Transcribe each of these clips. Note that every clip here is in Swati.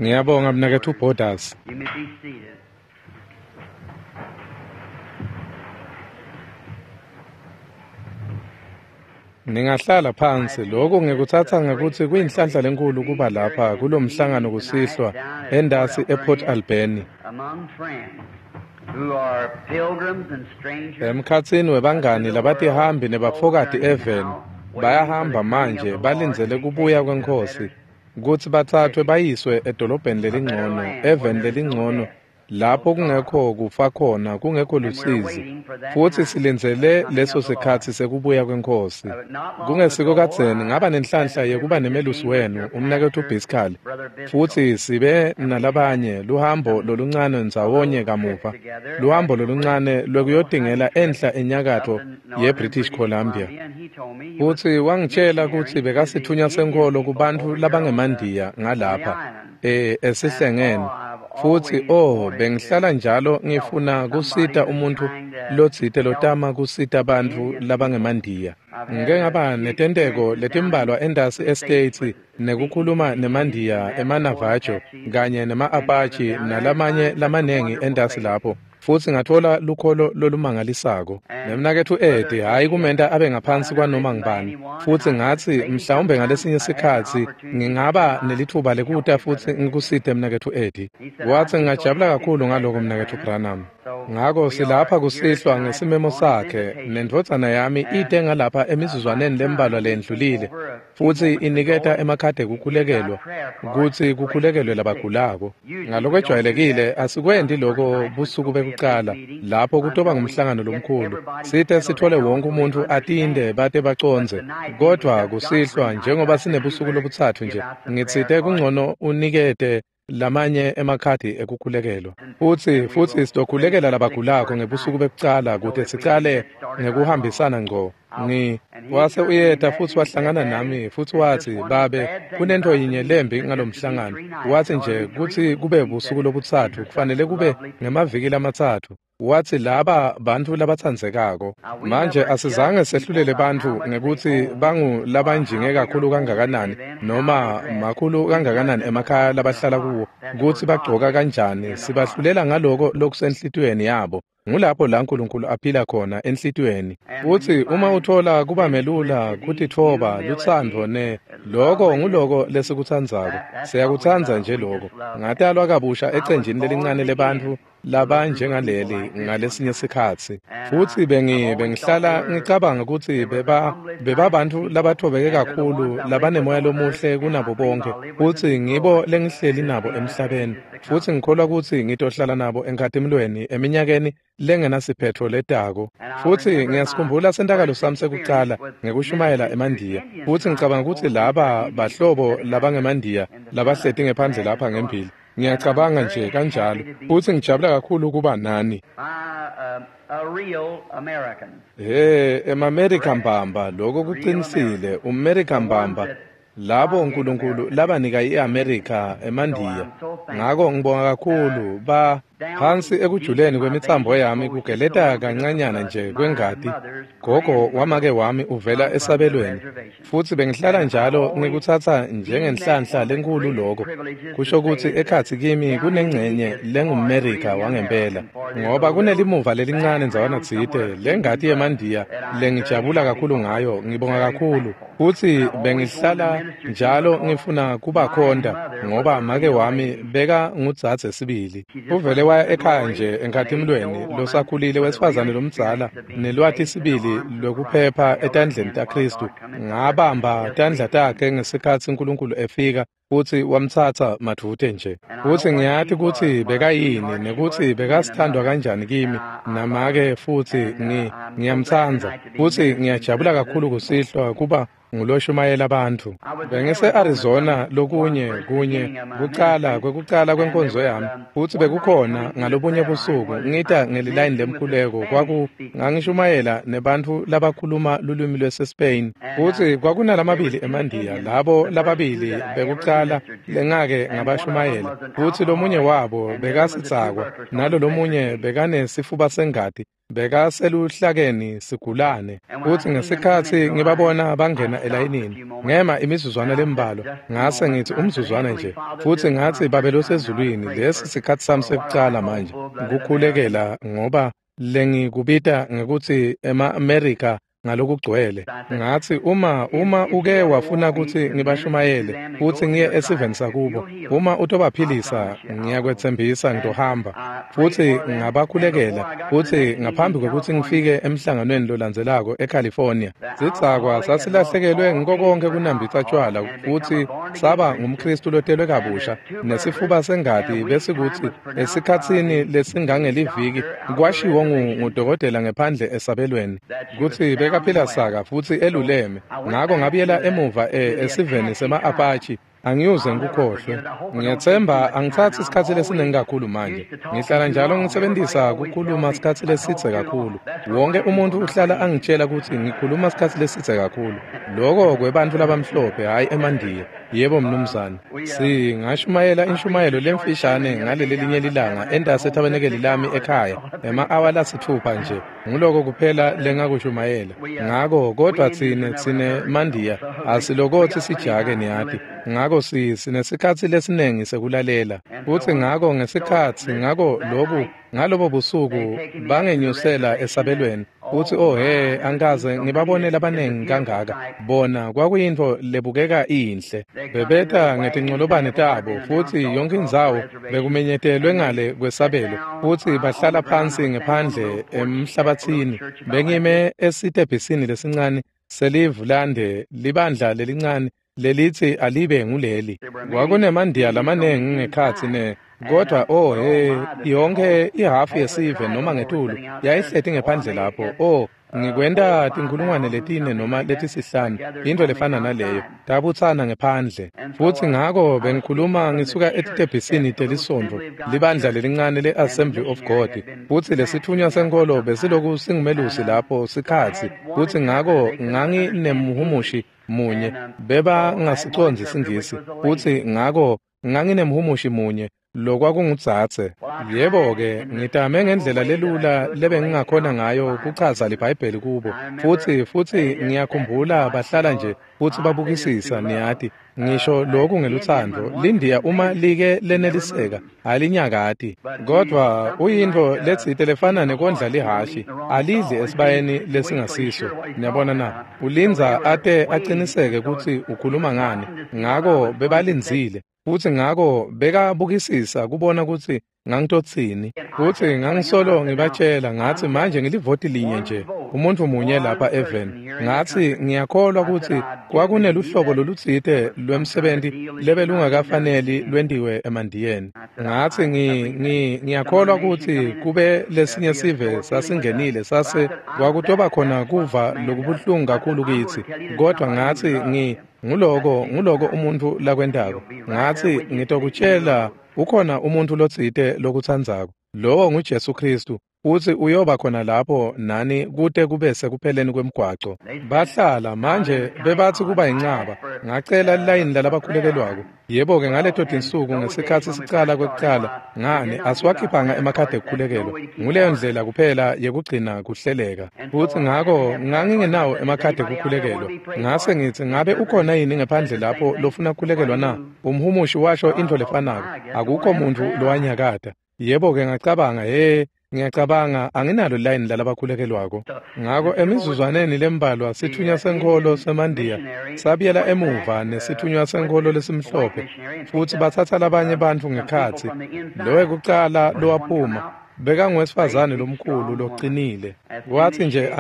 Ngiyabonga mnaketfu Borders. You may be seated. Ningahlala phansi. Lokhu ngikutsatsa ngekutsi kuyinhlanhla lenkulu kuba lapha kulomhlangano kusihlwa endasi ePort Alberni. Among friends who are pilgrims and strangers Emkhatsini webangani labatihambi nebafokati eveni bayahamba manje balindzele kubuya kweNkhosi kutsi bathathwe bayiswe edolobheni lelingcono, eveni lelingcono lapho kungekho kufa khona, kungekho lusizi. Futsi silindzele leso sikhatsi sekubuya kweNkhosi. Kungesiko kadzeni ngaba nenhlanhla yekuba nemelusi wenu, umnaketfu Byskal, futsi sibe nalabanye luhambo loluncane ndzawonye kamuva, luhambo loluncane lwekuyotingela enhla enyakatfo yeBritish Columbia. Futsi wangitshela kutsi bekasitfunywa senkholo kubantfu labangemandiya ngalapha esihlengeni. Futsi oh, bengihlala njalo ngifuna kusita umuntfu lotsite lotama kusita bantfu labangemandiya. Ngike ngaba netenteko letimbalwa entasi eStates nekukhuluma nemandiya emaNavajo kanye nema-Apache nalamanye lamanengi entasi lapho. Futsi ngatfola lukholo lolumangalisako. Nemnaketfu Eddie, hhayi kumenta abe ngaphansi kwanoma ngubani. Futsi ngatsi mhlawumbe ngalesinye sikhatsi ngingaba nelitfuba lekuta futsi ngikusite mnaketfu Eddie. Watsi ngingajabula kakhulu ngaloko mnaketfu Branham. Ngako silapha kusihlwa ngesimemo sakhe, nendvodzana yami ite ngalapha emizuzwaneni lembalwa lendlulile, futsi iniketa emakhadi ekukhulekelwa kutsi kukhulekelwe labagulako. Ngalokwejwayelekile asikwenti loko busuku bekucala lapho kutoba ngumhlangano lomkhulu, site sitfole wonke umuntfu atinde bate bacondze. Kodvwa kusihlwa njengoba sinebusuku lobutsatfu nje, ngitsite kungcono unikete lamanye emakhadi ekukhulekelwa. Futsi sitokhulekela labagulako ngebusuku bekucala kute sicale ngekuhambisana ngco. Wase uyeta futsi wahlangana nami futsi watsi, "Babe, kunentfo yinye lembi ngalomhlangano." Watsi nje kutsi kube busuku lobutsatfu kufanele kube ngemaviki lamatsatfu. Watsi laba bantfu labatsandzekako. Manje asizange sehlulele bantfu ngekutsi bangu labanjinge kakhulu kangakanani noma makhulu kangakanani emakhaya labahlala kuwo, kutsi bagcoka kanjani, sibahlulela ngaloko lokusenhlitiyweni yabo. Ngulapho la Nkulunkulu aphila khona, enhlitiyweni. Futsi uma utfola kuba melula kutitfoba, lutsandvo ne loko nguloko lesikutsandzako. Siyakutsandza nje loko. Ngatalwa kabusha ecenjini lelincane lebantfu labanjengaleli ngalesinye sikhatsi. Futsi bengihlala ngicabanga kutsi bebabantfu labathobeke kakhulu, labanemoya lomuhle kunabo bonke, futsi ngibo lengihleli nabo emhlabeni. Futsi ngikholwa kutsi ngitohlala nabo enkhatimulweni eminyakeni lengenasiphetfo letako. Futsi ngiyasikhumbula sentakalo sami sekucala ngekushumayela emandiya. Futsi ngicabanga kutsi laba bahlobo labangemandiya labahleti ngephandle lapha ngembili. Ngiyacabanga nje kanjalo. Futsi ngijabula kakhulu kuba nani. A real American. He, emaMerika mbamba, lokho kuqinisile, umMerika mbamba. Labo uNkulunkulu labanika iAmerica emandiya. Ngako ngibonga kakhulu ba phansi ekujuleni kwemitsambo yami kugeleta kancanyana nje kwengati. Gogo wamake wami uvela esabelweni. Futsi bengihlala njalo ngikutsatsa njengenhlanhla lenkulu lokho. Kusho kutsi ekhatsi kimi kunengcenye lengumMerika wangempela. Ngoba kunelimuva lelincane ndzawana tsite lengati yemandiya lengijabula kakhulu ngayo, ngibonga kakhulu. Futsi bengihlala njalo ngifuna kubakhonta ngoba make wami beka ngudzadze sibili. Uvele waya ekhaya nje enkhatimulweni losakhulile wesifazane lomdzala nelwati sibili lwekuphepha etandleni taKhristu. Ngabamba tandla takhe ngesikhatsi uNkulunkulu efika futsi wamtsatsa madvute nje. Futsi ngiyati kutsi bekayini nekutsi bekasithandwa kanjani kimi namake, futsi ngiyamtsandza. Futsi ngiyajabula kakhulu kusihlwa kuba nguloshumayela bantfu. Bengise-Arizona lokunye kunye kucala kwekucala kwenkonzo yami, futsi bekukhona ngalobunye busuku ngita ngelilayini lemkhuleko ngangishumayela nebantfu labakhuluma lulwimi lwaseSpain. Futsi kwakunalamabili emandiya, labo lababili bekucala bekucala lengake ngabashumayela, futsi lomunye wabo bekasitsakwa, nalo lomunye bekanesifuba sengati, bekaseluhlakeni sigulane. Futsi ngesikhatsi ngibabona bangena elayinini, ngema imizuzwana lembalwa, ngase ngithi umzuzwana nje, futsi ngatsi Babe losezulwini, lesi sikhatsi sami sekucala manje kukhulekela, ngoba lengikubita ngekutsi ema-Amerika ngalokugcwele. Ngatsi uma uke wafuna kutsi ngibashumayele futsi ngiye esiveni sakubo, uma utobaphilisa, ngiyakwetsembisa ngitohamba. Futsi ngabakhulekela, futsi ngaphambi kwekutsi ngifike emhlanganweni lolandzelako eCalifornia, sidzakwa sasilahlekelwe ngiko konkhe kunambitsa tjwala futsi saba ngumKhristu lotelwe kabusha, nesifuba sengati besikutsi esikhatsini lesingangeliviki kwashiwo ngudokotela ngephandle esabelweni kutsi bekaphila saka futsi eluleme. Ngako ngabuyela emuva esiveni sema-Apache. Angiyuze ngikukhohlwe. Ngiyethemba angithathi isikhatsi lesiningi kakhulu manje. Ngihlala njalo ngisebenzisa kukhuluma isikhatsi lesidze kakhulu. Wonke umuntu uhlala angitshela kutsi ngikhuluma isikhatsi lesidze kakhulu. Loko kwebantfu labamhlophe, hhayi emandiya. Yebo mnumzane. Singashumayela inshumayelo lemfishane ngaleli linye lilanga entasi ethabenekeli lami ekhaya, ema-awa lasitfupha nje. Nguloko kuphela lengakushumayela. Ngako kodwa tsine mandiya asilokothi sijake niyati. Ngako sinesikhatsi lesiningi sekulalela. Futsi ngako ngesikhatsi ngako lobu ngalobo busuku bangenyusela esabelweni. Futsi oh he, angikaze ngibabone labanengi kangaka. Bona kwakuyintfo lebukeka inhle. Bebeta ngetincolobane tabo, futsi yonke indzawo bekumenyetelwe ngale kwesabelo, futsi bahlala phansi ngephandle emhlabatsini. Bengime esitebhisini lesincane selivulande libandla lelincane lelitsi alibe nguleli. Kwakunemandiya lamanengi ngekhatsi ne kodwa oh he, yonke ihafu yesive noma ngetulu yayihleti ngephandle lapho. Oh, ngikwenta 4,000 noma 5,000, into lefana naleyo, tabutsana ngephandle. Futsi ngako bengikhuluma ngisuka etitebhisini telisonto, libandla lelincane le-Assembly of God, futsi lesitfunywa senkolo besiloku singumelusi lapho sikhatsi. Futsi ngako nganginemhumushi munye, bebangasicondzi siNgisi, futsi ngako nganginemhumushi munye lokwakungudzadze. Yebo-ke, ngitame ngendlela lelula lebengingakhona ngayo kuchaza liBhayibheli kubo. Futsi ngiyakhumbula bahlala nje futsi babukisisa, niyati. Ngisho lokhu ngelutsandvo, lindiya uma like leneliseka, alinyakati. Kodwa uyintfo letsite lefana nekondla lihashi, alidli esibayeni lesingasiso. Niyabona na? Ulindza ate aqiniseke kutsi ukhuluma ngani. Ngako bebalindzile. Futsi ngako bekabukisisa kubona kutsi ngangitotsini. Futsi ngangisolo ngibatshela ngatsi manje ngilivoti linye nje, umuntfu munye lapha eveni. Ngatsi ngiyakholwa kutsi kwakuneluhlobo lolutsite lwemsebenti lebelungakafaneli lwentiwe emandiyeni. Ngatsi ngiyakholwa kutsi kube lesinye sive sasingenile sase kwakutoba khona kuva lokubuhlungu kakhulu kitsi. Kodwa ngatsi nguloko umuntfu lakwentako. Ngatsi ngitokutshela ukhona umuntfu lotsite lokutsandzako. Lowo nguJesu Khristu, futsi uyoba khona lapho nani kute kube sekupheleni kwemgwaco. Bahlala manje bebatsi kuba yincaba. Ngacela lilayini lalabakhulekelwako. Yebo-ke, ngaleto tinsuku ngesikhatsi sicala kwekucala, ngani asiwakhiphanga emakhadi ekukhulekelwa. Nguleyo ndlela kuphela yekugcina kuhleleka. Futsi ngako ngangingenawo emakhadi ekukhulekelwa. Ngase ngitsi ngabe ukhona yini ngephandle lapho lofuna kukhulekelwa na? Umhumushi washo intfo lefanako. Akukho muntfu lowanyakata. Yebo-ke, ngacabanga, he, ngiyacabanga anginalo line lalabakhulekelwako. Ngako emizuzwaneni lembalwa sitfunywa senkholo semandiya sabuyela emuva nesitfunywa senkholo lesimhlophe, futsi batsatsa labanye bantfu ngekhatsi. Lowekucala lowaphuma bekanguwesifazane lomkhulu loqinile. Wathi nje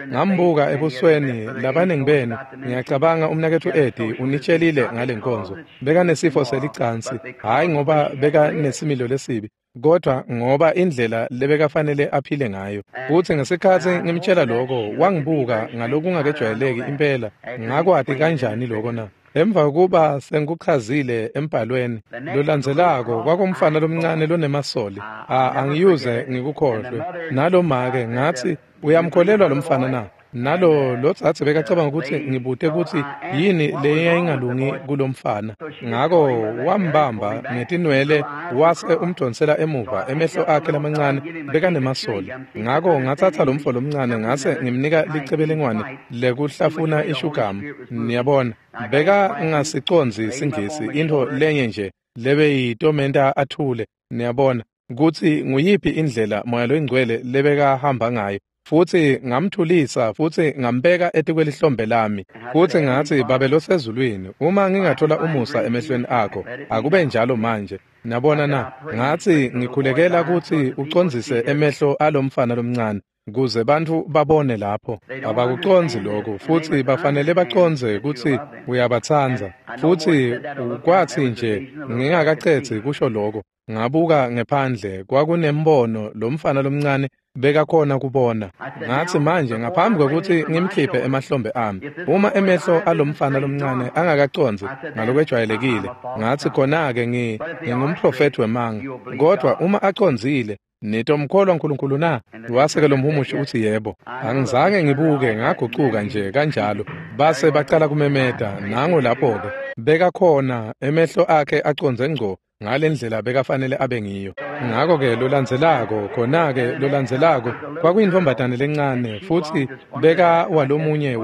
ngambuka ebusweni labaningi benu, ngiyacabanga umnaketfu Eddie unitshelile ngale nkonzo. Bekanesifo selicansi, hhayi ngoba bekanesimilo lesibi, kodwa ngoba indlela lebekafanele aphile ngayo. Futsi ngesikhatsi ngimtshela lokho, wangibuka ngalokungakejwayeleki impela. Ngakwati kanjani lokho na? Emva kokuba sengikuchazile embhalweni lolandzelako kwakumfana lomncane lonemasoli. Angiyuze ngikukhohlwe. Nalomake ngatsi, uyamkholelwa lomfana na? Nalo lotsatse bekacabanga kutsi ngibute kutsi yini leyayingalungi kulomfana. Ngako wambamba ngetinwele wase umdonsela emuva, emehlo akhe lamancane bekanemasoli. Ngako ngatsatsa lomfo lomncane ngase ngimnika licebelengwane lekuhlafuna ishugamu. Niyabona, bekangasicondzi siNgisi, intfo lenye nje lebeyitomenta athule. Niyabona kutsi nguyiphi indlela Moya loyiNgcwele lebekahamba ngayo. Futsi ngamthulisa futsi ngambeka etikwelihlombe lami. Futsi ngatsi, Babe losezulwini, uma ngingathola umusa emehlweni akho, akube njalo manje. Niyabona na? Ngatsi ngikhulekela kutsi ucondzise emehlo alomfana lomncane, kuze bantfu babone lapho. Abakucondzi lokhu, futsi bafanele bacondze kutsi uyabatsandza. Futsi kwatsi nje ngingakacedzi kusho lokho, ngabuka ngephandle, kwakunembono lomfana lomncane bekakhona kubona. Ngatsi, manje ngaphambi kwekutsi ngimkhiphe emahlombe ami, uma emehlo alomfana lomncane angakacondzi ngalokwejwayelekile, ngatsi khona-ke ngingumprofethi wemanga. Kodwa uma acondzile, nitomkholwa uNkulunkulu na? Wase-ke lomhumushi utsi yebo. Angizange ngibuke, ngagucuka nje kanjalo. Base bacala kumemeta, nango lapho-ke. Bekakhona, emehlo akhe acondze ngco ngalendlela bekafanele abe ngiyo. Ngako-ke lolandzelako, khona-ke lolandzelako, kwakuyintfombatane lencane, futsi beka walomunye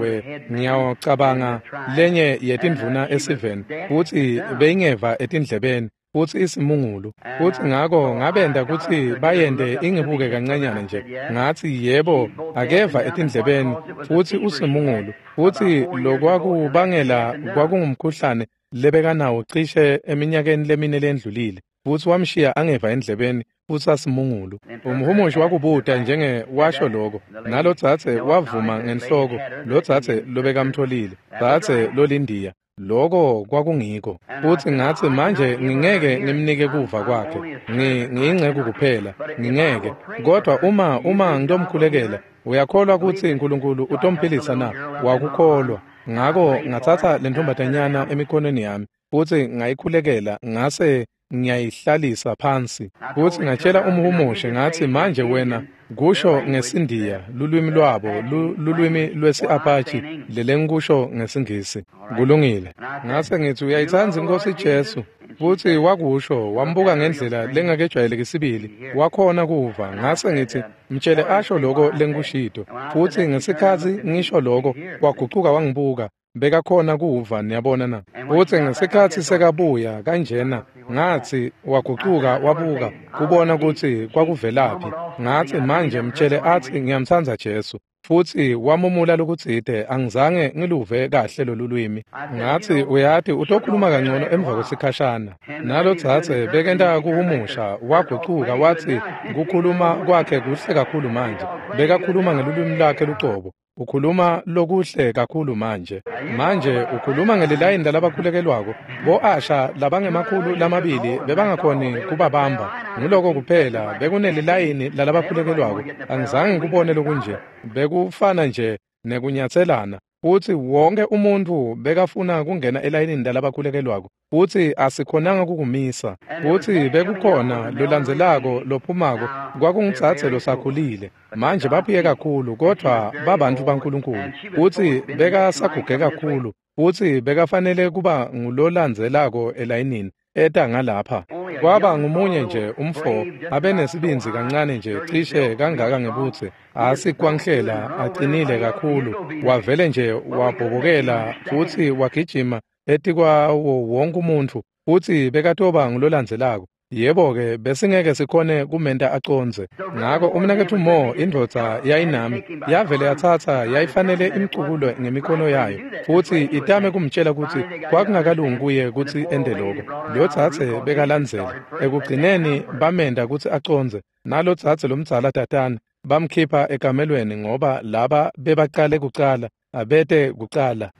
ngiyacabanga lenye yetindvuna esiveni, futsi beyingeva etindlebeni, futsi isimungulu. Futsi ngako ngabenta kutsi bayente ingibuke kancanyana nje. Ngatsi, yebo, akeva etindlebeni, futsi usimungulu. Futsi lokwakubangela kwakungumkhuhlane lebekanawo cishe eminyakeni lemine lendlulile, futsi wamshiya angeva endlebeni, futsi asimungulu. Umhumushi wakubuta njenge washo lokho, nalotsatse wavuma ngenhloko, lotsatse lobekamtholile, tsatse lolindiya. Lokho kwakungiko. Futsi ngatsi, manje ngingeke ngimnike kuva kwakhe, ngiyinceku kuphela, ngingeke. Kodwa uma ngitomkhulekela, uyakholwa kutsi uNkulunkulu utomphilisa na? Wakukholwa. Ngako ngatsatsa lentfombatanyana emikhonweni yami, futsi ngayikhulekela, ngase ngiyayihlalisa phansi. Futsi ngatshela umhumushi ngatsi, manje wena kusho ngesiNdiya, lulwimi lwabo, lulwimi lwesi-Apache, lelengikusho ngesiNgisi. Kulungile. Ngase ngitsi, uyayitsandza iNkhosi Jesu? Futsi wakusho, wambuka ngendlela lengakejwayeleki sibili, wakhona kuva. Ngase ngitsi, mtshele asho lokho lengikushito. Futsi ngesikhatsi ngisho lokho, wagucuka wangibuka. Bekakhona kuva, niyabona na? Futsi ngesikhatsi sekabuya kanjena, ngatsi wagucuka wabuka kubona kutsi kwakuvelaphi. Ngatsi, manje mtshele atsi ngiyamtsandza Jesu. Futsi wamumula lokutsite, angizange ngiluve kahle lolu lwimi. Ngatsi, uyati utokhuluma kangcono emva kwesikhashana. Nalotsatse bekenta kuhumusha, wagucuka watsi kukhuluma kwakhe kuhle kakhulu manje. Bekakhuluma ngelulwimi lwakhe lucobo. Ukhuluma lokuhle kakhulu manje. Manje ukhuluma ngelilayini lalabakhulekelwako. Bo-asha labangemakhulu lamabili bebangakhoni kubabamba. Nguloko kuphela bekunelilayini lalabakhulekelwako. Angizange ngikubone lokunje. Bekufana nje nekunyatselana. Futsi wonke umuntfu bekafuna kungena elayinini lalabakhulekelwako, futsi asikhonanga kukumisa. Futsi bekukhona lolandzelako lophumako, kwakungudzadze losakhulile. Manje baphuye kakhulu, kodvwa babantfu baNkulunkulu. Futsi bekasaguge kakhulu, futsi bekafanele kuba ngulolandzelako elayinini, eta ngalapha. Kwaba ngumunye nje umfo abenesibindzi kancane nje, cishe kangaka ngebutse, asikwanhlela acinile kakhulu, wavele nje wabhobokela futsi wagijima etikwawo wonke umuntfu, futsi bekatoba ngulolandzelako. Yebo-ke, besingeke sikhone kumenta acondze. Ngako umnaketfu Mo, indvodza yayinami, yavele yatsatsa yayifanele imcukule ngemikhono yayo, futsi itame kumtshela kutsi kwakungakalungi kuye kutsi ente lokho. Lotsatse bekalandzela. Ekugcineni bamenta kutsi acondze. Nalotsatse lomdzala tatane bamkhipha ekamelweni ngoba laba bebacale kucala, abete kucala.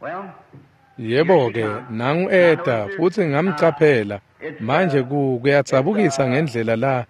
Yebo-ke, nangu eta, futsi ngamcaphela. Manje kuyadzabukisa ngendlela la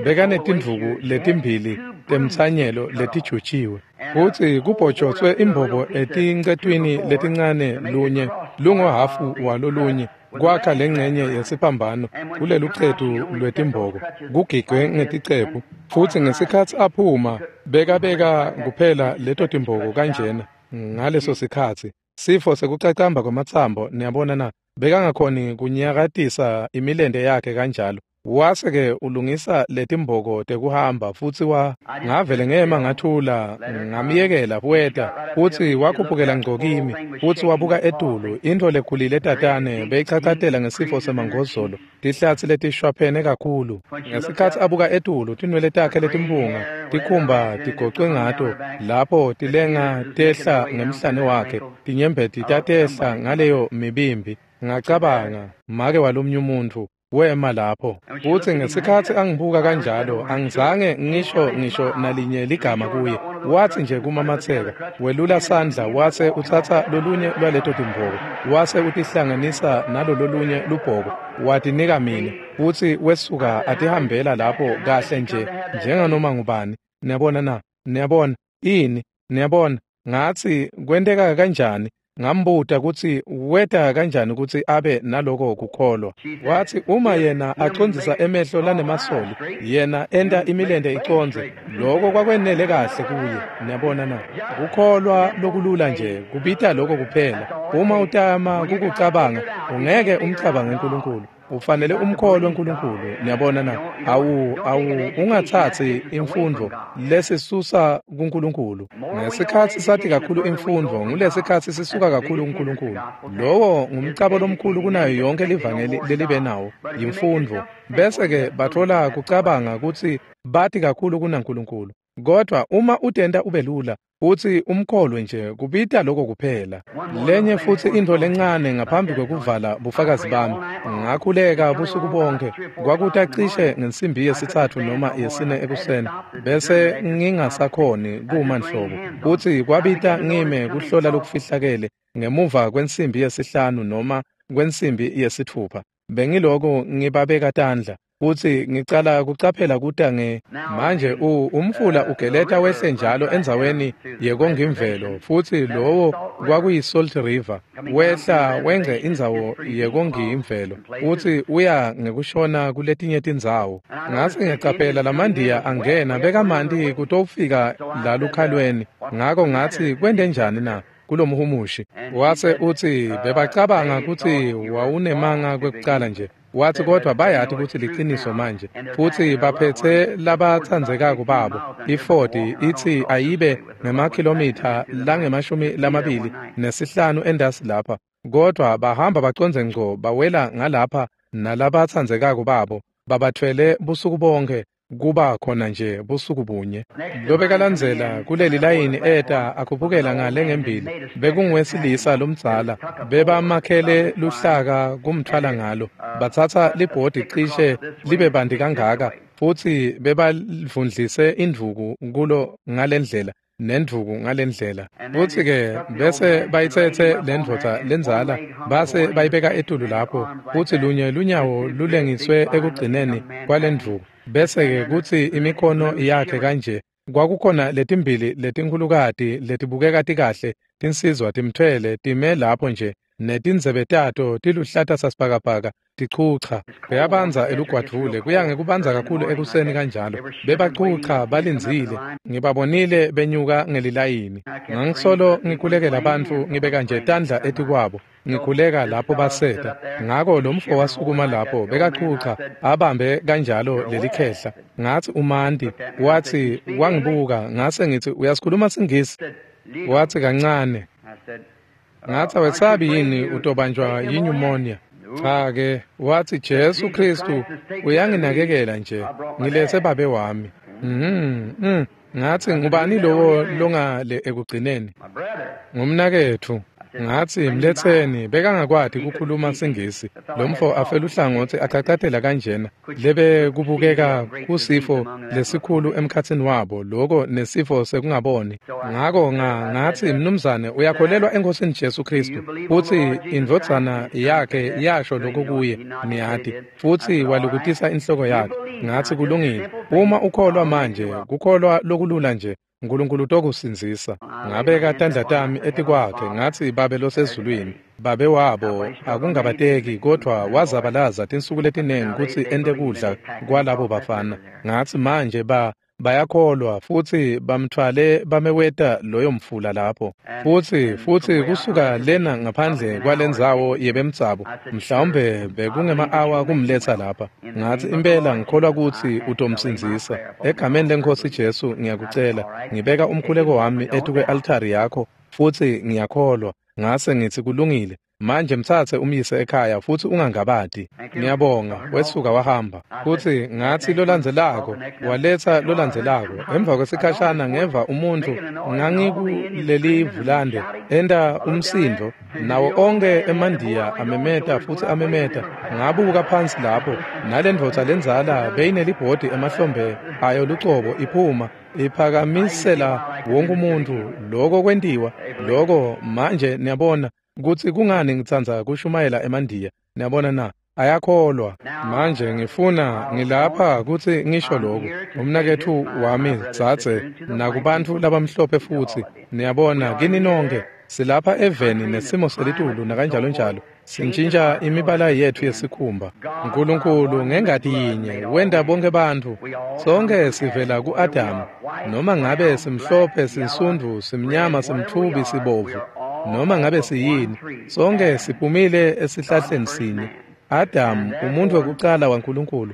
bekanetindvuku letimbili temtsanyelo letijutshiwe, futsi kubhojotswe imbobo etincetwini letincane lunye lungohafu walolunye kwakha lengcenye yesiphambano kulelucetu lwetimboko kugigwe ngeticephu. Futsi ngesikhatsi aphuma bekabeka kuphela leto timboko kanjena ngaleso sikhatsi sifo sekucacamba kwamatsambo, niyabona na, bekangakhoni kunyakatisa imilente yakhe kanjalo. Wase-ke ulungisa letimboko tekuhamba futsi ngavele ngema ngathula ngamyekela weta futsi wakhuphukela ngco kimi futsi wabuka etulu intfo lekhulile tatane beyichachatela ngesifo semangozolo tihlatsi letishwaphene kakhulu. Ngesikhatsi abuka etulu tinwele takhe letimpunga tikhumba tigocwe ngato lapho tilenga tehla ngemhlane wakhe tinyembeti tatehla ngaleyo mibimbi. Ngacabanga make walomnye umuntfu wema lapho futsi ngesikhatsi angibuka kanjalo angizange ngisho nalinye ligama kuye. Watsi nje kumamatseka welula sandla wase utsatsa lolunye lwaleto timboko wase utihlanganisa nalololunye lubhoko watinika mine futsi wesuka atihambela lapho kahle nje njenganoma ngubani. Niyabona na? Niyabona ini? Niyabona? Ngatsi kwenteka kanjani? Ngambuta kutsi weta kanjani kutsi abe naloko kukholwa. Watsi uma yena acondzisa emehlo lanemasoli yena enta imilente icondze, loko kwakwenele kahle kuye. Niyabona na? Kukholwa lokulula nje kubita lokho kuphela. Uma utama kukucabanga ungeke umcabange uNkulunkulu, ufanele umkholwe uNkulunkulu. Niyabona na? Awu ungatsatsi imfundvo lesisusa kuNkulunkulu. Ngesikhatsi sathi kakhulu imfundvo ngulesikhatsi sisuka kakhulu kuNkulunkulu. Lowo ngumcabo lomkhulu kunayo yonke livangeli lelibe nawo yimfundvo. Bese-ke bathola kucabanga kutsi bati kakhulu kunaNkulunkulu. Kodwa uma utenta ube lula utsi umkholwe nje kubita lokho kuphela. Lenye futsi intfo lencane ngaphambi kwekuvala bufakazi bami. Ngakhuleka busuku bonke kwakuta cishe ngensimbi 3 noma 4 ekuseni bese ngingasakhoni kuma nhlobo. Futsi kwabita ngime kuhlola lokufihlakele ngemuva kwensimbi 5 noma kwensimbi 6. Bengiloko ngibabeka tandla futsi ngicala kucaphela kuta nge manje umfula ugeleta wehle njalo endzaweni yekongimvelo futsi lowo kwakuyi Salt River wehla wengce indzawo yekongimvelo futsi uya ngekushona kuletinye tindzawo. Ngase ngicaphela lamandiya angena bekamanti kutofika lalukhalweni. Ngako ngatsi kwente njani na kulomhumushi? Wase utsi bebacabanga kutsi wawunemanga kwekucala nje. Watsi kodwa bayati kutsi liciniso manje futsi baphethe labatsandzekako babo. Iford itsi ayibe ngemakhilomitha lange-25 endasi lapha, kodwa bahamba bacondze ngco bawela ngalapha nalabatsandzekako babo babathwele busuku bonke kuba khona nje busuku bunye. Lobekalandzela kuleli layini eta akhuphukela ngale ngembili bekunguwesilisa lomdzala bebamakhele luhlaka kumthwala ngalo. Batsatsa libhodi cishe libe banti kangaka futsi bebavundlise indvuku kulo ngalendlela nendvuku ngalendlela. Futsi-ke bese bayitsetse lendvodza lendzala base bayibeka etulu lapho futsi lunye lunyawo lulengiswe ekugcineni kwalendvuku. Bese-ke kutsi imikhono yakhe kanje kwakukhona letimbili letinkhulukati letibukeka tikahle tinsizwa timthwele time lapho nje netindzebe tato tiluhlata sasibhakabhaka tichucha. Kuyabanza elugwadvule kuya ngekubanza kakhulu ekuseni kanjalo. Bebachucha balindzile ngibabonile benyuka ngelilayini. Ngangisolo ngikhulekela bantfu ngibeka nje tandla etikwabo ngikhuleka lapho baseta. Ngako lo mfo wasukuma lapho bekachucha abambe kanjalo lelikhehla. Ngatsi umanti. Watsi wangibuka ngase ngithi uyasikhuluma siNgisi? Watsi kancane. Ngatsi awesabi yini utobanjwa yinyumonia? Cha ke, watsi Jesu Kristu uyanginakekela nje ngiletse babe wami. Ngatsi ngubani lowo longale ekugcineni? Ngumnaketfu. Ngatsi, mletseni, bekangakwati kukhuluma siNgisi. Lomfo afeluhlangotsi acacatela kanjena, lebe kubukeka kusifo lesikhulu emkhatsini wabo, loko nesifo sekungaboni. Ngako ngatsi, mnumzane, uyakholelwa eNkosini Jesu Kristu, futsi indvodzana yakhe yasho lokho kuye, niyati, futsi walukutisa inhloko yakhe. Ngatsi, kulungile. Uma ukholwa manje, kukholwa lokulula nje, Nkulunkulu utokusindzisa. Ngabeka tandla tami etikwakhe, ngatsi, Babe losezulwini, babe wabo akungabateki, kodvwa wazabalaza tinsuku letinengi kutsi ente kudla kwalabo bafana. Ngatsi, manje bayakholwa futsi bamtfwale bameweta loyo mfula lapho. Futsi kusuka lena ngaphandle kwalendzawo yebemtsabo, mhlawumbe bekungema-awa kumletsa lapha. Ngatsi, impela ngikholwa kutsi utomsindzisa. Egameni leNkhosi Jesu ngiyakucela, ngibeka umkhuleko wami etukwe-altari yakho futsi ngiyakholwa. Ngase ngitsi, kulungile. Manje mtsatse umyise ekhaya futsi ungangabati. Ngiyabonga. Wesuka wahamba. Futsi ngatsi lolandzelako, waletsa lolandzelako. Emva kwesikhashana ngeva umuntfu ngangikuleli vulande enta umsindvo, nawo onkhe emandiya amemeta futsi amemeta. Ngabuka phansi lapho, nalendvodza lendzala beyinelibhodi emahlombe ayo lucobo iphuma, iphakamisela wonke umuntfu. Loko kwentiwa, loko manje niyabona kutsi kungani ngitsandza kushumayela emandiya. Niyabona na? Ayakholwa. Manje ngifuna ngilapha kutsi ngisho lokhu. Umnaketfu wami dzadze nakubantfu labamhlophe futsi. Niyabona, kini nonke silapha eveni nesimo selitulu nakanjalo njalo. Sintjintja imibala yetfu yesikhumba. Nkulunkulu ngengati yinye wenta bonke bantfu. Sonke sivela ku-Adamu. Noma ngabe simhlophe, sinsundvu, simnyama, simtfubi, sibovu, noma ngabe siyini, sonke siphumile esihlahleni sinye. Adamu, umuntfu wekucala waNkulunkulu.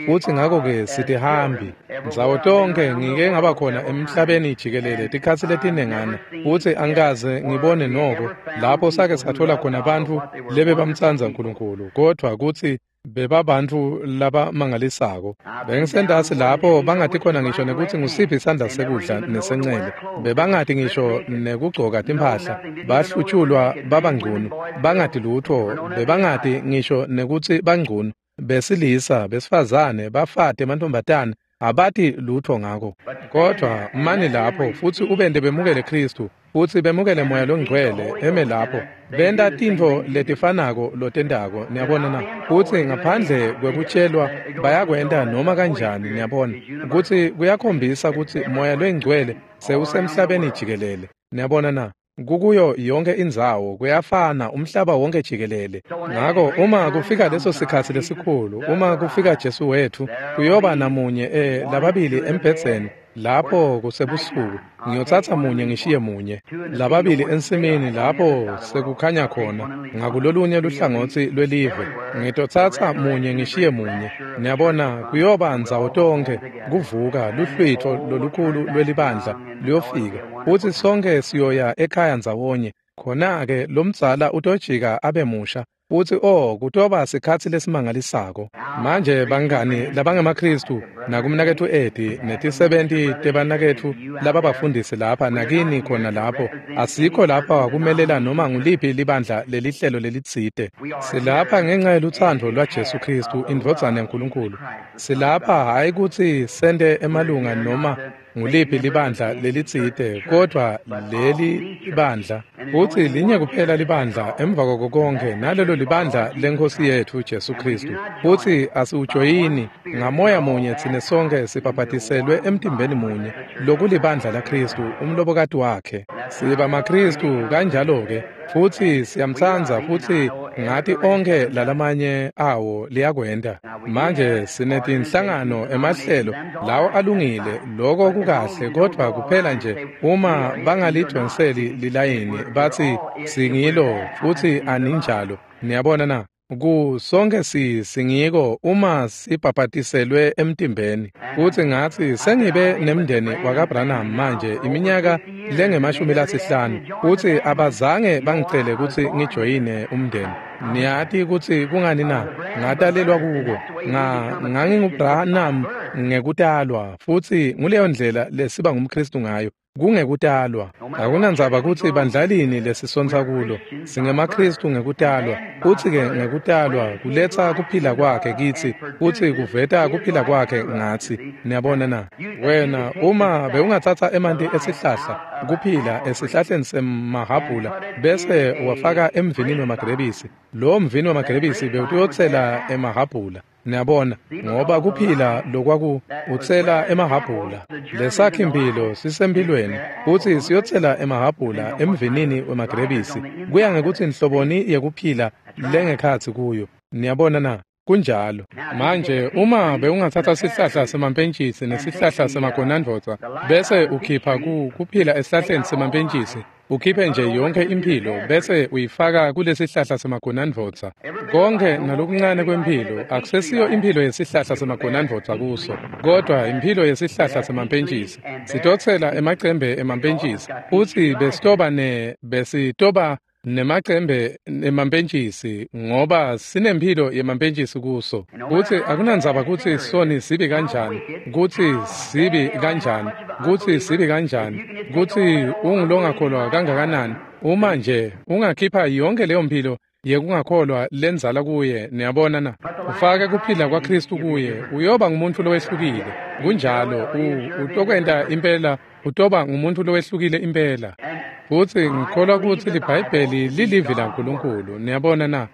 Futsi ngako-ke sitihambi. Ndzawo tonkhe ngike ngaba khona emhlabeni jikelele tikhatsi letinengana, futsi angikaze ngibone noko lapho sake sathola khona bantfu lebebamtsandza Nkulunkulu, kodvwa kutsi bebabantfu labamangalisako. Bengisentasi lapho bangati khona ngisho nekutsi ngusiphi isandla sekudla nesencele. Bebangati ngisho nekugcoka timphahla, bahlutshulwa babangcunu, bangati lutfo, bebangati ngisho nekutsi bangcunu. Besilisa, besifazane, bafati, emantfombatane, abati lutfo ngako. Kodvwa mani lapho futsi ubente bemukele Kristu, futsi bemukele Moya loNgcwele eme lapho, benta tintfo letifanako lotentako, niyabona na? Futsi ngaphandle kwekutshelwa bayakwenta noma kanjani, niyabona, kutsi kuyakhombisa kutsi Moya loNgcwele sewusemhlabeni jikelele, niyabona na? Kukuyo yonke indzawo, kuyafana umhlaba wonke jikelele. Ngako uma kufika leso sikhatsi lesikhulu, uma kufika Jesu wetfu, kuyoba namunye lababili embhedzeni lapho kusebusuku. Ngiyotsatsa munye ngishiye munye. Lababili ensimini lapho sekukhanya khona, ngakulolunye luhlangotsi lwelive. Ngitotsatsa munye ngishiye munye. Niyabona, kuyoba ndzawo tonkhe kuvuka luhlwitfo lolukhulu lwelibandla luyofika. Futsi sonke siyoya ekhaya ndzawonye. Khona-ke lomdzala utojika abe musha. Futsi kutoba sikhatsi lesimangalisako. Manje bangani labangemaKristu nakumnaketfu Eddie netisebenti tebanaketfu lababafundisi lapha nakini khona lapho, asikho lapha kumelela noma nguliphi libandla lelihlelo lelitsite. Silapha ngenxa yelutsandvo lwaJesu Kristu, indvodzana yaNkulunkulu. Silapha hhayi kutsi sente emalunga noma nguliphi libandla lelitsite, kodvwa leli libandla, futsi linye kuphela libandla emva kwako konkhe, nalelo libandla leNkhosi yetfu Jesu Kristu. Futsi asiwujoyini ngamoya munye, tsine sonke sibhabhatiselwe emtimbeni munye, lokulibandla laKristu, umlobokati wakhe. Siba maKristu kanjalo-ke, futsi siyamtsandza, futsi ngati onkhe lalamanye awo liyakwenta. Manje sinetinhlangano emahlelo lawo alungile, loko kukahle, kodvwa kuphela nje uma bangalidvonseli lilayini batsi singilo futsi aninjalo. Niyabona na? Ku sonke singiko uma sibhabhatiselwe emtimbeni. Futsi ngatsi sengibe nemndeni wakaBranham manje iminyaka lengama-50, futsi abazange bangicele kutsi ngijoyine umndeni. Niyati kutsi kungani na? Ngatalelwa kuko. NganginguBranham Ngekutalwa, futsi nguleyo ndlela lesiba ngumKhristu ngayo, kungekutalwa. Akunandzaba kutsi bandlalini lesisontsa kulo, singemaKhristu ngekutalwa, futsi-ke ngekutalwa kuletsa kuphila kwakhe kitsi, futsi kuveta kuphila kwakhe ngatsi. Niyabona na? Wena, uma bewungatsatsa emanti esihlahla, kuphila esihlahleni semahhabhula, bese uwafaka emvinini wemagrebisi, lowo mvini wemagrebisi bewutotsela emahhabhula. Niyabona, ngoba kuphila lokwaku utsela emahhabhula. Lesakhi-mphilo sisemphilweni, futsi siyotsela emahhabhula emvinini wemagrebisi. Kuya ngekutsi nhloboni yekuphila lengekhatsi kuyo. Niyabona na? Kunjalo. Manje uma bewungatsatsa sihlahla semampentjisi nesihlahla semagonandvodza bese ukhipha kuphila esihlahleni semampentjisi, ukhiphe nje yonke imphilo bese uyifaka kulesihlahla semagonandvodza. Konke nalokuncane kwemphilo akusesiyo imphilo yesihlahla semagonandvodza kuso, kodwa imphilo yesihlahla semampentjisi. Sitotsela emacembe emampentjisi, futsi besitoba nemacembe emampentjisi ngoba sinemphilo yemampentjisi kuso. Kutsi akunandzaba kutsi soni sibi kanjani, kutsi sibi kanjani, kutsi sibi kanjani, kutsi ungulongakholwa kangakanani, uma nje ungakhipha yonke leyo mphilo yekungakholwa lenzala kuye, niyabona na? Ufake kuphila kwaKhristu kuye, uyoba ngumuntu lowehlukile. Kunjalo, utokwenta impela, utoba ngumuntu lowehlukile impela. Futsi ngikholwa kutsi liBhayibheli lilivi laNkulunkulu, niyabona na?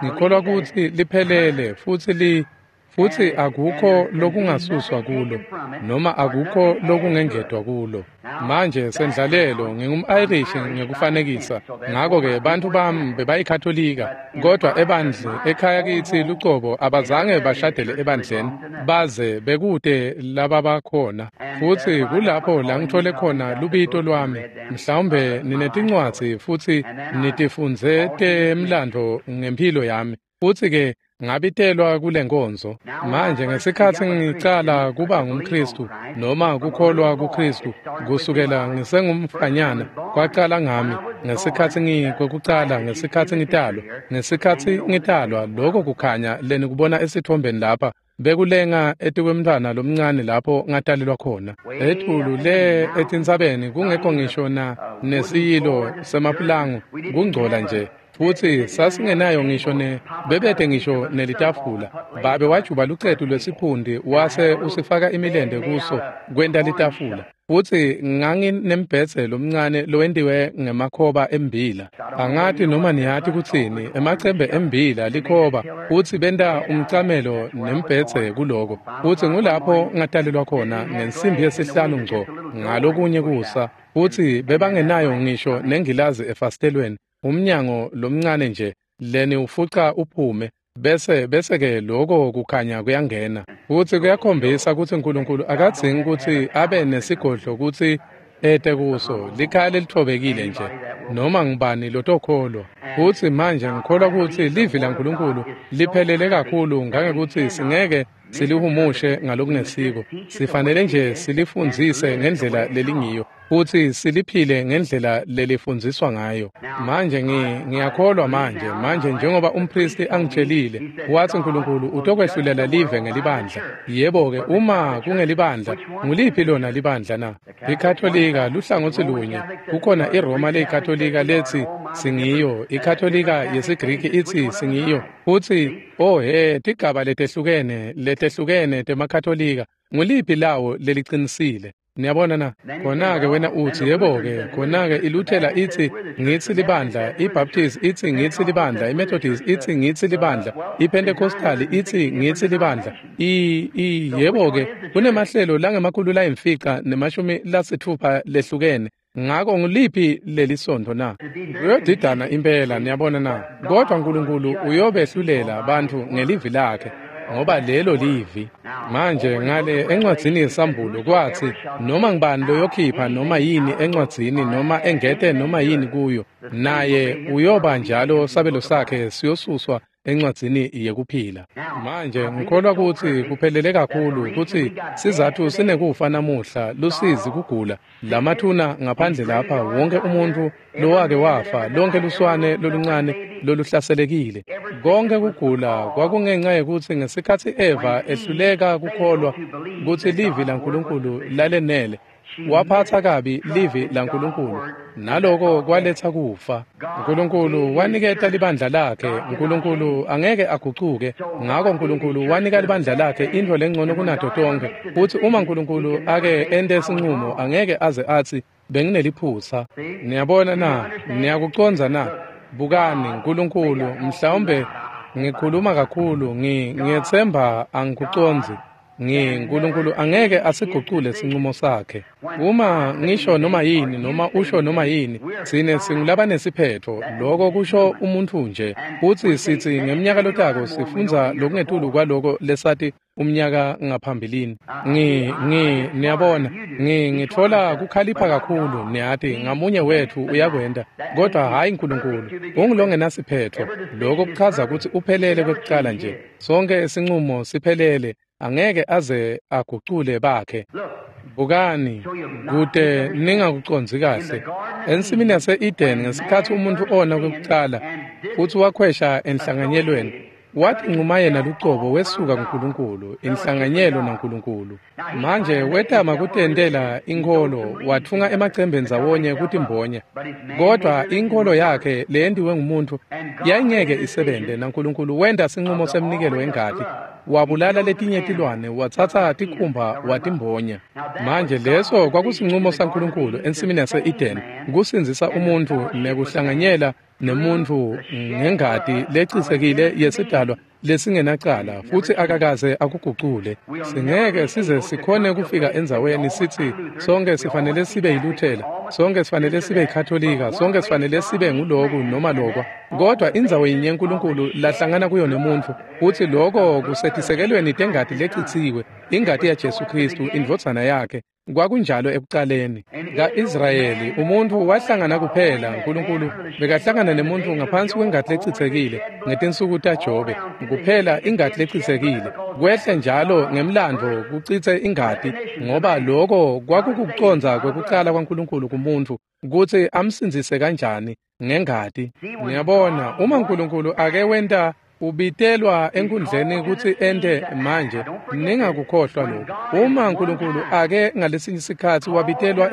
Ngikholwa kutsi liphelele futsi futsi akukho lokungasuswa kulo noma akukho lokungengetwa kulo. Manje sendlalelo ngingum-Irish ngekufanekisa, ngako-ke bantfu bami bebayikhatholika, kodwa ebandle ekhaya kitsi lucobo abazange bashadele ebandleni baze bekute lababakhona. Futsi kulapho la ngithole khona lubito lwami. Mhlawumbe ninetincwadzi futsi nitifundze temlandvo ngemphilo yami. Futsi-ke ngabitelwa kule nkonzo. Manje ngesikhatsi ngicala kuba ngumKhristu noma kukholwa kuKhristu kusukela ngisengumfanyana, kwacala ngami ngesikhatsi ngikwekucala, ngesikhatsi ngitalwa. Ngesikhatsi ngitalwa, lokho kukhanya lenikubona esitfombeni lapha bekulenga etikwemntfwana lomncane lapho ngatalelwa khona. Etulu le etintsabeni kungekho ngisho na nesiyilo semapulango, kungcola nje. Futsi sasingenayo ngisho bebete ngisho nelitafula. Babe wajuba lucetu lwesiphundi wase usifaka imilente kuso kwenta litafula. Futsi nganginembhedze lomncane lowentiwe ngemakhoba embila. Angati noma niyati kutsini, emacembe embila likhoba, futsi benta umcamelo nembhedze kuloko. Futsi ngulapho ngatalelwa khona ngensimbi yesihlanu ngco ngalokunye kusa. Futsi bebangenayo ngisho nengilazi efasitelweni. Umnyango lomncane nje leni ufuca uphume, bese-ke lokho kukhanya kuyangena. Futsi kuyakhombisa kutsi uNkulunkulu akadzingi kutsi abe nesigodlo kutsi ete kuso, likhaya lelithobekile nje, noma ngubani lotokholwa. Futsi manje ngikholwa kutsi livi laNkulunkulu liphelele kakhulu ngangekutsi singeke silihumushe ngalokungesiko. Sifanele nje silifundzise ngendlela lelingiyo, futsi siliphile ngendlela lelifundziswa ngayo. Manje ngiyakholwa manje njengoba umpristi angitshelile, wathi uNkulunkulu utokwehlulela live ngelibandla. Yebo-ke, uma kungelibandla, nguliphi lona libandla na? IKatolika luhlangotsi lunye, kukhona iRoma leyiKatolika lethi singiyo, iKatolika yesiGriki ithi singiyo, futsi oh he, tigaba letehlukene temaKatolika, nguliphi lawo leliqinisile? Niyabona na? Khona-ke wena uthi, yebo-ke, khona-ke iLuthela ithi ngitsi libandla, iBaptist ithi ngitsi libandla, iMethodist ithi ngitsi libandla, iPentecostal ithi ngitsi libandla. Yebo-ke, kunemahlelo langemakhulu layimfica nemashumi lasitfupha lehlukene. Ngako nguliphi lelisontfo na? Kuyodidana impela, niyabona na? Kodwa uNkulunkulu uyobehlulela bantfu ngelivi lakhe, ngoba lelo livi. Manje ngale encwadzini yeSambulo kwatsi noma ngubani loyokhipha noma yini encwadzini noma engete noma yini kuyo, naye uyoba njalo sabelo sakhe siyosuswa encwadzini yekuphila. Manje ngikholwa kutsi kuphelele kakhulu kutsi sizatfu sinekufa namuhla, lusizi, kugula, lamathuna ngaphandle lapha, wonke umuntu lowake wafa, lonke luswane loluncane loluhlaselekile. Konke kugula kwakungenxa yekutsi ngesikhatsi Eva ehluleka kukholwa kutsi livi laNkulunkulu lalenele, waphatsa kabi livi laNkulunkulu, naloko kwaletsa kufa. Nkulunkulu waniketa libandla lakhe. Nkulunkulu angeke agucuke, ngako Nkulunkulu wanika libandla lakhe intfo lengcono kunato tonkhe. Futsi uma Nkulunkulu ake ente sincumo, angeke aze atsi bengineliphutsa. Niyabona na? Niyakucondza na? Bukani, Nkulunkulu, mhlawumbe ngikhuluma kakhulu, ngiyetsemba angikucondzi. Nkulunkulu angeke asigucule sincumo sakhe. Uma ngisho noma yini noma usho noma yini, tsine singulabanesiphetho, loko kusho umuntfu nje. Futsi sitsi ngemnyaka lotako sifundza lokungetulu kwaloko lesati umnyaka ngaphambilini. Niyabona, ngitfola kukhalipha kakhulu, niyati, ngamunye wetfu uyakwenta, kodwa hhayi Nkulunkulu. Ungulongenasiphetho. Loko kuchaza kutsi uphelele kwekucala nje. Sonke sincumo siphelele, angeke aze agucule bakhe. Bukani, kute ningakucondzi kahle. Ensimini yase-Eden, ngesikhatsi umuntfu ona kwekucala futsi wakhwesha enhlanganyelweni, wathi ncuma yena lucobo wesuka kuNkulunkulu, inhlanganyelo naNkulunkulu. Manje wetama kutentela inkholo, watfunga emacembe ndzawonye kutimbonya, kodwa inkholo yakhe leyentiwe ngumuntfu yayingeke isebente, naNkulunkulu wenta sincumo semnikelo wengati, wabulala letinye tilwane, watsatsa tikhumba watimbonya. Manje leso kwakusincumo saNkulunkulu ensimini yase-Eden, kusindzisa umuntfu nekuhlanganyela nemuntfu ngengati lecisekile yesidalwa lesingenacala, futsi akakaze akugucule. Singeke size sikhone kufika endzaweni sitsi sonke sifanele sibe yiLuthela, sonke sifanele sibe yiKatolika, sonke sifanele sibe nguloku noma lokwa, kodwa indzawo yinye uNkulunkulu lahlangana kuyo nemuntfu, futsi loko kusetisekelweni tengati lecitsiwe, ingati yaJesu Khristu, indvodzana yakhe. Kwakunjalo ekucaleni. Ka-Israyeli umuntfu wahlangana kuphela, Nkulunkulu bekahlangana nemuntfu ngaphansi kwengati lecitsekile ngetinsuku taJobe, kuphela ingati lecitsekile. Kwehle njalo ngemlandvo kucitse ingati, ngoba loko kwakukucondza kwekucala kwaNkulunkulu kumuntfu kutsi amsindzise kanjani ngengati. Niyabona, uma Nkulunkulu ake wenta ubitelwa enkundleni kutsi ente manje, ningakukhohlwa lokhu. Uma Nkulunkulu ake ngalesinye isikhatsi wabitelwa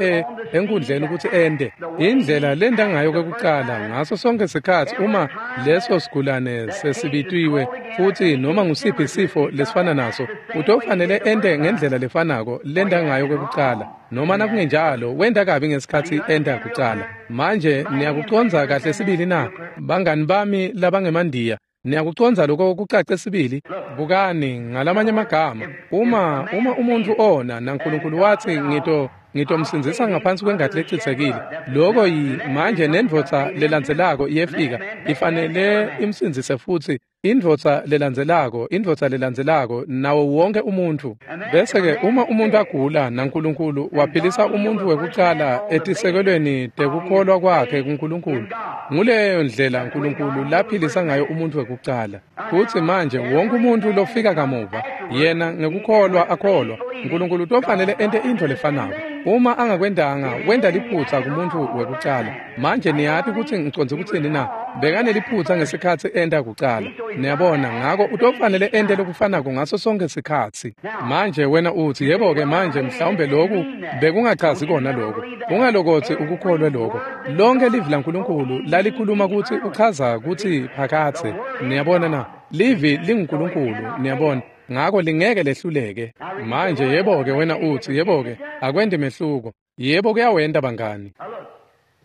enkundleni kutsi ente indlela lenta ngayo kwekucala, ngaso sonke sikhatsi uma leso sigulane sesibitiwe futsi noma ngusiphi sifo lesifana naso, utofanele ente ngendlela lefanako lenta ngayo kwekucala, noma nakungenjalo wenta kabi ngesikhatsi enta kucala. Manje niyakucondza kahle sibili na, bangani bami labangemandiya? Niyakucondza lokho kucace sibili? Bukani, ngalamanye amagama, uma umuntfu ona naNkulunkulu watsi ngitomsindzisa ngaphansi kwengati lecitsekile, loko manje nendvodza lelandzelako iyefika, ifanele imsindzise futsi, indvodza lelandzelako, indvodza lelandzelako, nawo wonke umuntfu. Bese-ke uma umuntu agula naNkulunkulu waphilisa umuntfu wekucala etisekelweni tekukholwa kwakhe kuNkulunkulu, nguleyo ndlela Nkulunkulu laphilisa ngayo umuntfu wekucala. Futsi manje wonke umuntfu lofika kamuva, yena ngekukholwa akholwa, Nkulunkulu utofanele ente intfo lefanako. Uma angakwentanga, wenta liphutsa kumuntfu wekucala. Manje niyati kutsi ngicondze kutsini na? Bekaneliphutsa ngesikhatsi enta kucala. Niyabona, ngako utofanele ente lokufanako ngaso sonke sikhatsi. Manje wena utsi, yebo-ke manje mhlawumbe loku bekungachazi kona lokho. Ungalokotsi ukukholwe lokho. Lonke livi laNkulunkulu lalikhuluma kutsi uchaza kutsi phakatse. Niyabona na? Livi linguNkulunkulu, niyabona. Ngako lingeke lehluleke. Manje yebo-ke wena utsi, yebo-ke akwenti mehluko. Yebo kuyawenta bangani.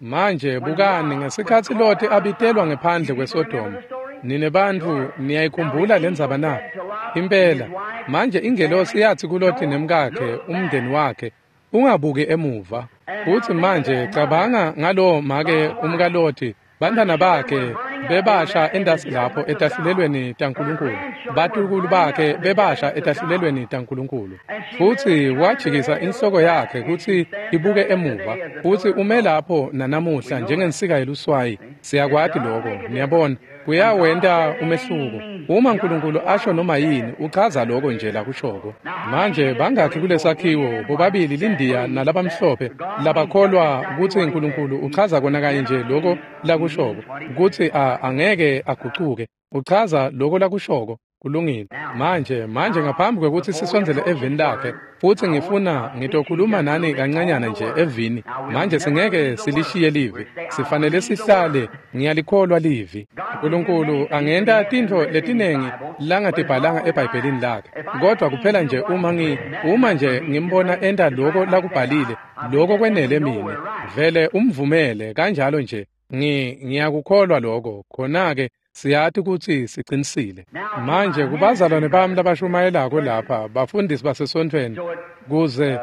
Manje bukani, ngesikhatsi Loti abitelwa ngephandle kweSodoma, nine bantfu niyayikhumbula lendzaba na? Impela. Manje ingelosi yathi kuLoti nemkakhe, umndeni wakhe, ungabuki emuva. Futsi manje cabanga ngalowo make umkaLoti, bantwana bakhe bebasha endasi lapho etahlulelweni taNkulunkulu, batukulu bakhe bebasha etahlulelweni taNkulunkulu. Futsi wajikisa inhloko yakhe kutsi ibuke emuva, futsi ume lapho nanamuhla njengensika yeluswayi. Siyakwati lokho, niyabona. Kuyawenta umehluko. Uma uNkulunkulu asho noma yini, uchaza lokho nje lakushoko. Manje bangakhi kulesakhiwo bobabili lindiya nalabamhlophe labakholwa kutsi uNkulunkulu uchaza kona kanye nje lokho lakushoko, kutsi angeke agucuke. Uchaza lokho lakushoko. Kulungile. Manje ngaphambi kwekutsi sisondzele evini lakhe, futsi ngifuna ngitokhuluma nani kancanyana nje evini. Manje singeke silishiye livi, sifanele sihlale. Ngiyalikholwa livi. uNkulunkulu angenta tintfo letinengi langatibhalanga eBhayibhelini lakhe, kodwa kuphela nje uma nje ngimbona enta lokho lakubhalile, lokho kwenele mine. Vele umvumele kanjalo nje. Ngiyakukholwa lokho. Khona-ke siyati kutsi sicinisile. Manje kubazalwane bami labashumayelako lapha, bafundisi basesontfweni, kuze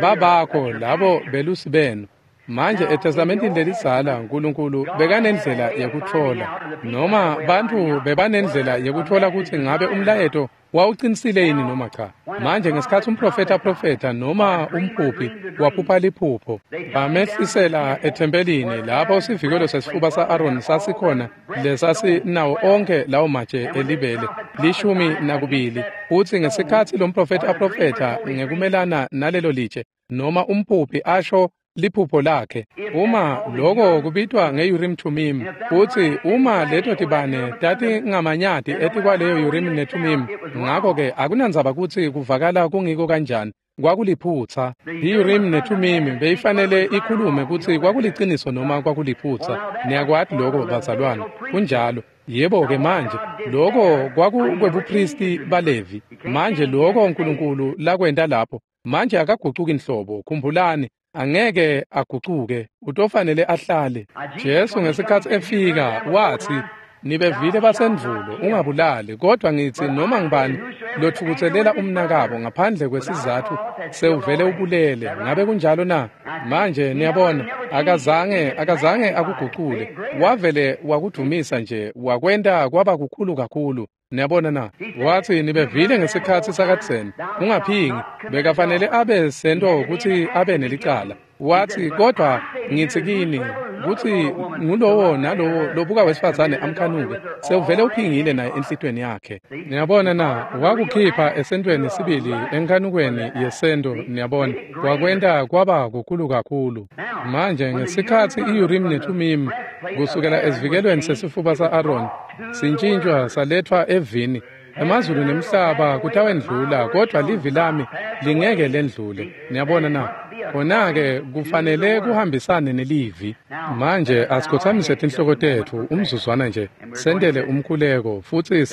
babakho labo belusi benu. Manje eTestamentini lelidzala uNkulunkulu bekanendlela yekutfola, noma bantfu bebanendlela yekutfola kutsi ngabe umlayeto wawucinisile yini noma cha. Manje ngesikhatsi umprofeta aprofetha noma umphuphi waphupha liphupho, bamehlisela ethempelini lapho sivikelo sesifuba sa-Aroni sasikhona lesasinawo onke lawo matshe elibele 12. Futsi ngesikhatsi lo mprofethi aprofetha ngekumelana nalelo litshe, noma umphuphi asho liphupho lakhe, uma lokho kubitwa nge-Urim Thummim, futsi uma leto tibane tatingamanyati etikwaleyo Urim neThummim, ngakho-ke akunandzaba kutsi kuvakala kungiko kanjani, kwakuliphutsa. I-Urim neThummim beyifanele ikhulume kutsi kwakuliciniso noma kwakuliphutsa. Niyakwati lokho bazalwane, kunjalo. Yebo-ke manje, lokho kwakukwebuphristi baLevi. Manje lokho uNkulunkulu lakwenta lapho, manje akagucuki nhlobo. Khumbulani, angeke agucuke, utofanele ahlale. Jesu ngesikhatsi efika watsi, nibevile basendvulo, ungabulali, kodwa ngitsi noma ngibani lotfukutselela umnakabo ngaphandle kwesizatfu sewuvele ubulele. Ngabe kunjalo na? Manje niyabona, akazange akugucule, wavele wakudumisa nje, wakwenta kwaba kukhulu kakhulu. Niyabona na? Watsi nibevile ngesikhatsi sakadzeni, ungaphingi. Bekafanele abe sento kutsi abe nelicala. Watsi kodwa ngitsi kini kutsi ngulowo nalowo lobuka wesifazane amkhanuke sewuvele uphingile naye enhlitweni yakhe. Niyabona na? Wakukhipha esentweni sibili, enkhanukweni yesento. Niyabona, wakwenta kwaba kukhulu kakhulu. Manje ngesikhatsi i-Urim neThummim kusukela esivikelweni sesifuba sa-Aroni sintshintshwa salethwa evini, emazulu nemhlaba kutawendlula, kodwa livi lami lingeke lendlule. Niyabona na? Khona-ke kufanele kuhambisane nelivi. Manje asikhothamise tinhloko tetfu umzuzwana nje, sentele umkhuleko, futsi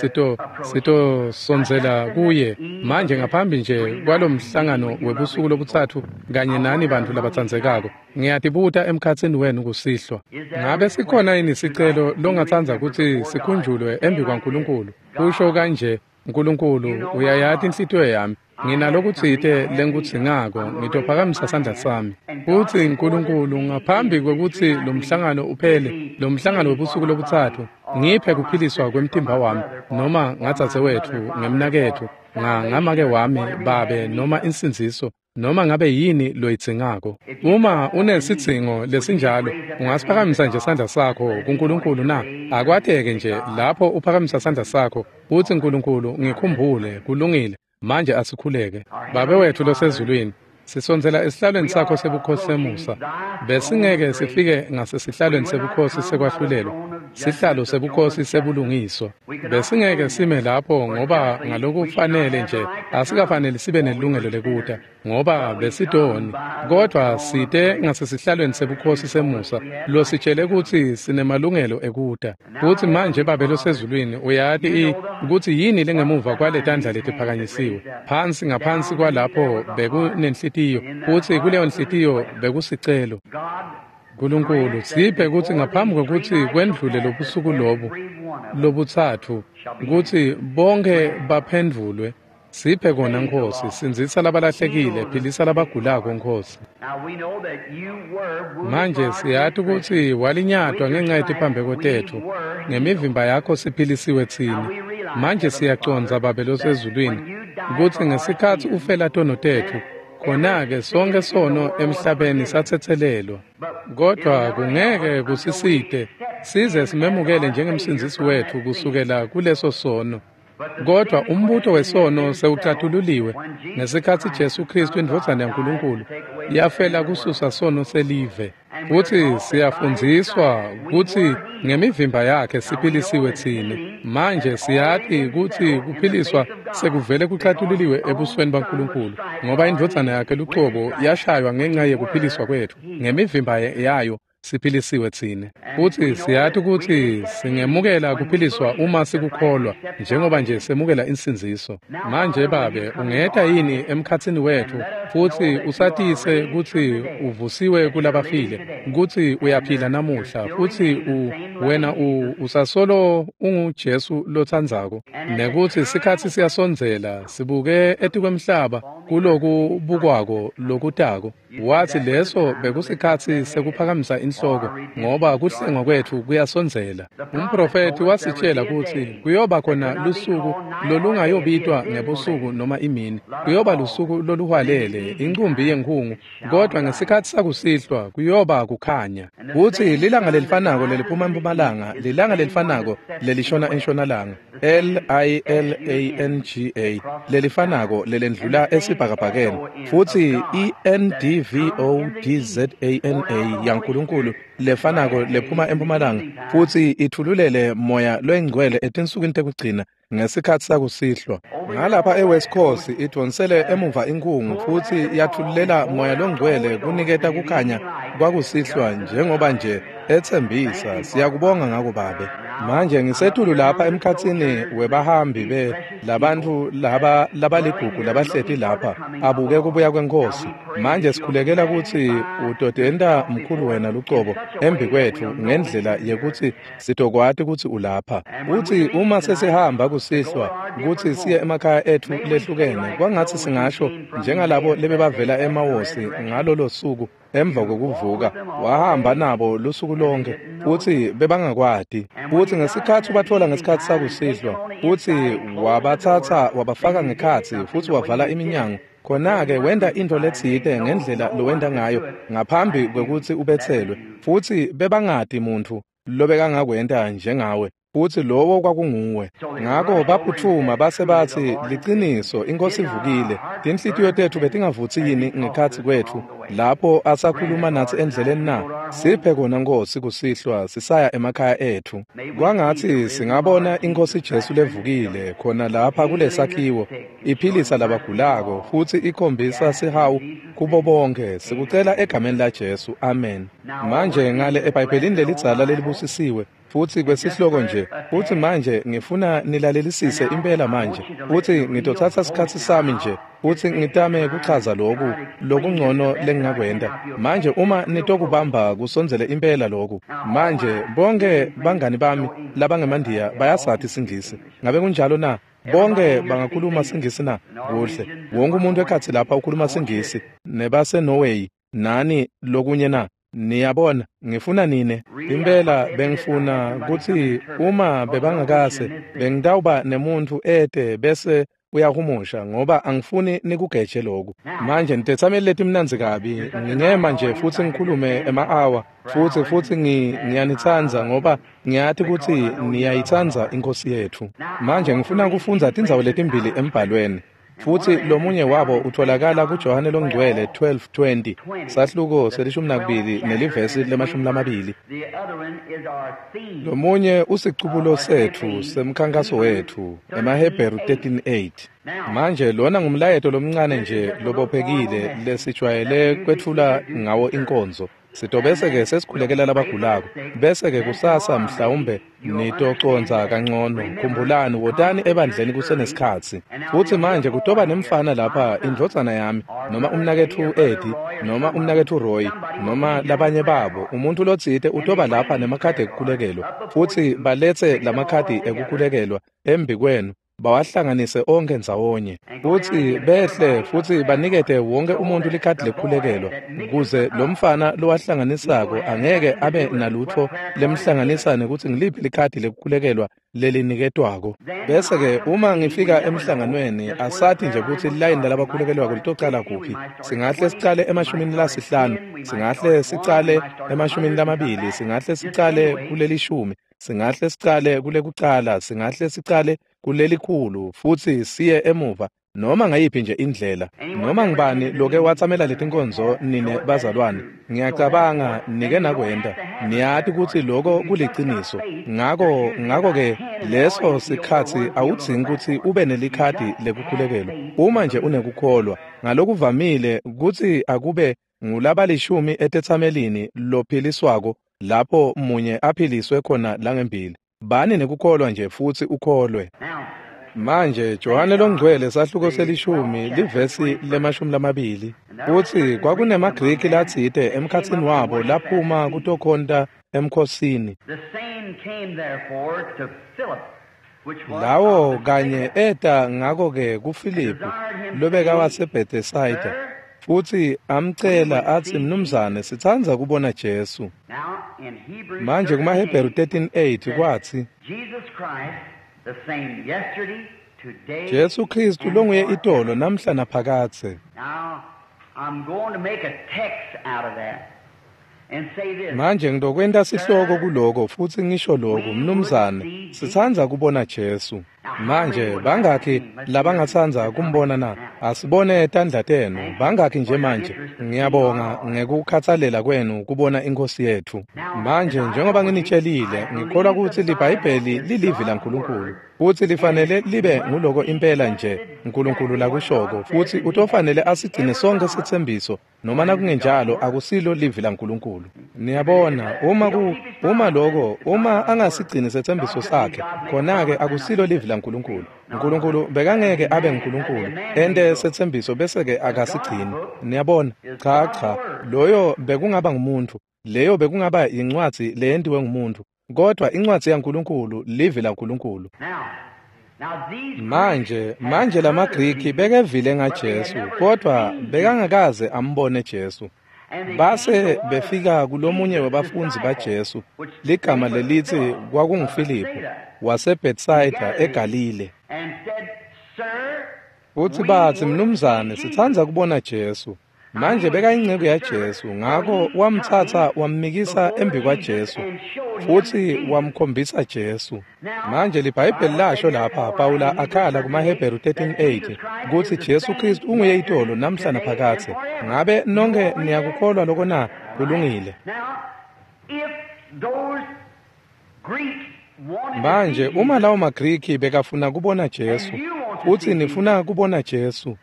sitosondzela kuye manje ngaphambi nje kwalomhlangano webusuku lobutsatfu kanye nani bantfu labatsandzekako. Ngiyatibuta emkhatsini wenu kusihlwa, ngabe sikhona yini sicelo longatsandza kutsi sikhunjulwe embi kwaNkulunkulu? Kusho kanje, Nkulunkulu, uyayati inhlitiyo yami. Nginalokutsite lengikudzingako, ngitophakamisa sandla sami. Futsi Nkulunkulu, ngaphambi kwekutsi lo mhlangano uphele, lo mhlangano webusuku lobutsatfu, ngiphe kuphiliswa kwemtimba wami, noma ngadzadzewetfu, ngemnaketfu, ngamake wami, babe, noma insindziso, noma ngabe yini loyidzingako. Uma unesidzingo lesinjalo, ungasiphakamisa nje sandla sakho kuNkulunkulu na? Akwateke nje lapho uphakamisa sandla sakho, utsi Nkulunkulu, ngikhumbule. Kulungile. Manje asikhuleke. Babe wethu losezulwini, sisondzela esihlalweni sakho sebukhosi semusa. Besingeke sifike ngasesihlalweni sebukhosi sekwahlulelwa, sihlalo sebukhosi sebulungiswa. Besingeke sime lapho ngoba ngalokufanele nje asikafanele sibe nelungelo lekuta, ngoba besitoni. Kodwa site ngasesihlalweni sebukhosi semusa lositshele kutsi sinemalungelo ekuta. Futsi manje Babe losezulwini, uyati kutsi yini lengemuva kwaletandla letiphakanyisiwe. Phansi ngaphansi kwalapho bekunenhlitiyo, futsi kuleyo nhlitiyo bekusicelo. Nkulunkulu, siphe kutsi ngaphambi kwekutsi kwendlule lobusuku lobu lobutsatfu, kutsi bonke baphendvulwe. Siphe kona Nkhosi, sindzisa labalahlekile, philisa labagulako Nkhosi. Manje siyati kutsi walinyatwa ngenxa yetiphambeko tetfu, ngemivimba yakho siphilisiwe tsine. Manje siyacondza Babe losezulwini kutsi ngesikhatsi ufela tono tetfu, khona-ke sonke sono emhlabeni satsetselelwa. Kodwa kungeke kusisite size simemukele njengemsindzisi wetfu kusukela kuleso sono. Kodwa umbuto wesono sewucatululiwe ngesikhatsi Jesu Kristu indvodzana yaNkulunkulu yafela kususa sono selive. Futsi siyafundziswa kutsi ngemivimba yakhe siphilisiwe tsine. Manje siyati kutsi kuphiliswa sekuvele kucatululiwe ebusweni baNkulunkulu, ngoba indvodzana yakhe lucobo yashaywa ngenxa yekuphiliswa kwetfu. Ngemivimba yayo siphilisiwe tsine. Futsi siyati kutsi singemukela kuphiliswa uma sikukholwa, njengoba nje semukela insindziso. Manje Babe, ungeta yini emkhatsini wetfu futsi usatise kutsi uvusiwe kulabafile, kutsi uyaphila namuhla, futsi wena usasolo unguJesu lotsandzako, nekutsi sikhatsi siyasondzela, sibuke etikwemhlaba kuloku bukwako lokutako. Watsi leso bekusikhatsi sekuphakamisa inhloko, ngoba kuhlengwa kwetfu kuyasondzela. Umprofethi wasitshela kutsi kuyoba khona lusuku lolungayobitwa ngebusuku noma imini, kuyoba lusuku loluhwalele, incumbi yenkhungu, kodwa ngesikhatsi sakusihlwa kuyoba kukhanya. Kutsi lilanga lelifanako leliphuma empumalanga, lilanga lelifanako lelishona entshonalanga, L-I-L-A-N-G-A, lelifanako lelendlula esibhakabhakeni, futsi E-N-D-V-O-D-Z-A-N-A yaNkulunkulu lefanako lephuma empumalanga, futsi ithululele moya loyingcwele etinsukwini tekugcina ngesikhatsi sakusihlwa. Ngalapha eWest Coast idvonsele emuva inkhungu futsi yathululela moya longcwele kuniketa kukhanya kwakusihlwa njengoba nje etsembisa. Siyakubonga ngako Babe. Manje ngisetulu lapha emkhatsini webahambi labantfu laba labaligugu labahleti lapha abuke kubuya kweNkhosi. Manje sikhulekela kutsi utotenta mkhulu wena lucobo embikwetfu ngendlela yekutsi sitokwati kutsi ulapha. Utsi uma sesihamba kusihlwa kutsi siye emakhaya etfu lehlukene, kwangatsi singasho njengalabo lebebavela emawosi ngalolo suku emva kokuvuka, wahamba nabo lusuku lonke futsi bebangakwati. Futsi ngesikhatsi ubatfola ngesikhatsi sakusihlwa, futsi wabatsatsa wabafaka ngekhatsi futsi wavala iminyango, khona-ke wenta intfo letsite ngendlela lowenta ngayo ngaphambi kwekutsi ubetselwe, futsi bebangati muntfu lobekangakwenta njengawe, futsi lowo kwakunguwe. Ngako baphutfuma base batsi, liciniso, iNkhosi ivukile. Tinhlitiyo tetfu betingavutsi yini ngekhatsi kwetfu lapho asakhuluma natsi endleleni na? Siphe kona Nkhosi kusihlwa sisaya emakhaya etfu. Kwangatsi singabona iNkhosi Jesu levukile khona lapha kulesakhiwo, iphilisa labagulako futsi ikhombisa sihawu kubo bonke. Sikucela egameni la Jesu, amen. Manje ngale eBhayibhelini lelidzala lelibusisiwe, futsi kwesihloko nje, futsi manje ngifuna nilalelisise impela manje, futsi ngitotsatsa sikhatsi sami nje, futsi ngitame kuchaza loku lokungcono lengingakwenta. Manje uma nitokubamba kusondzele impela loku. Manje bonke bangani bami labangemandiya bayasati siNgisi. Ngabe kunjalo na? Bonke bangakhuluma siNgisi na? Kuhle. Wonke umuntu ekhatsi lapha ukhuluma siNgisi, nebase Norway, nani lokunye na? Niyabona, ngifuna nine. Impela bengifuna kutsi uma bebangakase bengitawuba nemuntfu ete bese uyahumusha, ngoba angifuni nikugeje loku. Manje nitetsameli letimnandzi kabi, ngingema nje futsi ngikhulume ema-awa, futsi ngiyanitsandza ngoba ngiyati kutsi niyayitsandza iNkhosi yetfu. Manje ngifuna kufundza tindzawo letimbili embhalweni. Futsi lomunye wabo utholakala kuJohane loNgcwele 12:20, sahluko se-12 nelivesi le-20. Lomunye usicubulo setfu semkhankaso wetfu, emaHebheru 13:8. Manje lona ngumlayeto lomncane nje lobophekile lesijwayele kwetfula ngawo inkonzo. Sitobese-ke sesikhulekela labagulako, bese-ke kusasa mhlawumbe nitoconza kangcono. Khumbulani, wotani ebandleni kusenesikhatsi. Futsi manje kutoba nemfana lapha, indvodzana yami, noma umnaketfu Eddie, noma umnaketfu Roy, noma labanye babo. Umuntu lotsite utoba lapha nemakhadi ekukhulekelwa, futsi baletse lamakhadi ekukhulekelwa embikwenu. Bawahlanganise onkhe ndzawonye futsi behle futsi banikete wonke umuntu likhadi lekukhulekelwa, kuze lo mfana lowahlanganisako angeke abe nalutfo lemhlanganisa nekutsi ngiliphi likhadi lekukhulekelwa leliniketwako. Bese-ke uma ngifika emhlanganweni, asati nje kutsi lilayini lalabakhulekelwako litocala kuphi. Singahle sicale 50, singahle sicale 20, singahle sicale kulelishumi, singahle sicale kulekucala, singahle sicale kulelikhulu, futsi siye emuva noma ngayiphi nje indlela. Noma ngibani loke watsamela letinkonzo nine bazalwane, ngiyacabanga nike nakwenta, niyati kutsi loko kuliciniso. Ngako-ke leso sikhatsi awudzingi kutsi ube nelikhadi lekukhulekelwa. Uma nje unekukholwa, ngalokuvamile kutsi akube ngulabalishumi etetsamelini lophiliswako lapho munye aphiliswe khona langembili. Bani nekukholwa nje futsi ukholwe. Manje Johane Longcwele sahluko selishumi livesi le-20 utsi kwakunemaGriki latsite emkhatsini wabo laphuma kutokhonta emkhosini. Lawo kanye eta ngako-ke kuFiliphu lobekawaseBethesayida, futsi amcela atsi, "Mnumzane, sitsandza kubona Jesu." Manje kumaHebheru 13:8 kwatsi, Jesu Kristu longuye itolo namhla naphakadze. Manje ngitokwenta sihloko kuloko futsi ngisho lokhu, mnumzane, sitsandza kubona Jesu. Manje bangakhi labangatsandza kumbona na? Asibone tandla tenu. Bangakhi nje manje? Ngiyabonga ngekukhatsalela kwenu kubona iNkhosi yetfu. Manje njengoba nginitshelile, ngikholwa kutsi liBhayibheli lilivi laNkulunkulu, futsi lifanele libe nguloko impela nje uNkulunkulu lakushoko, futsi utofanele asigcine sonkhe setsembiso, noma nakungenjalo akusilo livi laNkulunkulu. Niyabona, uma loko, uma angasigcini setsembiso sakhe, khona-ke akusilo livi laNkulunkulu. uNkulunkulu bekangeke abe nguNkulunkulu ente setsembiso bese-ke akasigcini. Niyabona? Cha, loyo bekungaba ngumuntu, leyo bekungaba yincwadzi leyentiwe ngumuntu, kodwa incwadzi yaNkulunkulu livi laNkulunkulu. Manje lamaGriki bekevile ngaJesu, kodwa bekangakaze ambone Jesu. Base befika kulomunye webafundzi baJesu, ligama lelitsi kwakunguFiliphu waseBethsaida eGalile. Futsi batsi, "Mnumzane, sitsandza kubona Jesu." Manje bekayinceku yaJesu, ngako wamtsatsa wammikisa embikwaJesu futsi wamkhombisa Jesu. Manje liBhayibheli lasho lapha, Pawula akhala kumaHebheru 13:8 kutsi Jesu Kristu unguye itolo namhla naphakadze. Ngabe nonke niyakukholwa loko na? Kulungile. Manje uma lawo maGriki bekafuna kubona Jesu, futsi nifuna kubona Jesu,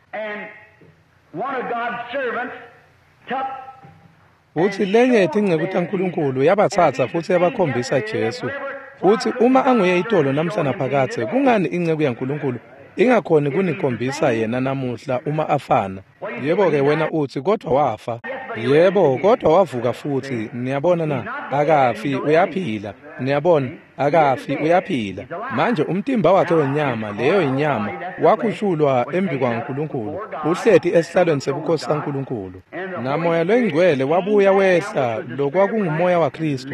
futsi lenye yetinceku taNkulunkulu yabatsatsa futsi yabakhombisa Jesu, futsi uma anguye itolo namhla naphakadze, kungani inceku yaNkulunkulu ingakhoni kunikhombisa yena namuhla uma afana? Yebo-ke wena utsi, kodwa wafa. Yebo, kodwa wavuka futsi. Niyabona na? Akafi, uyaphila. Niyabona, akafi, uyaphila. Manje umtimba wakhe wenyama, leyo inyama, wakhushulwa embikwaNkulunkulu, uhleti esihlalweni sebukhosi saNkulunkulu. Namoya loyingcwele wabuya wehla, lokwakungumoya waKristu,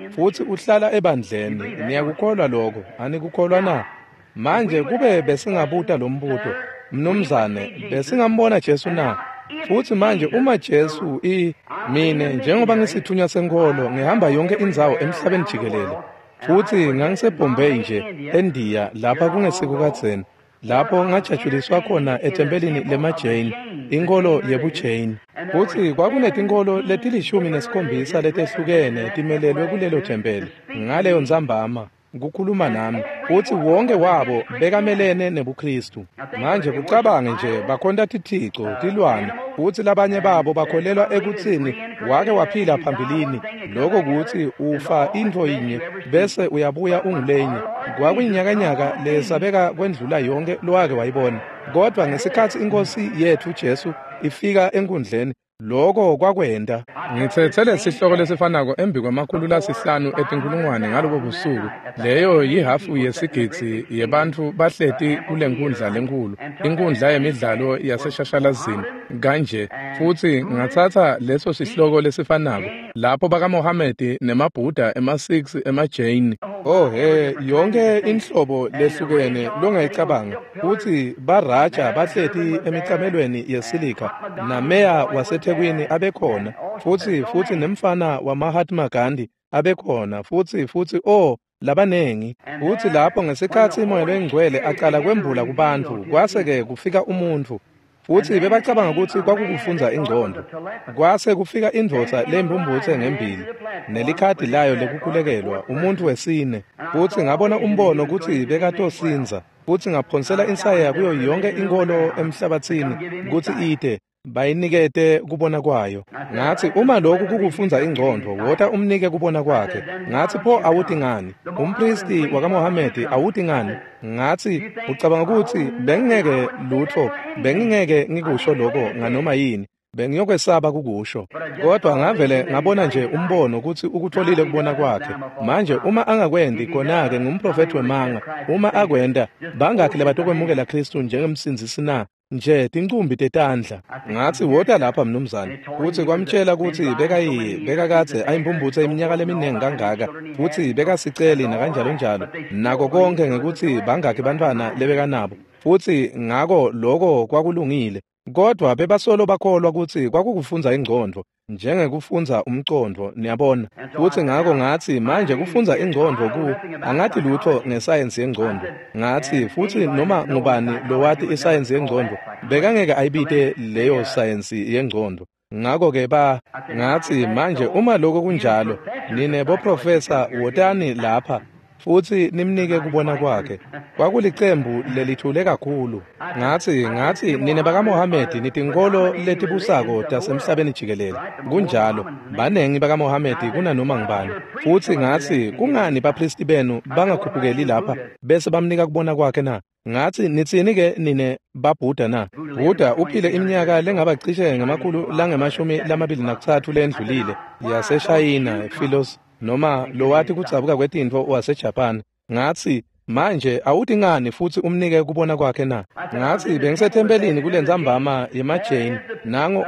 futsi uhlala ebandleni. Niyakukholwa lokho? Anikukholwa na? Manje kube besingabuta lo mbuto, mnumzane, besingambona Jesu na? Futsi manje uma Jesu mine njengoba ngisithunywa senkholo ngihamba yonke indzawo emhlabeni jikelele, futsi ngangiseBombay nje eNdiya lapha kungesiko kadzeni, lapho ngajatshuliswa khona ethempelini lemaJain, inkholo yebuJain. Futsi kwakunetinkholo leti-17 letehlukene timelelwe kulelo thempeli ngaleyo ntsambama kukhuluma nami, futsi wonke wabo bekamelene nebuKristu. Manje kucabange nje, bakhonta tithico, tilwane, futsi labanye babo bakholelwa ekutsini wake waphila phambilini, lokho kutsi ufa intfo yinye bese uyabuya ungulenye. Kwakuyinyakanyaka lesabeka kwendlula yonke lowake wayibona. Kodwa ngesikhatsi iNkhosi yetfu Jesu ifika enkundleni, Loko kwakwenta. Ngitsetse lesihloko lesifanako embi kwama-500 etinkulungwane ngalobo busuku. Leyo yihhafu yesigidzi yebantfu bahleti kulenkundla lenkulu, inkundla yemidlalo yaseshashalazini kanje. Futsi ngatsatsa leso sihloko lesifanako lapho bakaMohamedi nemaBuddha, emaSikhs, emaJain, oh he, yonke inhlobo lehlukene longayicabanga. Futsi baraja bahleti emicamelweni yesilika, nameya waseThekwini abekhona, futsi nemfana waMahatma Gandhi abekhona, futsi oh labanengi. Futsi lapho ngesikhatsi Moya loyiNgcwele aqala kwembula kubantfu, kwase-ke kufika umuntfu. Futsi bebacabanga kutsi kwakukufundza ingcondvo. Kwase kufika indvodza lembumbutse ngembili nelikhadi layo lekukhulekelwa, umuntfu wesine. Futsi ngabona umbono kutsi bekatosindza. Futsi ngaphonsela insayeya kuyo yonke inkholo emhlabatsini kutsi ite bayinikete kubona kwayo. Ngatsi, uma lokhu kukufundza ingcondvo, wota umnike kubona kwakhe. Ngatsi, pho awuti ngani? Umpristi wakaMohamedi awuti ngani? Ngatsi, ucabanga kutsi bengingeke lutfo, bengingeke ngikusho lokho nganoma yini, bengiyokwesaba kukusho. Kodwa ngavele ngabona nje umbono kutsi ukutholile kubona kwakhe. Manje uma angakwendi, khona-ke ngumprofethi wemanga. Uma akwenta, bangakhi labatokwemukela Khristu njengemsindzisi na? Nje tincumbi tetandla. Ngatsi, wota lapha mnumzane. Futsi kwamtshela kutsi bekakadze ayimpumputse iminyaka leminingi kangaka, futsi bekasiceli nakanjalonjalo, nako konke ngekutsi bangakhi bantfwana lebekanabo. Futsi ngako loko kwakulungile. Kodwa bebasolo bakholwa kutsi kwakukufundza ingcondvo, njengekufundza umcondvo, niyabona. Futsi ngako ngatsi, manje kufundza ingcondvo angathi lutfo ngesayensi yengcondvo. Ngatsi, futsi noma ngubani lowati isayensi yengcondvo, bekangeke ayibite leyo sayensi yengcondvo. Ngako-ke ngatsi, manje uma loko kunjalo, nine boprofesa wotani lapha futsi nimnike kubona kwakhe. Kwakulicembu lelithule kakhulu. Ngatsi nine bakaMohamedi nitinkholo letibusako tasemhlabeni jikelele. Kunjalo, banengi bakaMohamedi kunanoma ngubani. Futsi ngatsi, kungani bapristi benu bangakhuphukeli lapha bese bamnika kubona kwakhe na? Ngatsi, nitsini-ke nine baBuddha na? Buddha uphile iminyaka lengaba cishe 223 lendlulile, yaseShayina, Philos, noma lowati kudzabuka kwetintfo waseJapan. Ngatsi, manje awuti ngani futsi umnike kubona kwakhe na? Ngatsi, bengisethempelini kulentsambama yemaJain, nango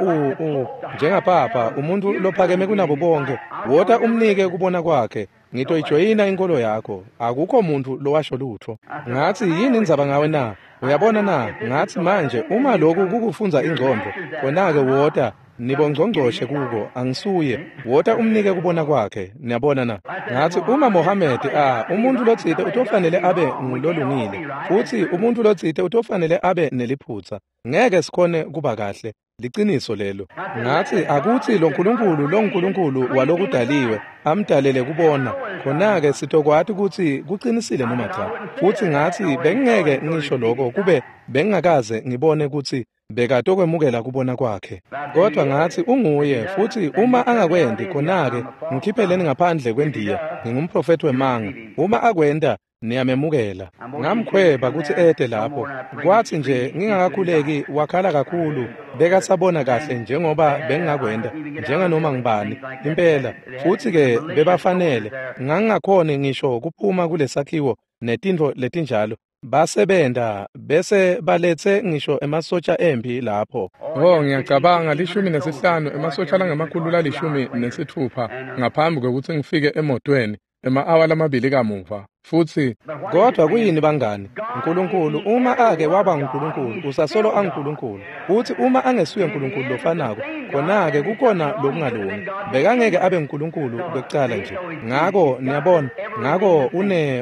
njengapapa, umuntu lophakeme kunabo bonke, wota umnike kubona kwakhe. Ngitoyijoyina inkolo yakho. Akukho muntu lowasho lutfo. Ngatsi, yini indzaba ngawe na? Uyabona na? Ngatsi, manje uma lokhu kukufundza ingcondvo, khona-ke wota nibongcongcoshe kuko, angisuye. Wota umnike kubona kwakhe. Niyabona na? Ngatsi, uma Mohamedi umuntu lotsite utofanele abe ngulolungile, futsi umuntu lotsite utofanele abe neliphutsa. Ngeke sikhone kuba kahle. Liciniso lelo. Ngatsi, akutsi lo Nkulunkulu longuNkulunkulu walokudaliwe amdalele kubona, khona-ke sitokwati kutsi kucinisile noma cha. Futsi ngatsi, bengingeke ngisho lokho kube bengingakaze ngibone kutsi bekatokwemukela kubona kwakhe. Kodwa ngatsi, unguye, futsi uma angakwendi, khona-ke ngikhipheleni ngaphandle kwendiya, ngingumprofethi wemanga. Uma akwenta, niyamemukela. Ngamkhweba kutsi ete lapho. Kwatsi nje ngingakakhuleki, wakhala kakhulu, bekasabona kahle njengoba bengingakwenta, njenganoma ngibani, impela. Futsi-ke bebafanele, ngangingakhoni ngisho kuphuma kulesakhiwo netintfo letinjalo. Basebenta bese baletse ngisho emasotja empi lapho. Oh, ngiyacabanga 15 emasotja langama-160 ngaphambi kwekutsi ngifike emotweni, ema-awa lamabili kamuva. Futsi kodwa kuyini bangani? Nkulunkulu uma ake waba nguNkulunkulu, usasolo anguNkulunkulu. Futsi uma angesuye uNkulunkulu lofanako, khona-ke kukhona lokungalungi. Bekangeke abe nguNkulunkulu kwekucala nje. Ngako niyabona, ngako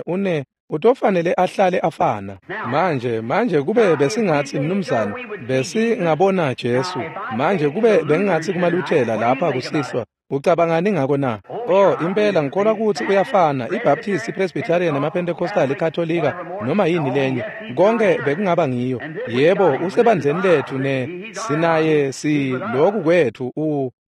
une utofanele ahlale afana. Manje kube besingatsi mnumzane, besingabona Jesu. Manje kube bengingatsi kumaluthela lapha kusihlwa, ucabangani ngako na? Oh, impela ngikholwa kutsi uyafana, iBaptist, iPresbyterian, emaPentecostal, iKatolika, noma yini lenye. Konke bekungaba ngiyo. Yebo, usebandleni lethu ne sinaye si lokhu kwethu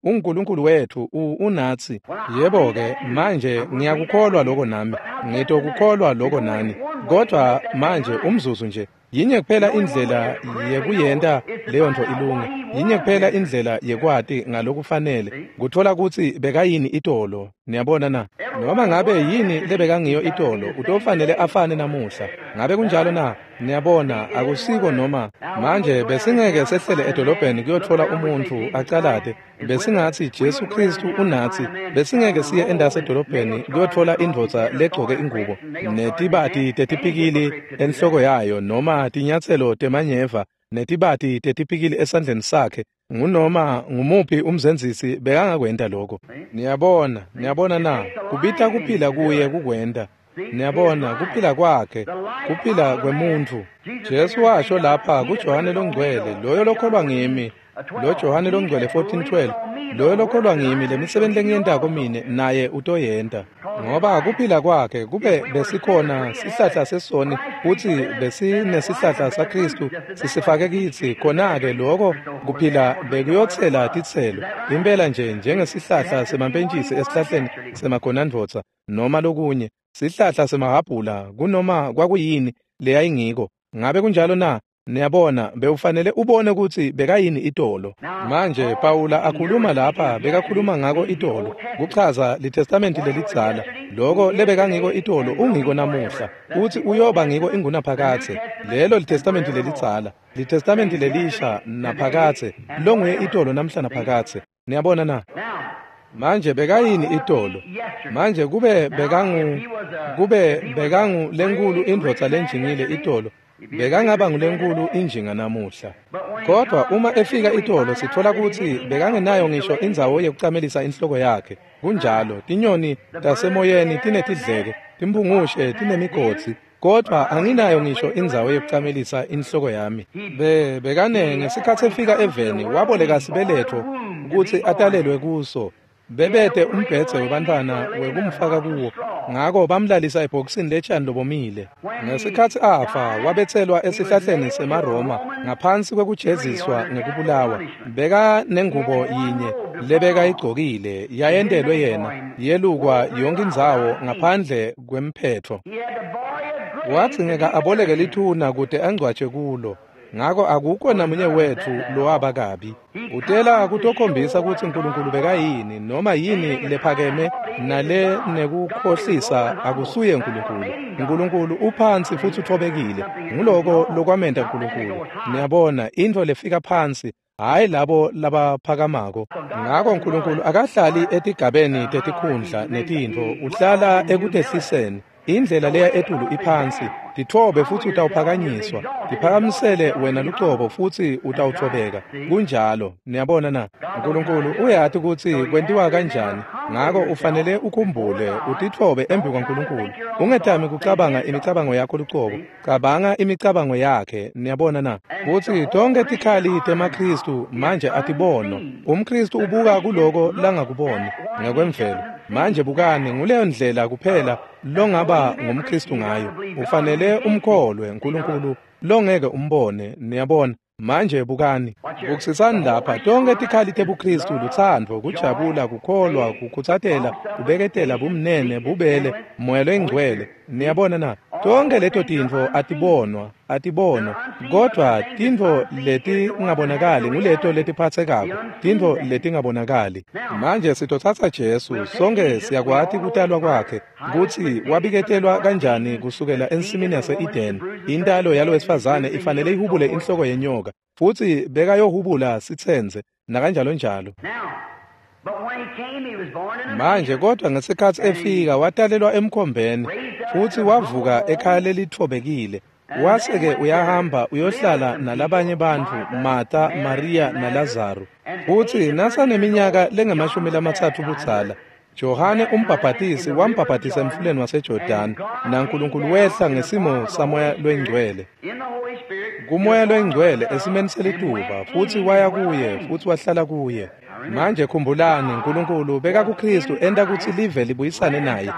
uNkulunkulu wethu unatsi. Yebo-ke, manje ngiyakukholwa lokho nami, ngitokukholwa lokho nani. Kodwa manje umzuzu nje, yinye kuphela indlela yekuyenta leyo nto ilunge. Yinye kuphela indlela yekwati ngalokufanele kutfola kutsi bekayini itolo. Niyabona na? Noma ngabe yini lebekangiyo itolo, utofanele afane namuhla. Ngabe kunjalo na? Niyabona, akusiko noma manje besingeke sehlele edolobheni kuyotfola umuntfu acalate. Besingatsi Jesu Khristu unatsi. Besingeke siye endasi edolobheni kuyotfola indvodza legcoke ingubo netibati tetipikili enhloko yayo noma tinyatselo temanyeva netibati tetipikili esandleni sakhe. Ngunoma ngumuphi umzenzisi bekangakwenta lokho. Niyabona, niyabona na? Kubita kuphila kuye kukwenta. Niyabona, kuphila kwakhe, kuphila kwemuntfu. Jesu washo lapha kuJohane loNgcwele, loyo lokholwa ngimi, lo Johane loNgcwele 14:12, loyo lokholwa ngimi, lemisebenti lengiyentako mine naye utoyenta. Ngoba kuphila kwakhe kube besikhona sihlahla sesoni futsi besinesihlahla saKhristu sisifake kitsi, khona-ke loko kuphila bekuyotsela titselo impela nje njengesihlahla semampentjisi esihlahleni semagonandvodza noma lokunye sihlahla semahhabhula kunoma kwakuyini leyayingiko. Ngabe kunjalo na? Niyabona, bewufanele ubone kutsi bekayini itolo. Manje Pawula akhuluma lapha, bekakhuluma ngako itolo, kuchaza liTestamenti lelidzala. Loko lebekangiko itolo ungiko namuhla, utsi uyoba ngiko ingunaphakadze. Lelo liTestamenti lelidzala, liTestamenti lelisha naphakadze, longuye itolo namhla naphakadze. Niyabona na? Manje bekayini itolo? Manje kube bekangu lenkulu indvodza lenjingile itolo, bekangaba ngulenkulu injinga namuhla. Kodwa uma efika itolo sitfola kutsi bekangenayo ngisho indzawo yekucamelisa inhloko yakhe. Kunjalo, tinyoni tasemoyeni tinetidleke, timphungushe tinemigodzi, kodwa anginayo ngisho indzawo yekucamelisa inhloko yami. Bekane ngesikhatsi efika eveni waboleka sibeletho kutsi atalelwe kuso. Bebete umbhedze webantfwana wekumfaka kuwo, ngako bamlalisa ebhokisini letshani lobomile. Ngesikhatsi afa wabetselwa esihlahleni semaRoma ngaphansi kwekujeziswa ngekubulawa. Beka nengubo yinye lebekayigcokile yayentelwe yena, yelukwa yonke indzawo ngaphandle kwemphetfo. Wadzingeka aboleke lithuna kute angcwatjwe kulo. Ngako akukho namunye wetfu lowaba kabi. Utela kutokhombisa kutsi uNkulunkulu bekayini noma yini lephakeme nale nekukhohlisa akusuye uNkulunkulu. uNkulunkulu uphansi futsi uthobekile. Nguloko lokwamenta uNkulunkulu. Niyabona, intfo lefika phansi, hhayi labo labaphakamako. Ngako uNkulunkulu akahlali etigabeni tetikhundla netintfo, uhlala ekutehliseni. Indlela leya etulu iphansi, titfobe futsi utawuphakanyiswa. Tiphakamisele wena lucobo futsi utawuthobeka. Kunjalo, niyabona na? uNkulunkulu uyati kutsi kwentiwa kanjani. Ngako ufanele ukhumbule, utitfobe embi kwaNkulunkulu. Ungetami kucabanga imicabango yakho lucobo, cabanga imicabango yakhe, niyabona na? Kutsi tonke tikhali temaKhristu manje atibonwa. UmKhristu ubuka kuloko langakuboni ngekwemvelo. Manje bukani, nguleyo ndlela kuphela longaba ngumKhristu ngayo. Ufanele umkholwe uNkulunkulu longeke umbone, niyabona. Manje bukani, bukisisani lapha, tonke tikhali tebuKhristu, lutsandvo, kujabula, kukholwa, kukhutsatela, kubeketela, bumnene, bubele, moya loyingcwele. Niyabona na? Tonke leto tintfo atibonwa, kodwa tintfo letingabonakali nguleto letiphatsekako, tintfo letingabonakali. Manje sitotsatsa Jesu, sonke siyakwati kutalwa kwakhe, kutsi wabiketelwa kanjani kusukela ensimini yase-Edeni. Intalo yalowesifazane ifanele ihubule inhloko yenyoka, futsi bekayohubula sitsenze, nakanjalo njalo. Manje kodwa ngesikhatsi efika watalelwa emkhombeni, futsi wavuka ekhaya lelitfobekile. Wase-ke uyahamba uyohlala nalabanye bantfu, Martha, Maria naLazaru. Futsi nasaneminyaka lengamashumi-lamtsatfu budzala, Johane umbhabhatisi wambhabhatisa emfuleni waseJordani, naNkulunkulu wehla ngesimo saMoya loyiNgcwele. KuMoya loyiNgcwele esimeni selituba, futsi waya kuye futsi wahlala kuye. Manje khumbulani, uNkulunkulu bekakuKhristu enta kutsi live libuyisane naye.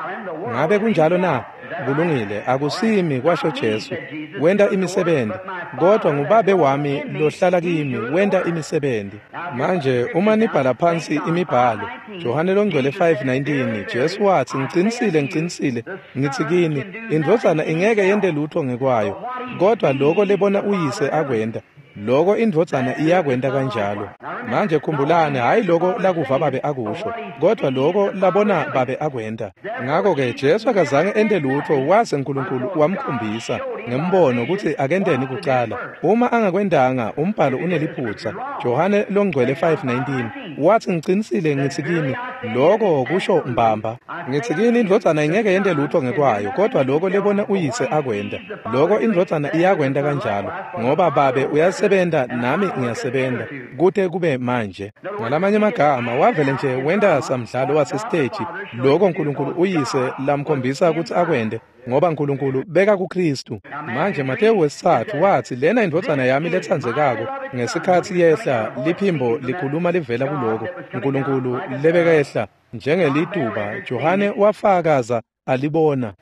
Ngabe kunjalo na? Kulungile, akusimi, kwasho Jesu. Wenta imisebenti, kodwa nguBabe wami lohlala kimi wenta imisebenti. Manje uma nibhala phansi imibhalo, Johane loNgcwele 5:19, Jesu watsi, ngicinisile, ngicinisile, ngitsi kini, indvodzana ingeke yente lutho ngekwayo, kodwa loko lebona uyise akwenta. Loko indvodzana iyakwenta kanjalo. Manje khumbulani, hhayi loko lakuva babe akusho, kodwa loko labona babe akwenta. Ngako-ke Jesu akazange ente lutfo waze Nkulunkulu wamkhombisa ngembono kutsi akenteni kucala. Uma angakwentanga, umbhalo uneliphutsa. Johane longcwele 5:19 wathi, ngicinisile ngitsi kini, loko kusho mbamba. Ngitsi kini, indvodzana ingeke yente lutfo ngekwayo, kodwa loko lebona uyise akwenta, loko indvodzana iyakwenta kanjalo, ngoba babe uyasebenta nami ngiyasebenta kute kube manje. Ngalamanye amagama, wavele nje wenta samdlalo wasesiteji loko Nkulunkulu uyise lamkhombisa kutsi akwente, ngoba Nkulunkulu beka kuKristu. Manje Matewu 3 wathi, lena indvodzana yami letsandzekako. Ngesikhatsi yehla, liphimbo likhuluma livela kuloko Nkulunkulu lebekehla njengelituba. Johane wafakaza alibona.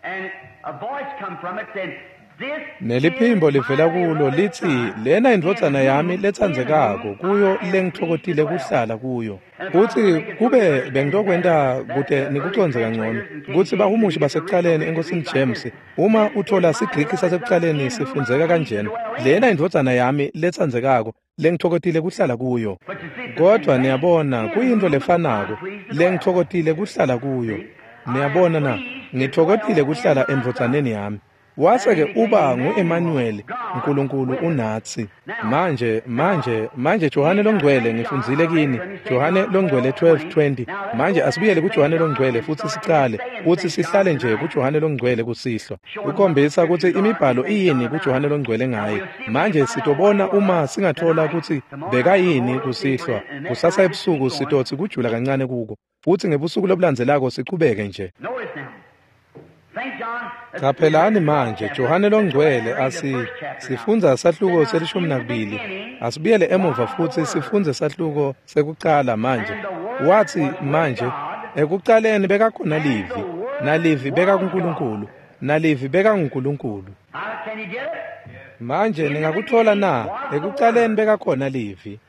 Neliphimbo livela kulo lithi, lena indvodzana yami letsandzekako, kuyo lengitfokotile kuhlala kuyo. Kutsi kube bengitokwenta kute nikucondze kangcono, kutsi bahumushi basekucaleni eNkosini James, uma uthola siGriki sasekucaleni sifundzeka kanjena, lena indvodzana yami letsandzekako, lengitfokotile kuhlala kuyo. Kodwa niyabona, kuyintfo lefanako, lengitfokotile kuhlala kuyo. Niyabona na, ngitfokotile kuhlala endvodzaneni yami. Wase-ke uba ngu-Emmanuel, Nkulunkulu unatsi. Manje Johane longcwele, ngifundzile kini, Johane longcwele 12:20. Manje asibuyele kuJohane longcwele futsi sicale, kutsi sihlale nje kuJohane longcwele kusihlwa. Kukhombisa kutsi imibhalo iyini kuJohane longcwele ngaye. Manje sitobona uma singathola kutsi bekayini kusihlwa. Kusasa ebusuku sitotsi kujula kancane kuko, futsi ngebusuku lobulandzelako sichubeke nje. Qaphelani manje, Johane longcwele, sifundza sahluko se-12. Asibuyele emuva futsi sifundze sahluko sekucala manje. Wathi manje, ekucaleni bekakhona Livi, nalivi bekakuNkulunkulu, nalivi bekanguNkulunkulu. Manje ningakuthola na? Ekucaleni bekakhona Livi.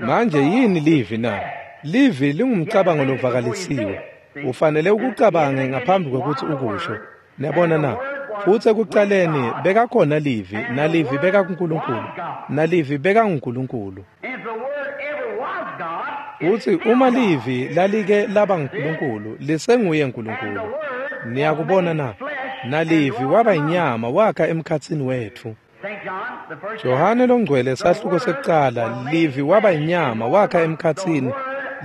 Manje yini Livi na? Livi lingumcabango lovakalisiwe. Ufanele ukucabange ngaphambi kwekutsi ukusho. Niyabona na? Futsi ekucaleni bekakhona Livi, nalivi bekakuNkulunkulu, nalivi bekanguNkulunkulu. Futsi uma Livi lalike laba nguNkulunkulu, lisenguye Nkulunkulu. Niyakubona na? Nalivi waba inyama wakha emkhatsini wetfu. Johane longcwele sahluko sekucala, Livi waba inyama wakha emkhatsini.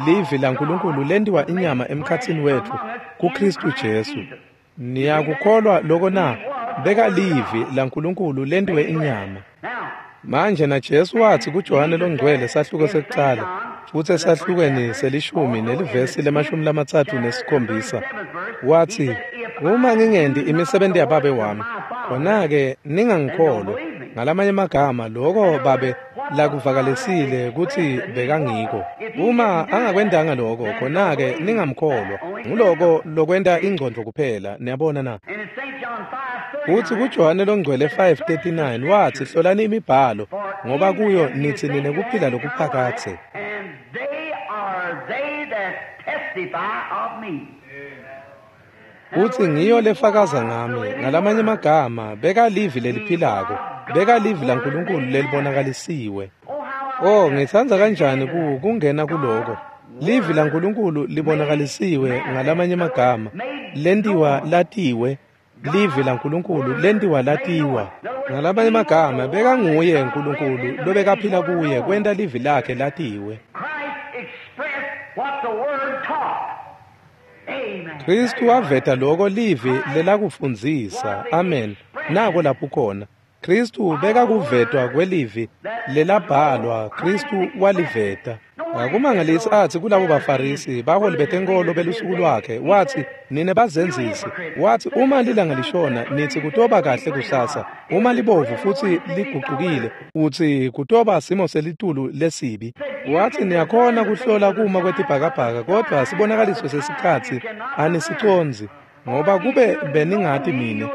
Livi laNkulunkulu lentiwa inyama emkhatsini wetfu kuKristu Jesu. Niyakukholwa loko na? Beka Livi laNkulunkulu lentiwe inyama. Manje na Jesu wathi kuJohane longcwele sahluko sekucala, futsi esahlukweni selishumi nelivesi le-37, wathi, uma ngingendi imisebenti yababe wami, khona-ke ningangikholwa. Ngalamanye amagama, loko babe lakuvakalisile kutsi bekangiko. Uma angakwentanga loko, khona-ke ningamkholwa. Nguloko lokwenta ingcondvo kuphela, niyabona na? Futsi kuJohane longcwele 5:39 wathi, hlolani imibhalo, ngoba kuyo nitsi ninekuphila lokuphakadze. Utsi ngiyo lefakaza ngami. Ngalamanye amagama, beka Livi leliphilako, beka Livi laNkulunkulu lelibonakalisiwe. Oh, ngitsandza kanjani kungena kuloko. Livi laNkulunkulu libonakalisiwe, ngalamanye amagama, lentiwa latiwe. Livi laNkulunkulu lentiwa latiwa. Ngalamanye amagama, bekanguye Nkulunkulu lobekaphila kuye kwenta livi lakhe latiwe. Kristu waveta loko livi lelakufundzisa. Amen. Nako lapho khona. Kristu bekakuvetwa kwelivi lelabhalwa. Kristu waliveta. Akumangalisi athi kulabo baFarisi, baholi betenkolo belusuku lwakhe, wathi, nine bazenzisi. Wathi, uma lilanga lishona, nithi kutoba kahle kusasa. Uma libovu futsi ligucukile, uthi kutoba simo selitulu lesibi. Wathi, niyakhona kuhlola kuma kwetibhakabhaka, kodwa sibonakaliso sesikhatsi anisicondzi, ngoba kube beningati mine,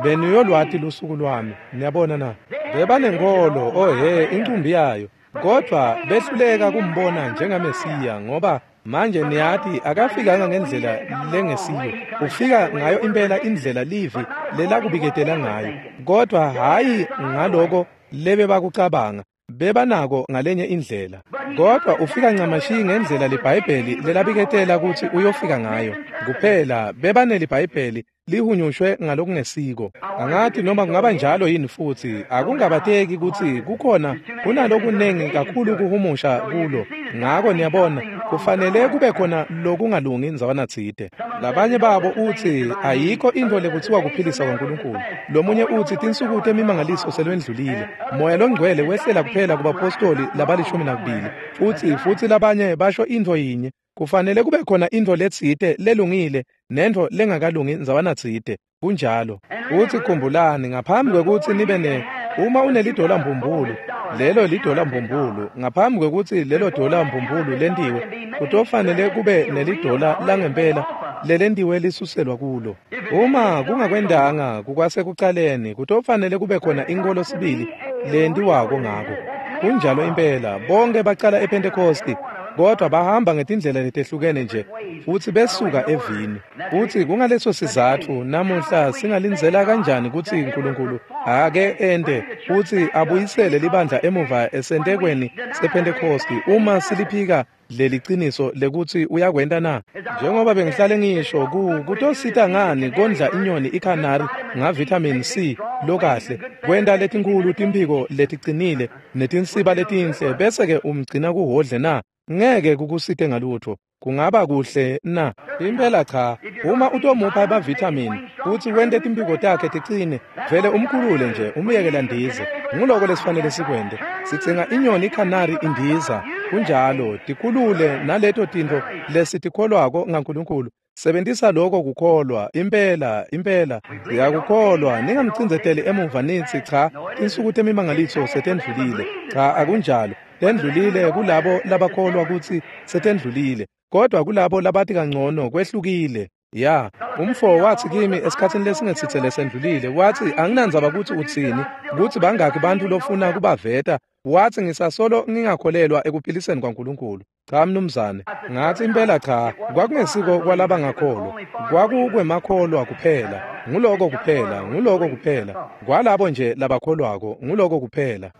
beniyolwati lusuku lwami. Niyabona na? Bebanenkolo, oh he, incumbi yayo. Kodwa behluleka kumbona njengaMesiya, ngoba Manje niyati akafikanga ngendlela lengesiyo, ufika ngayo impela indlela livi lelakubiketela ngayo, kodwa hhayi ngaloko lebebakucabanga, bebanako ngalenye indlela. Kodwa ufika ncamashi ngendlela liBhayibheli lelabiketela kutsi uyofika ngayo. Kuphela bebaneliBhayibheli lihunyushwe ngalokungesiko. Angathi noma kungaba njalo yini futhi, akungabateki kutsi kukhona kunalokunengi kakhulu kuhumusha kulo. Ngako niyabona, kufanele kube khona lokungalungi ndzawana tsite. Labanye babo utsi ayikho intfo lekutsiwa kuphilisa kwaNkulunkulu. Lomunye utsi tinsuku temimangaliso selwendlulile. Moya longcwele wehlela kuphela kubapostoli labali-12. Futsi labanye basho intfo yinye. Kufanele kube khona intfo letsite lelungile nentfo lengakalungi ndzawana tsite. Kunjalo. Utsi khumbulani ngaphambi kwekutsi nibe ne uma unelidola mbumbulu, lelo lidola mbumbulu, ngaphambi kwekutsi lelo dola mbumbulu lentiwe, kutofanele kube nelidola langempela lelentiwe lisuselwa kulo. Uma kungakwendanga kukwasekucaleni, kutofanele kube khona inkholo sibili lentiwako ngako. Kunjalo impela, bonke bacala ePentecosti, kodwa bahamba ngetindlela letehlukene nje futsi besuka evini. Futsi kungaleso sizatfu namuhla singalindzela kanjani kutsi uNkulunkulu ake ente futsi abuyisele libandla emuva esentekweni sePentecosti uma siliphika leliciniso lekutsi uyakwenta na? Njengoba bengihlale ngisho, kutosita ngani kondla inyoni ikhanari nga-vitamin C lokahle, kwenta letinkhulu timphiko leticinile netinsiba letinhle, bese-ke umgcina kuhhodle na? Ngeke kukusite ngalutho. Kungaba kuhle na? Impela cha. Uma utomupha ema-vitamin futsi wente timphiko takhe ticine, vele umkhulule nje umyekela ndize. Nguloko lesifanele sikwente. Sidzinga inyoni ikhanari indiza. Kunjalo, tikhulule naleto tintfo lesitikholwako ngaNkulunkulu. Sebentisa lokho kukholwa, impela, impela. Siyakukholwa, ningamcindzeteli emuva nitsi cha, tinsuku temimangaliso setendlulile. Cha, akunjalo. Tendlulile kulabo labakholwa kutsi setendlulile, kodwa kulabo labati kangcono kwehlukile. Ya, umfo watsi kimi esikhatsini lesingesitse lesendlulile, watsi anginandzaba kutsi utsini, kutsi bangakhi bantfu lofuna kubaveta, watsi ngisasolo ngingakholelwa ekuphiliseni kwaNkulunkulu. Cha mnumzane, ngatsi impela cha, kwakungesiko kwalabangakholwa, kwakukwemakholwa kuphela, nguloko kuphela, nguloko kuphela, kwalabo nje labakholwako, nguloko kuphela.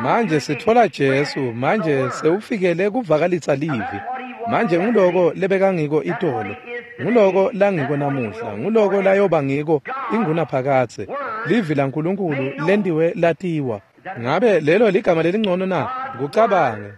Manje sitfola Jesu, manje sewufikele kuvakalisa livi. Manje nguloko lebekangiko itolo, nguloko langiko namuhla, nguloko layoba ngiko ingunaphakadze. Livi laNkulunkulu lentiwe latiwa. Ngabe lelo ligama lelingcono na? Kucabange.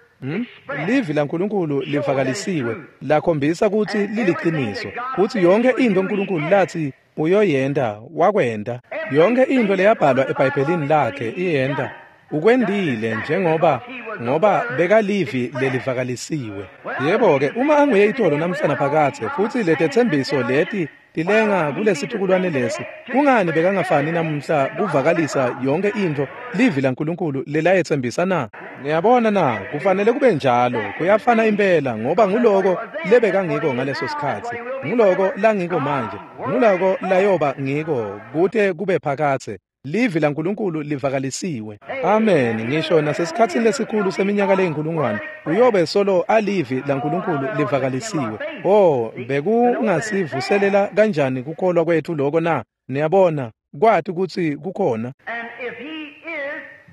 Livi laNkulunkulu livakalisiwe, lakhombisa kutsi liliciniso, kutsi yonke intfo uNkulunkulu latsi uyoyenta, wakwenta. Yonke intfo leyabhalwa eBhayibhelini lakhe iyenta. Ukwendile njengoba ngoba bekalivi lelivakalisiwe. Yebo-ke, uma anguye itolo namhla naphakadze, futsi letetsembiso leti tilenga kulesitukulwane lesi, kungani bekangafani namuhla kuvakalisa yonke intfo livi laNkulunkulu lelayetsembisa na? Niyabona na, kufanele kube njalo, kuyafana impela, ngoba nguloko lebekangiko ngaleso sikhatsi, nguloko langiko manje, nguloko layoba ngiko kute kube phakadze. Livi laNkulunkulu livakalisiwe. Amen. Ngisho nasesikhatsini lesikhulu seminyaka leyinkulungwane, uyobe solo alivi laNkulunkulu livakalisiwe. Oh, bekungasivuselela kanjani kukholwa kwethu lokho na? Niyabona, kwati kutsi kukhona.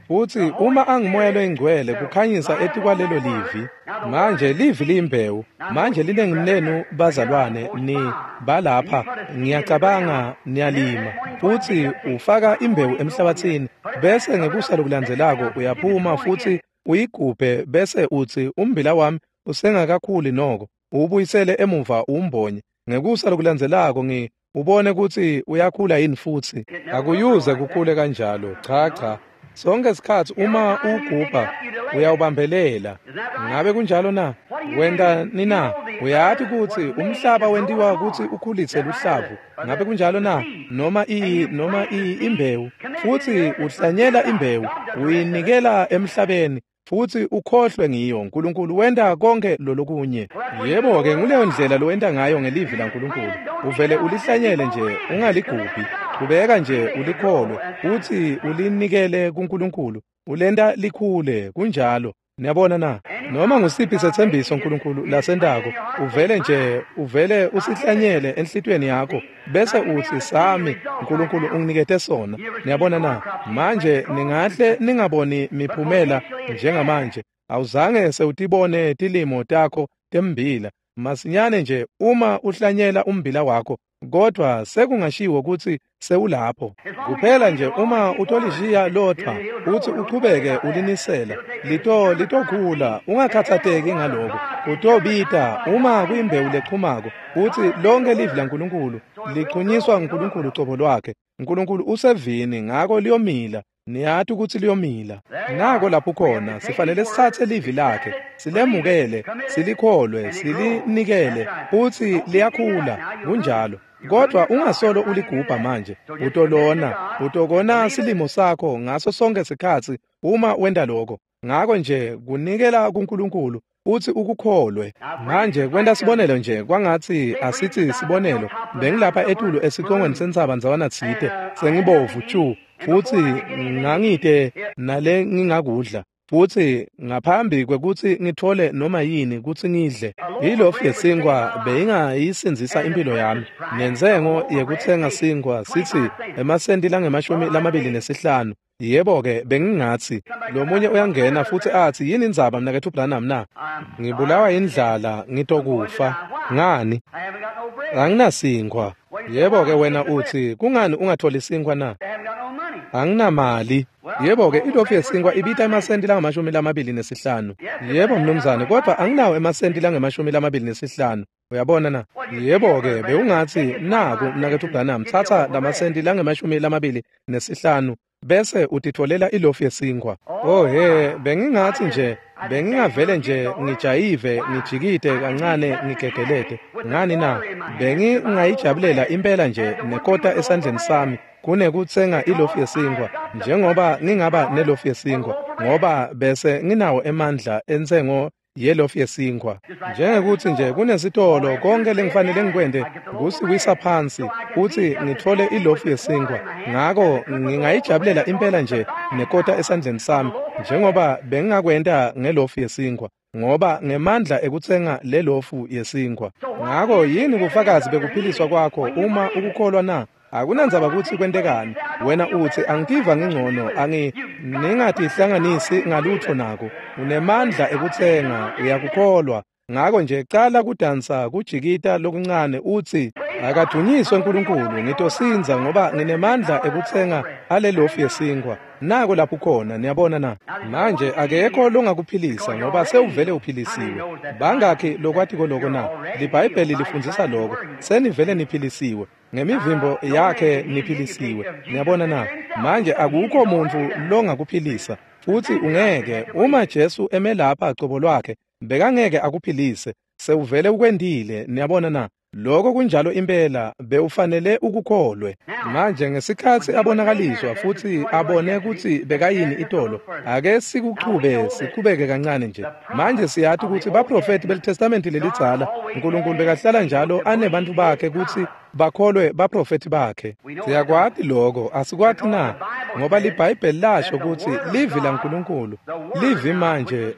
Futsi uma angumoya loyingcwele kukhanyisa etikwalelo livi. Manje livi liyimbewu. Manje linengi lenu bazalwane ni balapha, ngiyacabanga niyalima. Futsi ufaka imbewu emhlabathini, bese ngekusa lokulandzelako uyaphuma futsi uyigubhe bese utsi umbila wami usengakakhuli noko, uwubuyisele emuva uwumbonye. Ngekusa lokulandzelako ubone kutsi uyakhula yini futsi. Akuyuze kukhule kanjalo. Cha cha. Sonke isikhatsi uma uwugubha uyawubambelela. Ngabe kunjalo na? Wenta nina? Uyati kutsi umhlaba wentiwa kutsi ukhulise luhlavu. Ngabe kunjalo na? Noma imbewu. Futsi uhlanyela imbewu, uyinikela emhlabeni, futsi ukhohlwe ngiyo. uNkulunkulu wenta konke lolokunye. Yebo-ke, nguleyo ndlela lowenta ngayo ngelivi laNkulunkulu. Uvele ulihlanyele nje, ungaligubhi. Kubeka nje ulikholwe, futsi ulinikele kuNkulunkulu. Ulenta likhule, kunjalo. Niyabona na? Noma ngusiphi setsembiso uNkulunkulu lasentako, uvele nje, uvele usihlanyele enhlitiyweni yakho, bese utsi sami, uNkulunkulu unginikete sona. Niyabona na? Manje ningahle ningaboni miphumela njengamanje. Awuzange sewutibone tilimo takho tembila. Masinyane nje uma uhlanyela umbila wakho, kodwa sekungashiwo kutsi sewulapho. Kuphela nje uma utolishiya lodvwa uthi uchubeke ulinisela, litokhula, ungakhatsateki ngaloko. Kutobita uma kuyimbewu lechumako, uthi lonke livi laNkulunkulu lichunyiswa nguNkulunkulu cobo lwakhe. uNkulunkulu usevini, ngako liyomila. Niyati ukuthi liyomila. Nako lapho khona sifanele sithathe livi lakhe, silemukele, silikholwe, silinikele, futhi liyakhula. Kunjalo. Kodwa ungasolo uligubha manje, utolona, utokona silimo sakho ngaso sonke sikhatsi uma wenta lokho. Ngako nje kunikela kuNkulunkulu uthi ukukholwe. Manje kwenta sibonelo nje, kwangatsi asithi sibonelo, bengilapha etulu esicongweni sentsaba ndzawana tsite, sengibovu tju, futhi ngangite nale ngingakudla. Futhi ngaphambi kwekutsi ngithole noma yini kutsi ngidle, ilofu yesinkwa beyingayisindzisa impilo yami. Nentsengo yekutsenga sinkwa sithi emasenti langemashumi lamabili nesihlanu. Yebo-ke, bengingatsi lomunye uyangena futhi atsi, yini indzaba mnaketfu Branham na? Ngibulawa yindlala, ngitokufa. Ngani? Anginasinkwa. Yebo-ke, wena utsi, kungani ungatholi sinkwa na? Anginamali. Yebo-ke, ilofu yesinkwa ibita emasenti langamashumi lamabili nesihlanu. Yebo, mnumzane, kodwa anginawo emasenti langemashumi lamabili nesihlanu. Uyabona na? Yebo-ke, bewungatsi, naku mnaketfu Branham, tsatsa lamasenti langemashumi lamabili nesihlanu bese utitfolela ilofu yesinkwa. Oh he, bengingatsi nje, bengingavele nje ngijayive, ngijikite kancane, ngigegelete. Ngani na? Bengingayijabulela impela nje nekota esandleni sami kunekutsenga ilofu yesinkwa, njengoba ngingaba nelofu yesinkwa, ngoba bese nginawo emandla entsengo yelofu yesinkwa. Njengekuthi nje kunesitolo, konke lengifanele ngikwente kusiwisa phansi kutsi ngithole ilofu yesinkwa. Ngako ngingayijabulela impela nje nekota esandleni sami, njengoba bengingakwenta ngelofu yesinkwa, ngoba ngemandla ekutsenga lelofu yesinkwa. Ngako yini bufakazi bekuphiliswa kwakho uma ukukholwa na? Akunandzaba kutsi kwentekani. Wena utsi angitiva ngingcono, ningatihlanganisi ngalutho nako. Unemandla ekutsenga, uyakukholwa. Ngako nje cala kudansa kujikita lokuncane utsi, akadunyiswe uNkulunkulu, ngitosindza ngoba nginemandla ekutsenga alelofu yesinkwa. Nako lapho khona, niyabona na? Manje akekho longakuphilisa ngoba sewuvele uphilisiwe. Bangakhi lokwatiko loko na? LiBhayibheli lifundzisa loko. Senivele niphilisiwe. Ngemivimbo yakhe niphilisiwe. Niyabona na? Manje akukho muntfu longakuphilisa, futhi ungeke. Uma Jesu emelapha cobo lwakhe, bekangeke akuphilise. Sewuvele ukwendile. Niyabona na? Lokho kunjalo impela, bewufanele ukukholwe. Manje ngesikhatsi abonakaliswa futhi abone kutsi bekayini itolo, ake sikuchube siqhubeke kancane nje. Manje siyati kutsi baprofeti beliTestamenti lelidzala, uNkulunkulu bekahlala njalo anebantfu bakhe kutsi bakholwe baprofeti bakhe. Siyakwati lokho, asikwati na? Ngoba liBhayibheli lasho kutsi livi laNkulunkulu, livi manje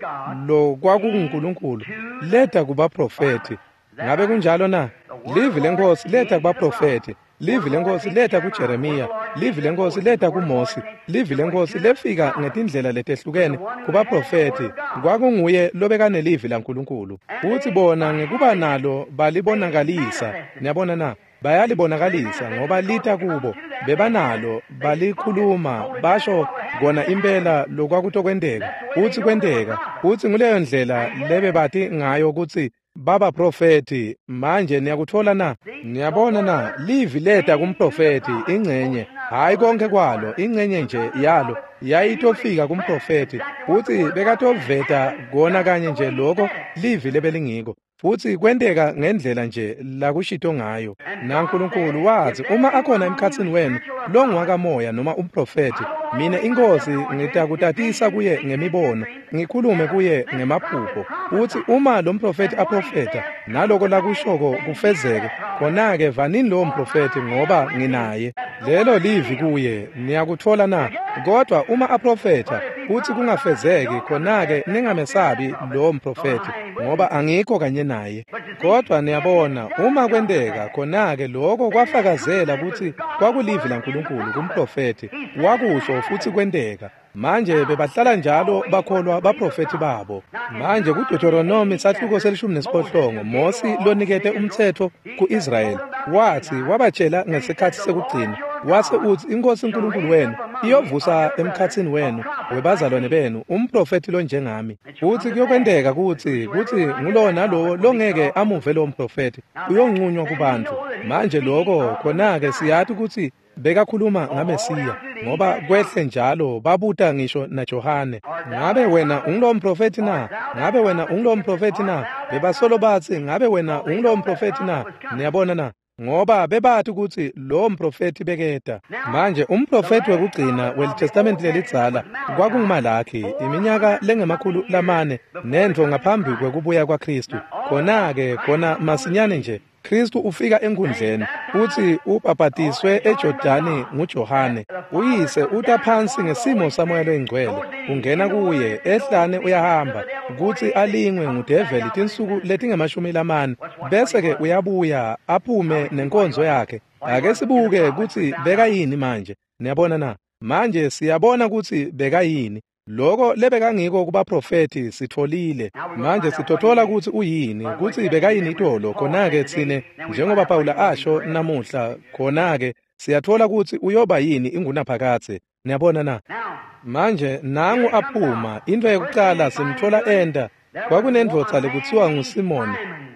lokwakunguNkulunkulu, leta kubaprofeti. Ngabe kunjalo na? Livi leNkhosi leta kubaprofeti, livi leNkhosi leta kuJeremiya, livi leNkhosi leta kuMosi, livi leNkhosi lefika ngetindlela letehlukene kubaprofeti. Kwakunguye lobekanelivi laNkulunkulu. Futhi bona ngekuba nalo balibonakalisa. Niyabona na? Bayalibonakalisa ngoba lita kubo, bebanalo, balikhuluma, basho kona impela lokwakutokwenteka. Futhi kwenteka. Futhi nguleyo ndlela lebebati ngayo kutsi babaprofeti. Manje niyakuthola na? Niyabona na? Livi leta kumprofeti ingcenye, hayi konke kwalo, ingcenye nje yalo yayitofika kumprofeti, futhi bekatoveta kona kanye nje lokho livi lebelingiko. Futhi kwenteka ngendlela nje lakushito ngayo. NaNkulunkulu wathi, uma akhona emkhatsini wenu longwakamoya noma umprofeti, mina iNkhosi ngitakutatisa kuye ngemibono, ngikhulume kuye ngemaphupho. Uthi uma lo mprofeti aprofeta naloko lakushoko kufezeke, khona-ke vanini lowo mprofeti ngoba nginaye. Lelo livi kuye, niyakutfola na? Kodwa uma aprofetha kutsi kungafezeki, khona-ke ningamesabi lowo mprofethi, ngoba angikho kanye naye. Kodwa niyabona, uma kwenteka, khona-ke lokho kwafakazela kutsi kwakulivi laNkulunkulu kumprofethi, wakusho futsi kwenteka. Manje bebahlala njalo bakholwa baprofethi babo. Manje kuDeuteronomy sahluko se-18, Mosi lonikete umtsetfo ku-Israyeli wathi wabatshela ngesikhatsi sekugcina, wase utsi iNkhosi uNkulunkulu wenu iyovusa emkhatsini wenu webazalwane benu umprofethi lonjengami. Futsi kuyokwenteka kutsi ngulowo nalowo longeke amuve lowo mprofethi uyonqunywa kubantfu. Manje lokho khona-ke siyati kutsi bekakhuluma ngaMesiya, ngoba kwehle njalo babuta ngisho naJohane, ngabe wena ungulowo mprofethi na? Ngabe wena ungulowo mprofethi na? Bebasolo batsi, ngabe wena ungulowo mprofethi na? Niyabona na? Ngoba bebati kutsi lowo mprofethi beketa. Manje umprofethi wekugcina weliTestamenti lelidzala kwakunguMalakhi, iminyaka lengama-400 nentfo ngaphambi kwekubuya kwaKhristu. Khona-ke khona masinyane nje Khristu ufika enkundleni futsi ubhabhatiswe eJordani nguJohane. Uyise uta phansi ngesimo saMoya loyiNgcwele, ungena kuye ehlane uyahamba kutsi alingwe ngudeveli tinsuku letingama-40, bese-ke uyabuya aphume nenkonzo yakhe. Ake sibuke kutsi bekayini manje. Niyabona na? Manje siyabona kutsi bekayini. Lokho lebekangiko kubaprofethi sitfolile. Manje sitotfola kutsi uyini, kutsi bekayini itolo, khona-ke tsine njengoba Pawula asho namuhla, khona-ke siyatfola kutsi uyoba yini ingunaphakadze. Niyabona na? Manje nangu aphuma, intfo yekucala simtfola enta, kwakunendvodza lekutsiwa nguSimoni,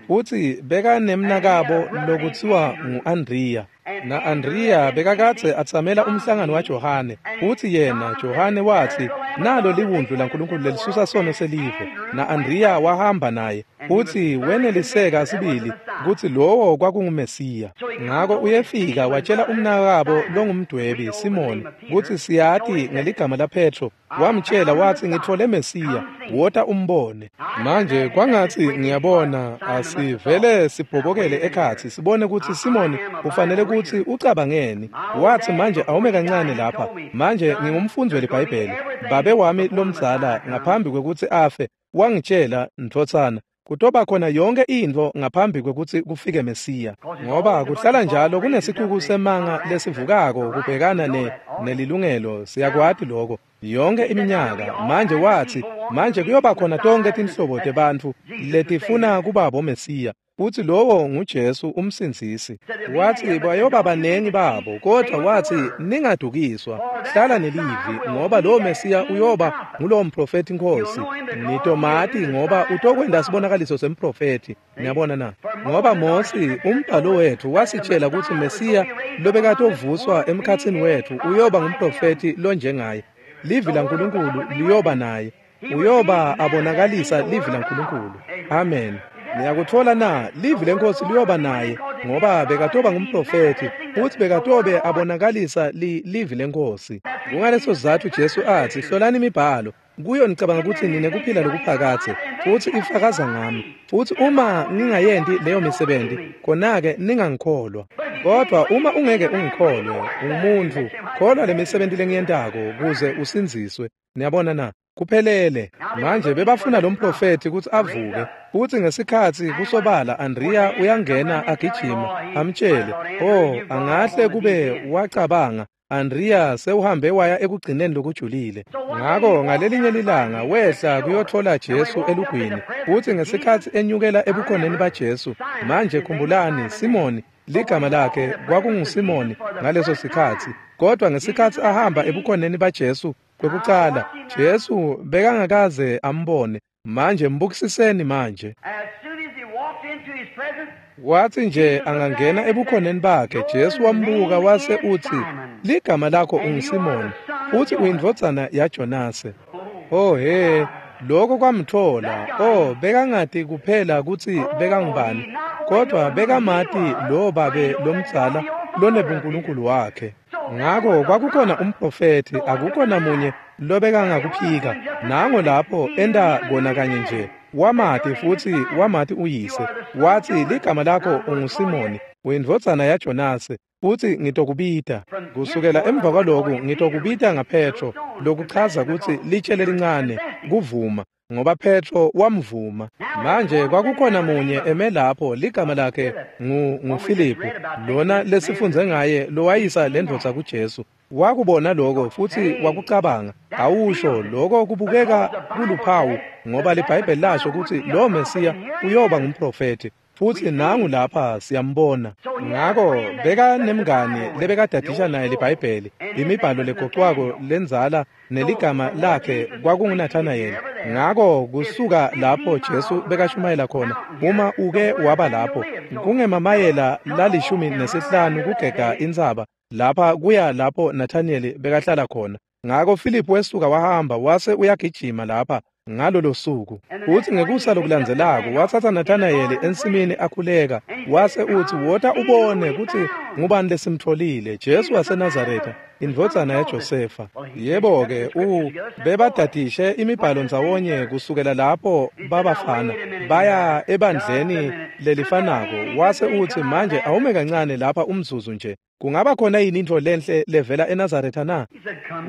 futsi bekanemnakabo lokutsiwa ngu-Andriya. Na-Andriya bekakadze atsamela umhlangano waJohane, futsi yena Johane watsi, nalo liwundlu laNkulunkulu lelisusa sono selive. Na-Andriya wahamba naye, futsi weneliseka sibili kutsi lowo kwakunguMesiya. Ngako uyefika watshela umnakabo longumdwebi Simoni kutsi siyati ngeligama laPetro, wamtshela watsi, ngitfole Mesiya, wota umbone. Manje kwangatsi ngiyabona asivele sibhobokele ekhatsi sibone kutsi Simoni ufanele kutsi ucabangeni. Watsi, manje awume kancane lapha, manje ngingumfundzi weliBhayibheli. Babe wami lomdzala ngaphambi kwekutsi afe wangitshela, ndvodzana, kutoba khona yonke intfo ngaphambi kwekutsi kufike Mesiya, ngoba kuhlala njalo kunesicuku semanga lesivukako kubhekana nelilungelo. Siyakwati lokho yonke iminyaka. Manje watsi, manje kuyoba khona tonke tinhlobo tebantfu letifuna kuba boMesiya, futsi lowo nguJesu umsindzisi. Watsi bayoba banengi babo, kodwa watsi ningadukiswa, hlala nelivi, ngoba lowo Mesiya uyoba ngulowo mprofethi Nkhosi. Nitomati ngoba utokwenta sibonakaliso semprofethi. Niyabona na? Ngoba Mosi umbhalo wetfu wasitshela kutsi Mesiya lobekatovuswa emkhatsini wetfu uyoba ngumprofethi lonjengaye. Livi laNkulunkulu liyoba naye, uyoba abonakalisa livi laNkulunkulu. Amen. Niyakutfola na? Livi leNkhosi liyoba naye, ngoba bekatoba ngumprofethi futsi bekatobe abonakalisa livi leNkhosi. Kungaleso sizatfu Jesu atsi, hlolani imibhalo, kuyo nicabanga kutsi ninekuphila lokuphakadze, futsi ifakaza ngami. Futsi uma ngingayenti leyo misebenti, khona-ke ningangikholwa. Kodwa uma ungeke ungikholwe, umuntfu, kholwa lemisebenti lengiyentako kuze usindziswe. Niyabona na? Kuphelele. Manje bebafuna lo mprofethi kutsi avuke, futsi ngesikhatsi kusobala Andriya uyangena agijima amtshele. Oh, angahle kube wacabanga, Andriya sewuhambe waya ekugcineni lokujulile. Ngako ngalelinye lilanga wehla kuyotfola Jesu elugwini, futsi ngesikhatsi enyukela ebukhoneni baJesu. Manje khumbulani, Simoni ligama lakhe kwakunguSimoni ngaleso sikhatsi, kodwa ngesikhatsi ahamba ebukhoneni baJesu kwekucala, Jesu bekangakaze ambone. Manje mbukisiseni manje. Watsi nje angangena ebukhoneni bakhe, Jesu wambuka wase utsi, ligama lakho unguSimoni, futsi uyindvodzana yaJonase. Oh he, lokho kwamtfola. Oh, bekangati kuphela kutsi bekangubani, kodwa bekamati lo babe lomdzala lonebunkulunkulu wakhe. Ngako kwakukhona umprofethi, akukho namunye lobekangakuphika. Nango lapho enta kona kanye nje, wamati futsi wamati uyise. Watsi, ligama lakho unguSimoni, uyindvodzana yaJonase. Futsi ngitokubita. Kusukela emva kwaloku ngitokubita ngaPetro, lokuchaza kutsi litshe lelincane, kuvuma, ngoba Petro wamvuma. Manje kwakukhona munye eme lapho, ligama lakhe nguFiliphu, lona lesifundze ngaye lowayisa lendvodza kuJesu. Wakubona lokho futsi wakucabanga. Awusho lokho kubukeka kuluphawu, ngoba liBhayibheli lasho kutsi lo Mesiya uyoba ngumprofethi. Futsi nangu lapha siyambona. Ngako beka nemngani lebekadadisha naye liBhayibheli, imibhalo legocwako lendzala, neligama lakhe kwakunguNathanayeli. Ngako kusuka lapho Jesu bekashumayela khona, uma uke waba lapho, kungemamayela la15 kugega intsaba lapha kuya lapho Nathanayeli bekahlala khona. Ngako Filiphu wesuka wahamba wase uyagijima lapha ngalolo suku. Futsi ngekusa lokulandzelako watsatsa Nathanayeli ensimini akhuleka, wase utsi, "Wota ubone kutsi ngubani lesimtfolile, Jesu waseNazaretha, indvodzana yaJosefa." Yebo-ke, bebadadishe imibhalo ndzawonye kusukela lapho babafana baya ebandleni lelifanako. Wase utsi, "Manje awume kancane lapha umzuzu nje. Kungaba khona yini intfo lenhle levela eNazaretha na?"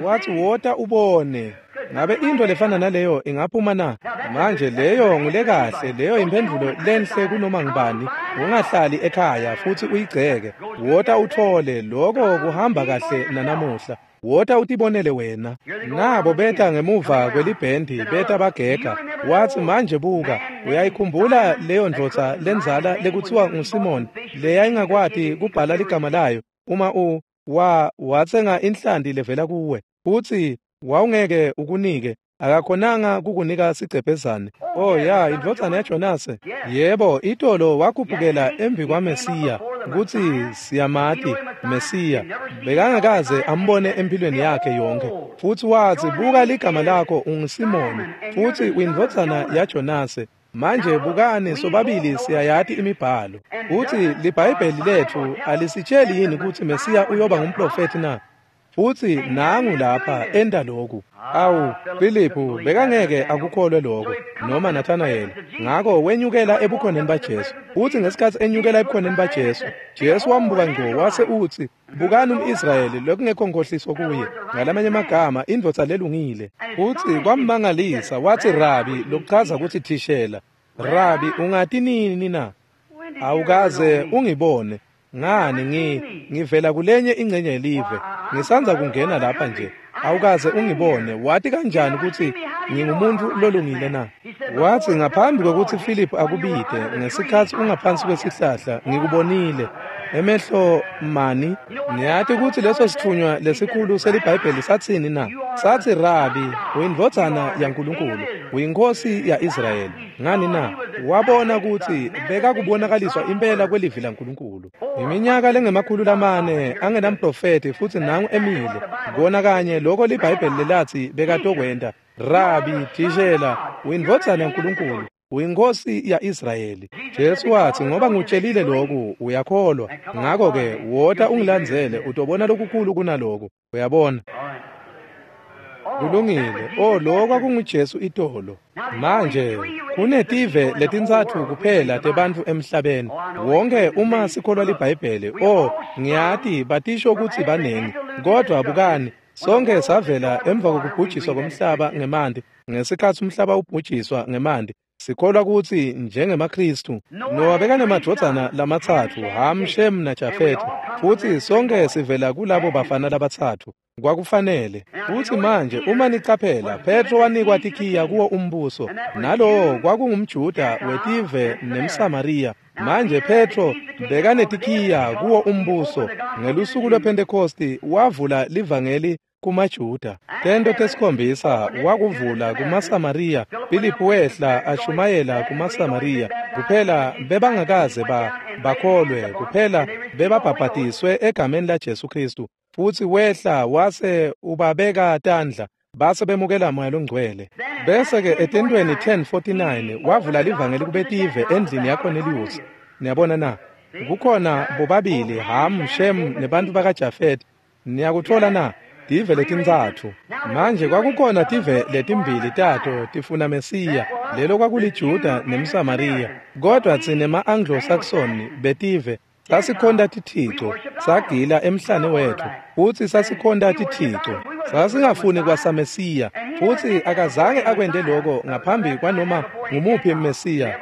Wathi, "Wota ubone. Ngabe intfo lefana naleyo ingaphuma na?" Manje leyo ngulekahle, leyo imphendvulo lenhle kunoma ngubani. Ungahlali ekhaya futsi uyigceke. Wota uthole, lokho kuhamba kahle nanamuhla. Wota utibonele wena. Nabo beta ngemuva kwelibhendi, beta bagega. Wathi, "Manje buka, uyayikhumbula leyo ndvodza lendzala lekutsiwa nguSimoni, leyayingakwati kubhala ligama layo, uma watsenga inhlanti levela kuwe, futsi wawungeke ukunike, akakhonanga kukunika sigcebhezane." Oh ya, indvodzana yaJonase. Yebo, itolo wakhuphukela embi kwaMesiya, kutsi siyamati Mesiya. Bekangakaze ambone empilweni yakhe yonke. Futsi watsi, "Buka, ligama lakho unguSimoni, futsi uyindvodzana yaJonase. Manje bukani, sobabili siyayati imibhalo. Futsi liBhayibheli letfu alisitsheli yini kutsi Mesiya uyoba ngumprofethi na? Futsi nangu lapha enta lokhu." Awu, Filiphu bekangeke akukholwe lokho, noma Nathanayeli. Ngako wenyukela ebukhoneni baJesu. Futsi ngesikhatsi enyukela ebukhoneni baJesu, Jesu wambuka ngco wase utsi, "Bukani umIsrayeli lokungekho nkhohliso kuye." Ngalamanye amagama, indvodza lelungile. Futsi kwammangalisa, watsi, "Rabi," lokuchaza kutsi thishela. "Rabi, ungati nini na? Awukaze ungibone. Ngani, ngivela kulenye ingcenye yelive. Ngisandza kungena lapha nje. Awukaze ungibone. Wati kanjani kutsi ngingumuntu lolungile na?" Watsi, "Ngaphambi kwekutsi Filiphu akubite, ngesikhatsi ungaphansi kwesihlahla, ngikubonile. Emehlo mani." Niyati kutsi leso sitfunywa lesikhulu seliBhayibheli satsini na? Satsi, "Rabi, uyindvodzana yaNkulunkulu, uyinkhosi ya-Israyeli." Ngani na? Wabona kutsi bekakubonakaliswa impela kwelivi laNkulunkulu. Iminyaka lengama-400 angenamprofethi, futsi nangu emile. Kona kanye lokho liBhayibheli lelatsi bekatokwenta. Rabi, thishela, uyindvodzana yaNkulunkulu, uyinkhosi ya-Israyeli. Jesu watsi, "Ngoba ngikutshelile lokhu, uyakholwa. Ngako-ke wota ungilandzele, utobona lokukhulu kunaloku." Uyabona? Kulungile. Oh, lokho kwakunguJesu itolo. Manje kunetive letintsatfu kuphela tebantfu emhlabeni wonke uma sikholwa liBhayibheli. Oh, ngiyati batisho kutsi banengi, kodwa bukani, sonke savela emva kokubhujiswa komhlaba ngemanti. Ngesikhatsi umhlaba ubhujiswa ngemanti, sikholwa kutsi njengemaKhristu Nowa bekanemadvodzana lamatsatfu, Ham, Shem naJafethe, futsi sonke sivela kulabo bafana labatsatfu. Kwakufanele. Futsi manje uma nicaphela, Petro wanikwa tikhiya kuwo umbuso, nalowo kwakungumJuda wetive nemSamariya. Manje Petro bekanetikhiya kuwo umbuso. Ngelusuku lwePhentekosti wavula livangeli kumaJuda. Tento 7 wakuvula kumaSamariya. Filiphu wehla ashumayela kumaSamariya. Kuphela bebangakaze bakholwe, kuphela bebabhabhatiswe egameni laJesu Khristu. Futsi wehla wase ubabeka tandla, base bemukela Moya Longcwele. Bese-ke etentweni 10:49 wavula livangeli kubetive endlini yaKorneliyusi. Niyabona na? Kukhona bobabili Ham, Shem nebantu bakaJafet. Niyakuthola na? Tive letintsatfu. Manje kwakukhona tive letimbili tato tifuna Mesiya, lelo kwakuliJuda nemSamariya. Kodwa tsine ma-Anglo-Saxon betive Sasikhonta tithico, sagila emhlane wetfu, futsi sasikhonta tithico. Sasingafuni kwasaMesiya, futsi akazange akwente lokho ngaphambi kwanoma ngumuphi Mesiya.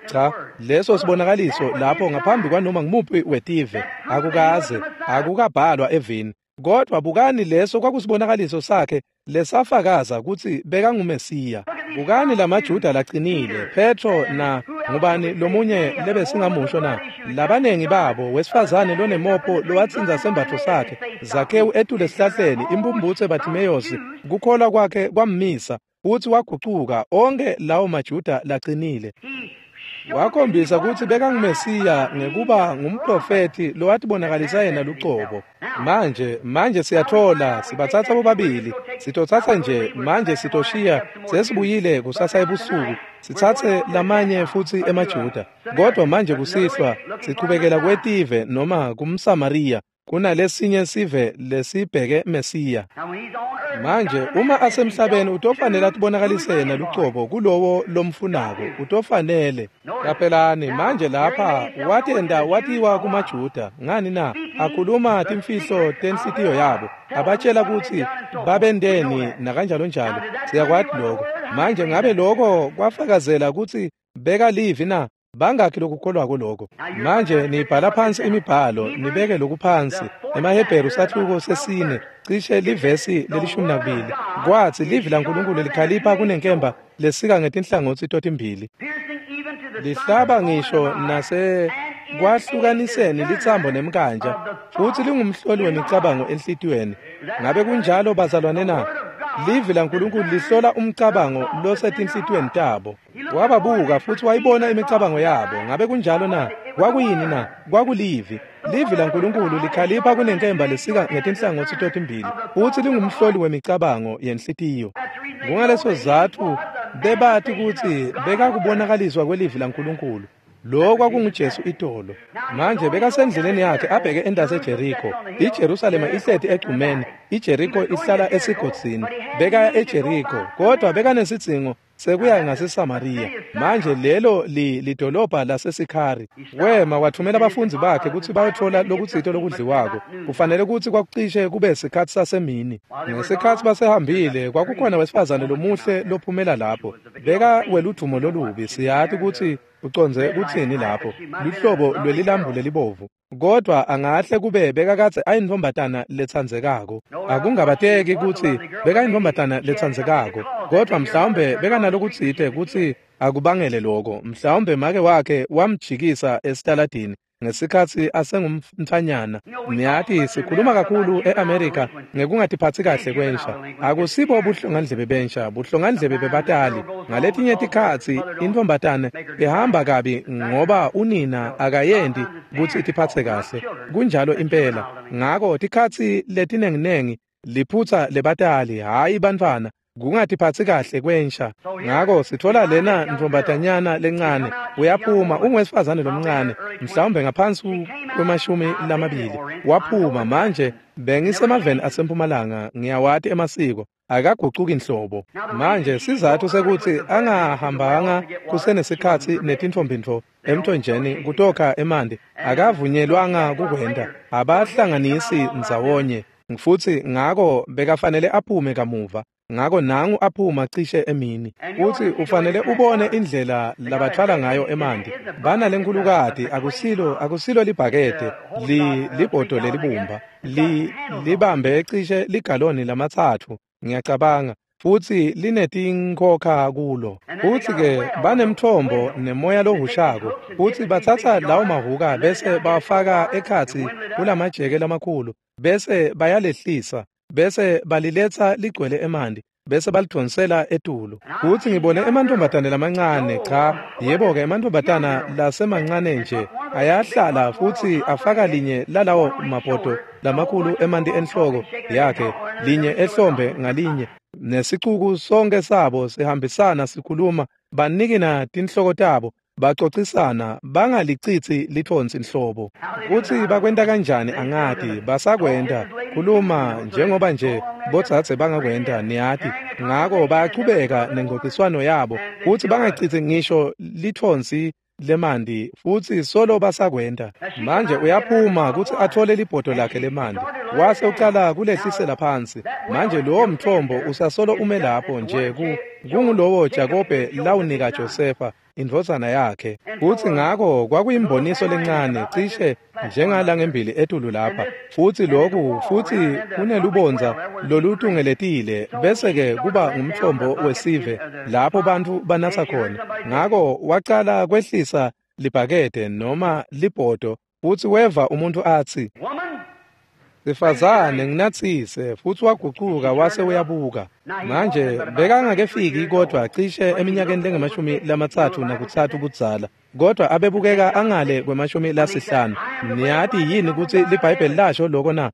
Cha, leso sibonakaliso lapho ngaphambi kwanoma ngumuphi wetive, akukaze, akukabhalwa evini. Kodwa bukani leso kwakusibonakaliso sakhe lesafakaza kutsi bekanguMesiya. Bukani lamaJuda laqinile, Petro na ngubani lomunye lebesingamusho na? Labanengi babo, wesifazane lonemopho lowatsinza sembatfo sakhe, Zakhewu etule esihlahleni, impumputse Bartimeyosi, kukholwa kwakhe kwammisa, futsi wagucuka. Onke lawo maJuda laqinile. Wakhombisa kutsi bekanguMesiya ngekuba ngumprofethi lowatibonakalisa yena lucobo. Manje siyathola, sibatsatsa bobabili, sitotsatsa nje, manje sitoshiya, sesibuyile kusasa ebusuku, sitsatse lamanye futsi emaJuda. Kodwa manje kusihlwa, sichubekela kwetive noma kumSamariya, kunalesinye sive lesibheke Mesiya. Manje uma asemhlabeni utofanele atibonakalise yena lucobo kulowo lomfunako, utofanele. Qaphelani manje lapha watenda watiwa kumaJuda, ngani na? Akhuluma timfihlo tenhlitiyo yabo, abatshela kutsi babendeni nakanjalo njalo. Siyakwati lokho. Manje ngabe lokho kwafakazela kutsi beka livi na? Bangakhi lokukholwako lokho? Manje nibhala phansi imibhalo, nibeke lokhu phansi. EmaHebheru sahluko 4, cishe livesi le-12. Kwathi livi laNkulunkulu likhalipha kunenkemba lesika ngetinhlangotsi totimbili, lihlaba ngisho nase kwahlukaniseni litsambo nemkanja, futsi lingumhloli wemicabango enhlitiyweni. Ngabe kunjalo bazalwane na? Livi laNkulunkulu lihlola umcabango losetinhlitiyweni tabo. Wababuka futsi wayibona imicabango yabo. Ngabe kunjalo na? Kwakuyini na? Kwakulivi. Livi laNkulunkulu likhalipha kunenkemba lesika ngetinhlangotsi totimbili, futsi lingumhloli wemicabango yenhlitiyo. Kungaleso sizatfu bebati kutsi bekakubonakaliswa kwelivi laNkulunkulu. Lo kwakunguJesu itolo. Manje bekasendleleni yakhe abheke entasi eJeriko. IJerusalema ihleti egcumeni, iJeriko ihlala esigodzini. Bekaya eJeriko, kodwa bekanesidzingo sekuya ngaseSamariya. Manje lelo lidolobha laseSikhari. Wema wathumela abafundzi bakhe kutsi bayotfola lokutsite lokudliwako. Kufanele kutsi kwakucishe kube sikhatsi sasemini. Ngesikhatsi basehambile, kwakukhona wesifazane lomuhle lophumela lapho. Beka weludvumo lolubi, siyati kutsi ucondze kutsini lapho, luhlobo lwelilambu lelibovu. Kodwa angahle kube bekakadze ayintfombatana letsandzekako. Akungabateki kutsi bekayintfombatana letsandzekako, kodwa mhlawumbe bekanalokutsite kutsi akubangele lokho. Mhlawumbe make wakhe wamjikisa esitaladini ngesikhatsi asengumntfanyana. Niyati sikhuluma kakhulu eAmerica ngekungatiphatsi kahle kwensha. Akusibo buhlongandlebe bensha, buhlongandlebe bebatali. Ngaletinye tikhatsi intfombatane ihamba kabi ngoba unina akayenti kutsi itiphatse kahle. Kunjalo impela. Ngako tikhatsi letinenginengi liphutsa lebatali, hhayi bantfwana, kungatiphatsi kahle kwensha. Ngako sitfola lena ntfombatanyana lencane, uyaphuma, ungwesifazane lomncane, mhlawumbe ngaphansi kwe-20. Waphuma. Manje bengisemaveni asempumalanga, ngiyawati emasiko, akagucuki nhlobo. Manje sizatfu sekutsi angahambanga kusenesikhatsi netintfombintfo emthonjeni kutokha emanti, akavunyelwanga kukwenta, abahlanganisi ndzawonye, futsi ngako bekafanele aphume kamuva. Ngako nangu aphuma cishe emini. Futsi ufanele ubone indlela labathwala ngayo emanti. Banalenkulukati, akusilo libhakede, libhodo lelibumba, libambe cishe ligaloni 3, ngiyacabanga, futsi linetinkhokha kulo. Futsi-ke banemthombo nemoya lohushako, futsi batsatsa lawo mahhuka bese bawafaka ekhatsi kulamajeke lamakhulu, bese bayalehlisa, bese baliletsa ligcwele emanti, bese balidvonsela etulu. Futsi ngibone emantfombatane lamancane, cha, yebo-ke emantfombatana lasemancane nje ayahlala futsi afaka linye lalawo mabhodo lamakhulu emanti enhloko yakhe, linye ehlombe ngalinye, nesicuku sonke sabo sihambisana sikhuluma, banikina tinhloko tabo, bacocisana, bangalicitsi litfonsi nhlobo. Kutsi bakwenta kanjani angati, basakwenta, khuluma njengoba nje bodzadze bangakwenta, niyati. Ngako bayachubeka nencociswano yabo, kutsi bangacitsi ngisho litfonsi lemanti futsi solo basakwenta. Manje uyaphuma kutsi athole libhodo lakhe lemanti, wase ucala kulehlisela phansi. Manje lowo mthombo usasolo ume lapho nje kungulowo Jakobe lawunika Josefa indvodzana yakhe. Futsi ngako kwakuyimboniso lencane cishe njengala ngembili etulu lapha, futsi lokhu futsi kunelubondza lolutungeletile, bese-ke kuba ngumthombo wesive lapho bantfu banatsa khona. Ngako wacala kwehlisa libhakede noma libhodo, futsi weva umuntfu atsi, "Sifazane, nginatsise." Futsi wagucuka wase uyabuka. Manje bekangakefiki kodvwa cishe eminyakeni lengu-33 budzala, kodvwa abebukeka angale kwe-50. Niyati yini kutsi liBhayibheli lasho loko na?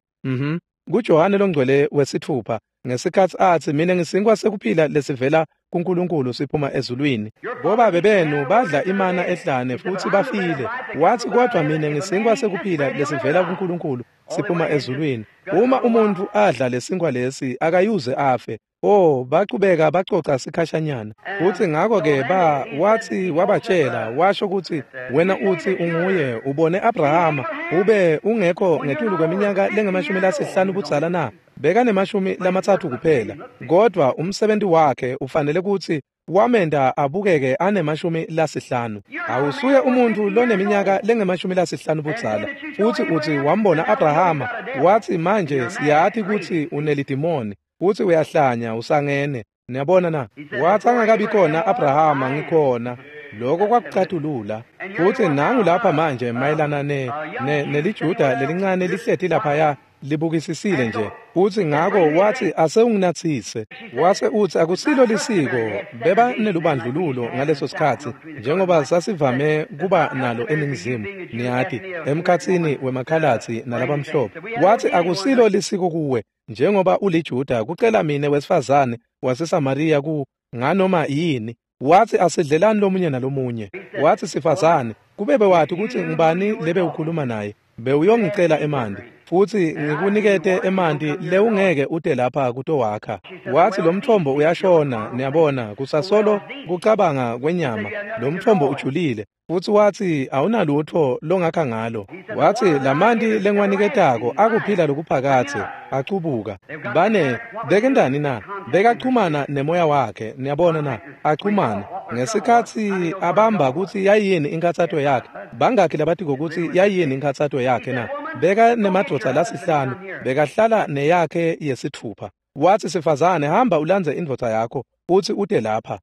KuJohane loNgcwele wesitfupha, ngesikhatsi atsi, "Mine ngisinkwa sekuphila lesivela kuNkulunkulu siphuma ezulwini. Bobabe benu badla imana ehlane futsi bafile." Watsi, "Kodvwa mine ngisinkwa sekuphila lesivela kuNkulunkulu siphuma ezulwini. Uma umuntfu adla lesinkwa lesi akayuze afe." Oh, bachubeka bacoca sikhashanyana. Futsi ngako-ke watsi wabatshela, washo kutsi, "Wena utsi unguye, ubone Abrahama, ube ungekho ngetulu kweminyaka lengu-50 budzala na?" Bekane-30 kuphela, kodvwa umsebenti wakhe ufanele kutsi wamenta abukeke ane-50. Awusuye umuntfu loneminyaka lengu-50 budzala, futsi utsi wambona Abrahama. Watsi, "Manje siyati kutsi unelidimoni, futsi uyahlanya, usangene." Niyabona na? Watsi, "Angakabi khona Abrahama, ngikhona." Loko kwakucatulula. Futsi nangu lapha manje mayelana neliJuda lelincane lihleti laphaya libukisisile nje. Futsi ngako watsi, "Ase unginatsise." Wase utsi, "Akusilo lisiko, beba nelubandlululo ngaleso sikhatsi, njengoba sasivame kuba nalo eNingizimu, niyati, emkhatsini wemakhalatsi nalabamhlophe. Watsi, "Akusilo lisiko kuwe, njengoba uliJuda, kucela mine wesifazane waseSamariya ku nganoma yini." Watsi, "Asidlelani lomunye nalomunye." Watsi, "Sifazane, kube bewati kutsi ngubani lebe ukhuluma naye, bewuyongicela emanti, futsi ngikunikete emanti lewungeke ute lapha kutowakha." Watsi, "Lo mthombo uyashona." Niyabona, kusasolo kucabanga kwenyama. Lo mthombo ujulile. Futsi watsi, "Awunalutfo longakha ngalo." Watsi, "Lamanti lengiwaniketako akuphila lokuphakadze." Acubuka. Bane bekentani na? Bekachumana nemoya wakhe. Niyabona na? Achumana. Ngesikhatsi abamba kutsi yayini inkhatsato yakhe, bangakhi labatiko kutsi yayini inkhatsato yakhe na? Beka nemadvodza lasihlanu, bekahlala neyakhe yesitfupha. Watsi, "Sifazane, hamba ulandze indvodza yakho, futsi ute lapha."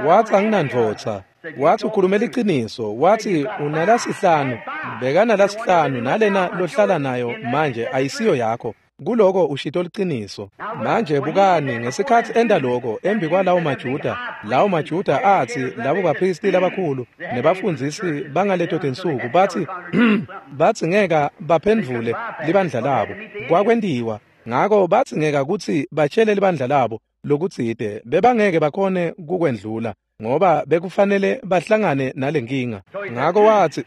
Watsi, "Anginandvodza." Watsi, "Ukhulume liciniso." Watsi, "Unalasihlanu, bekanalasihlanu, nalena lohlala nayo manje ayisiyo yakho. Kuloko ushito liciniso." Manje bukani, ngesikhatsi enta loko embi kwalawo maJuda, lawo maJuda atsi, labo baphristi labakhulu nebafundzisi bangaleto tinsuku batsi batsi ngeka baphendvule libandla labo. Kwakwentiwa. Ngako batsi ngeka kutsi batshele libandla labo lokutsite, bebangeke bakhone kukwendlula, ngoba bekufanele bahlangane nalenkinga. Ngako watsi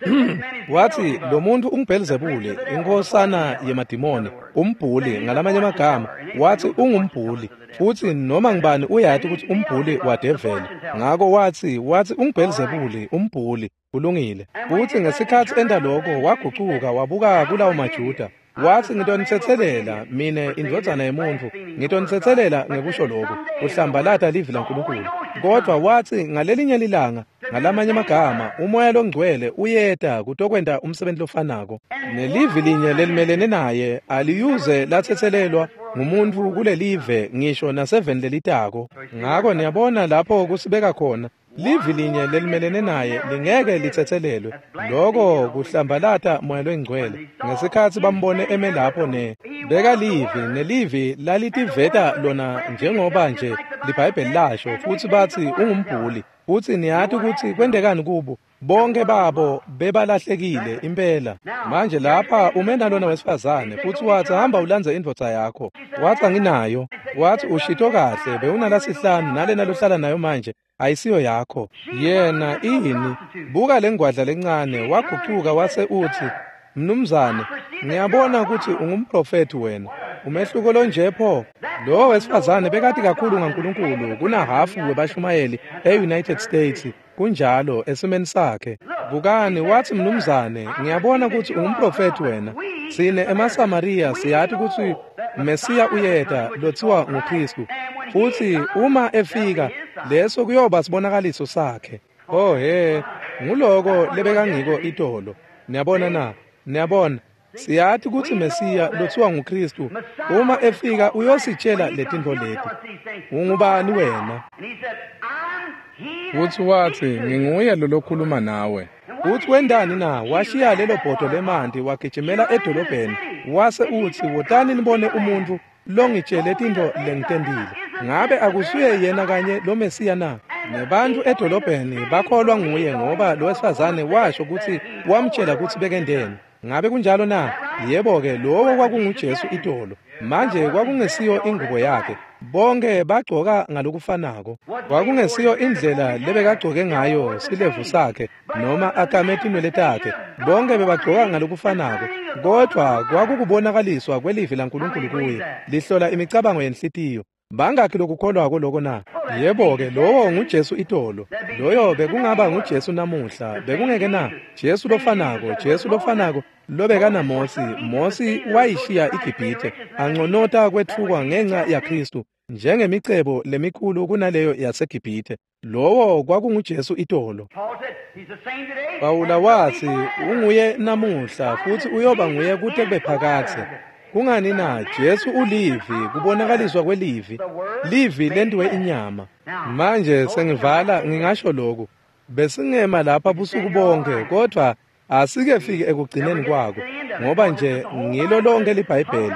watsi, "Lo muntu unguBhelzebule, inkhosana yemadimoni, umbhuli." Ngalamanye amagama watsi ungumbhuli, futsi noma ngibani uyati kutsi umbhuli wadeveli. Ngako watsi unguBhelzebule, umbhuli. Kulungile. Futsi ngesikhatsi enta loko, wagucuka wabuka kulawo maJuda. Watsi, "Ngitonitsetselela mine indvodzana yemuntfu, ngitonitsetselela ngekusho lokhu, kuhlambalata livi laNkulunkulu. Kodvwa watsi, ngalelinye lilanga, ngalamanye amagama, uMoya loNgcwele uyeta kutokwenta umsebenti lofanako. Nelivi linye lelimelene naye aliyuze latsetselelwa ngumuntfu kulelive ngisho naseveni lelitako." Ngako niyabona lapho kusibeka khona. Livi linye lelimelene naye lingeke litsetselelwe. Loko kuhlambalata Moya loNgcwele. Ngesikhatsi bambone eme lapho beka livi, nelivi lalitiveta lona njengoba nje liBhayibheli lasho, futsi batsi ungumbhuli. Futsi niyati kutsi kwentekani kubo? Bonke babo bebalahlekile impela. Manje lapha ume nalona wesifazane, futsi watsi, "Hamba ulandze indvodza yakho." Watsi, "Anginayo." Watsi, "Ushito kahle, bewunalasihlanu, nalena lohlala nayo manje ayisiyo yakho." Yena ini? Buka lengwadla lencane, wagucuka wase utsi, "Mnumzane, ngiyabona kutsi ungumprofethi wena." Umehluko lonje pho. Lo wesifazane bekati kakhulu ngaNkulunkulu kunahhafu webashumayeli e-United States. Kunjalo esimeni sakhe. Bukani, wathi, mnumzane, ngiyabona ukuthi ungumprofethi wena. Sine emaSamariya siyati ukuthi Mesiya uyeta lothiwa nguKristu. Futhi uma efika, leso kuyoba sibonakaliso sakhe. Oh he, nguloko lebekangiko itolo. Niyabona na? Niyabona? Siyati ukuthi Mesiya lothiwa nguKristu uma efika uyositshela letintfo leti. Ungubani wena? Futhi wathi, nginguye lo lokhuluma nawe. Uthi wendani na? Washiya lelo bhodo lemanti wagijimela edolobheni. Wase uthi, wotani nibone umuntu longitshele tintfo lengitentile. Ngabe akusuye yena kanye lo Mesiya na? Nebantu edolobheni bakholwa nguye ngoba lo wesifazane washo ukuthi wamtshela ukuthi bekendeni. Ngabe kunjalo na? Yebo-ke, lowo kwakunguJesu itolo. Manje kwakungesiyo ingubo yakhe. Bonke bagcoka ngalokufanako. Kwakungesiyo indlela lebekagcoke ngayo silevu sakhe noma akame tinwele takhe. Bonke bebagcoka ngalokufanako. Kodwa kwakukubonakaliswa kwelivi laNkulunkulu kuye, lihlola imicabango yenhlitiyo. Bangakhi lokukholwako lokho na? Yebo-ke, lowo nguJesu itolo. Loyo bekungaba nguJesu namuhla, bekungeke na? Jesu lofanako, Jesu lofanako lobekana Mosi. Mosi wayishiya iGibhithe, anconota kwetfukwa ngenxa yaKristu njengemicebo lemikhulu kunaleyo yaseGibhithe. Lowo kwakunguJesu itolo. Pawula wathi unguye namuhla futhi uyoba nguye kute kube phakadze. Kungani na? Jesu ulivi, kubonakaliswa kwelivi. Livi lentiwe inyama. Manje sengivala ngingasho lokhu. Besingema lapha busuku bonke, kodwa asikefiki ekugcineni kwako, ngoba nje ngilo lonke liBhayibheli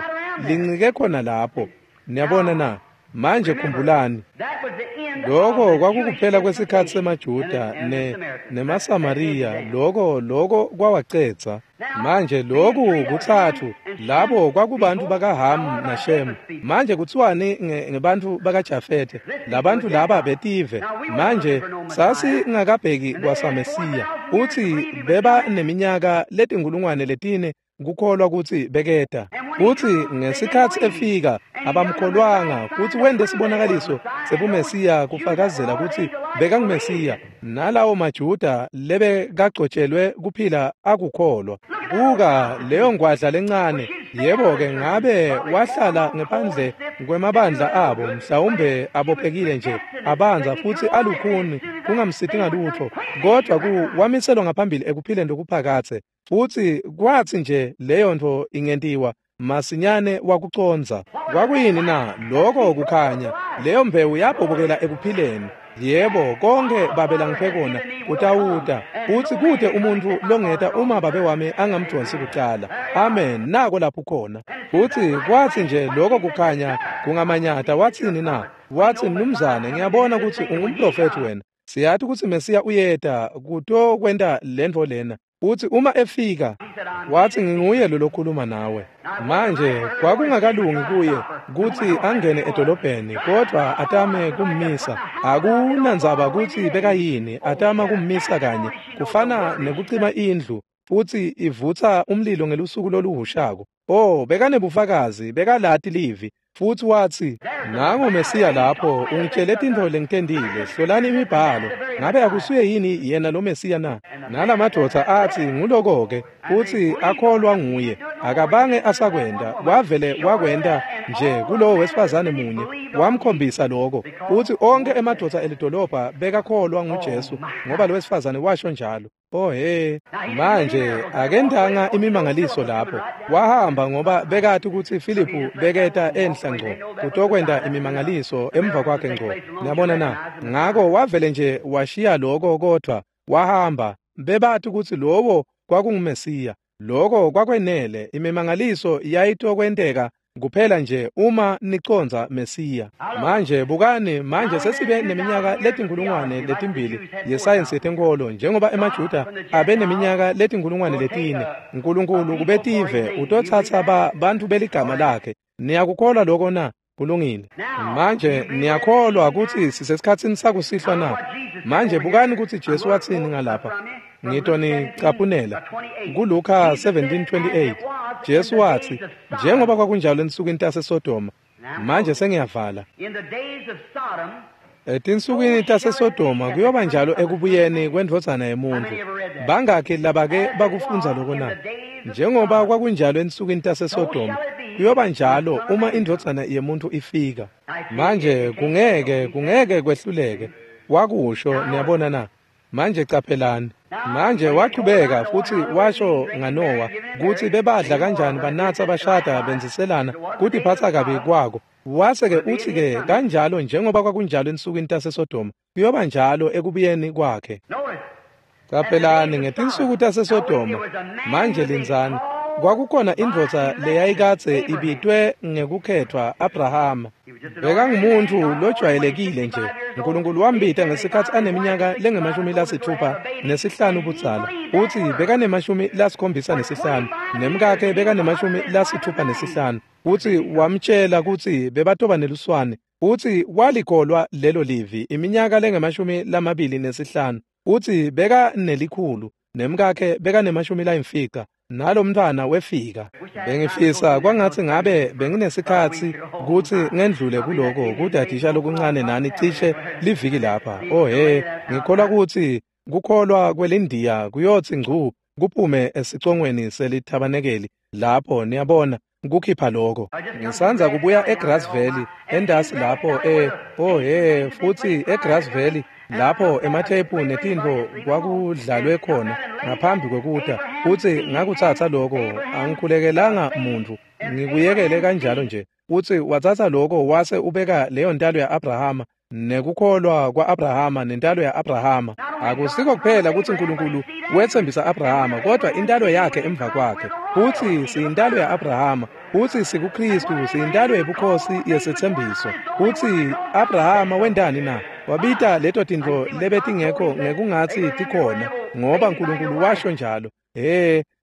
lincike khona lapho. Niyabona na? Manje khumbulani, lokho kwakukuphela kwesikhathi semaJuda nemaSamariya. Lokho kwawacetsa. Manje lokhu kuthathu labo kwakubantu bakaHamu naShemu. Manje kuthiwani ngebantu bakaJafethe? Labantu laba betive. Manje sasingakabheki kwasaMesiya. Uthi beba neminyaka letinkulungwane letine kukholwa ukuthi beketa. Futhi ngesikhathi efika abamkholwanga, futhi wende sibonakaliso sebuMesiya kufakazela ukuthi bekanguMesiya. Nalawo maJuda lebekagcotshelwe kuphila akukholwa. Buka leyo ngwadla lencane. Yebo-ke, ngabe wahlala ngephandle kwemabandla abo, mhlawumbe abophekile nje, abanza futhi alukhuni, kungamsithi ngalutho, kodwa wamiselwa ngaphambili ekuphileni lokuphakathe. Futhi kwathi nje leyo nto ingentiwa, masinyane wakuconza. Kwakuyini na? Lokho kukhanya. Leyo mbewu yabhobokela ekuphileni. Yebo, konke babe langiphe kona kutawuta. Futhi kude umuntu longeta uma babe wami angamdonsi kucala. Amen. Nako lapho khona. Futhi kwathi nje lokho kukhanya kungamanyata, wathini na? Wathi, mnumzane, ngiyabona ukuthi ungumprofethi wena. Siyathi ukuthi Mesiya uyeta kutokwenta lentfo lena. Uthi uma efika, wathi nginguye lo lokhuluma nawe. Manje kwakungakalungi kuye kuthi angene edolobheni, kodwa atame kummisa. Akunandzaba ukuthi bekayini, atama kummisa kanye. Kufana nekucima indlu futhi ivutsa umlilo ngelusuku loluhushako. Oh, bekanebufakazi, bekalati livi. Futhi wathi, nangu Mesiya lapho, ungitshele tintfo lengitentile, hlolani imibhalo. Ngabe akusuye yini yena lo Mesiya na? Nalamadoda athi nguloko-ke, futhi akholwa nguye. Akabange asakwenda, wavele wakwenda nje kulowo wesifazane munye, wamkhombisa lokho. Futhi onke emadoda elidolobha bekakholwa nguJesu, ngoba lo wesifazane washo njalo. Oh he, manje akendanga imimangaliso lapho. Wahamba ngoba bekathi ukuthi Philip beketa enhla ngco kutokwenda imimangaliso emva kwakhe ngco. Niyabona na? Ngako wavele nje washiya lokho, kodwa wahamba. Bebathi ukuthi lowo kwakunguMesiya. Lokho kwakwenele. Imimangaliso yayitokwenteka kuphela nje uma niconza Mesiya. Manje bukani, manje sesibe neminyaka letinkulungwane letimbili yesayensi yetenkolo, njengoba emaJuda abe neminyaka letinkulungwane letine. Nkulunkulu kubetive utotsatsa bantu beligama lakhe. Niyakukholwa lokho na? Kulungile. Manje niyakholwa ukuthi sisesikhatsini sakusihlwa na? Manje bukani ukuthi Jesu wathini ngalapha. Ngitonicaphunela kuLuka 17:28. Jesu watsi, njengoba kwakunjalo ensukwini taseSodoma. Manje sengiyavala. Etinsukwini taseSodoma kuyoba njalo ekubuyeni kwendvodzana yemuntfu. Bangakhi labake bakufundza loko na? Njengoba kwakunjalo ensukwini taseSodoma, kuyoba njalo uma indvodzana yemuntfu ifika. Manje kungeke kwehluleke. Wakusho, niyabona na? Manje caphelani. Manje wachubeka futhi washo ngaNowa kutsi bebadla kanjani, banatsa, bashada, benziselana, kutiphatsa kabi kwako. Wase-ke utsi-ke kanjalo njengoba kwakunjalo ensukwini taseSodoma, kuyoba njalo ekubuyeni kwakhe. Caphelani ngetinsuku taseSodoma. Manje lindzani. Kwakukhona indvodza leyayikadze ibitwe ngekukhethwa, Abrahama. Bekangumuntu lojwayelekile nje. Nkulunkulu wambita ngesikhatsi aneminyaka lengu-65 budzala. Utsi bekane-75 nemkakhe bekane-65. Utsi wamtjela kutsi bebatoba neluswane. Utsi walikholwa lelo livi iminyaka lengu-25. Utsi bekanelikhulu nemkakhe bekane-50. Nalomntfwana wefika. Bengifisa kwangatsi ngabe benginesikhatsi kutsi ngendlule kuloko kudadisha lokuncane nani cishe liviki lapha. Oh he, ngikholwa kutsi kukholwa kwelindiya kuyotsi ngcu kuphume esicongweni selithabanekeli lapho, niyabona, kukhipha lokho. Ngisandza kubuya eGrass Valley endasi lapho oh he, futhi eGrass Valley lapho emathephu netintfo kwakudlalwe khona ngaphambi kwekuta. Utsi ngakutsatsa lokho, angikhulekelanga muntfu, ngikuyekele kanjalo nje. Utsi watsatsa lokho wase ubeka leyo ntalo ya-Abrahama nekukholwa kwa-Abrahama nentalo ya-Abrahama. Akusiko kuphela kutsi Nkulunkulu wetsembisa Abrahama, kodwa intalo yakhe emva kwakhe. Utsi siyintalo ya-Abrahama, utsi sikuKristu, siyintalo yebukhosi yesetsembiso. Utsi Abrahama wentani na? Wabita leto tintfo lebetingekho ngekungatsi tikhona, ngoba Nkulunkulu washo njalo.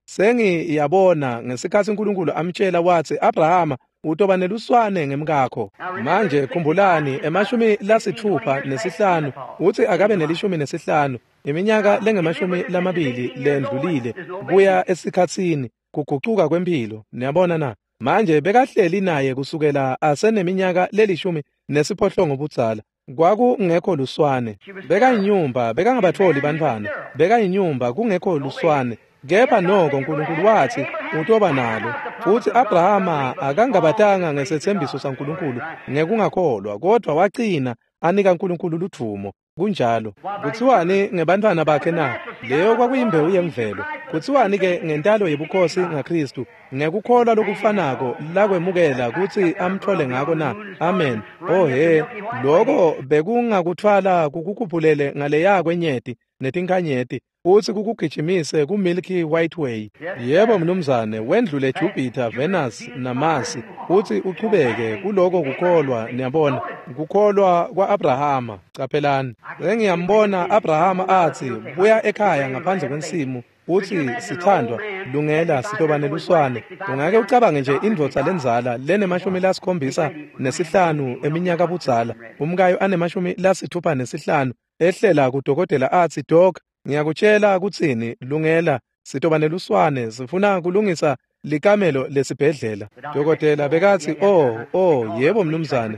Sengiyabona ngesikhatsi Nkulunkulu amtjela watsi, Abrahama utoba neluswane ngemkakho. Manje khumbulani, 65 utsi akabe ne-15, iminyaka lengu-20 lendlulile kuya esikhatsini kugucuka kwemphilo. Niyabona na? Manje bekahleli naye kusukela aseneminyaka le-18 budzala. Kwakungekho luswane. Bekayinyumba, bekangabatfoli bantfwana. Bekayinyumba, kungekho luswane. Kepha noko Nkulunkulu watsi utoba nalo. Futsi Abrahama akangabatanga ngesetsembiso saNkulunkulu ngekungakholwa, kodwa wacina anika Nkulunkulu ludvumo. Kunjalo. Kutsiwani ngebantfwana bakhe na? Leyo kwakuyimbewu yemvelo. Kutsiwani ke ngentalo yebukhosi ngaKristu, ngekukholwa lokufanako lakwemukela kutsi amtfole ngako na? Amen. Oh he, loko bekungakuthwala kukukhuphulele ngaleya kwenyeti netinkanyeti, utsi kukugijimise ku-Milky White Way. Yebo mnumzane, wendlule Jupiter, Venus naMars, utsi uchubeke kuloko kukholwa. Niyabona, kukholwa kwa-Abrahama. Caphelani, sengiyambona Abrahama atsi buya ekhaya ngaphandle kwensimu, utsi sithandwa, lungela sitoba neluswane. Ungake ucabange nje indvodza lendzala lene-75 eminyaka budzala, umkayo ane-65, ehlela kudokotela atsi, Doc, ngiyakutjela kutsini, lungela sitoba neluswane, sifuna kulungisa likamelo lesibhedlela. Dokotela bekatsi, oh yebo mnumzane.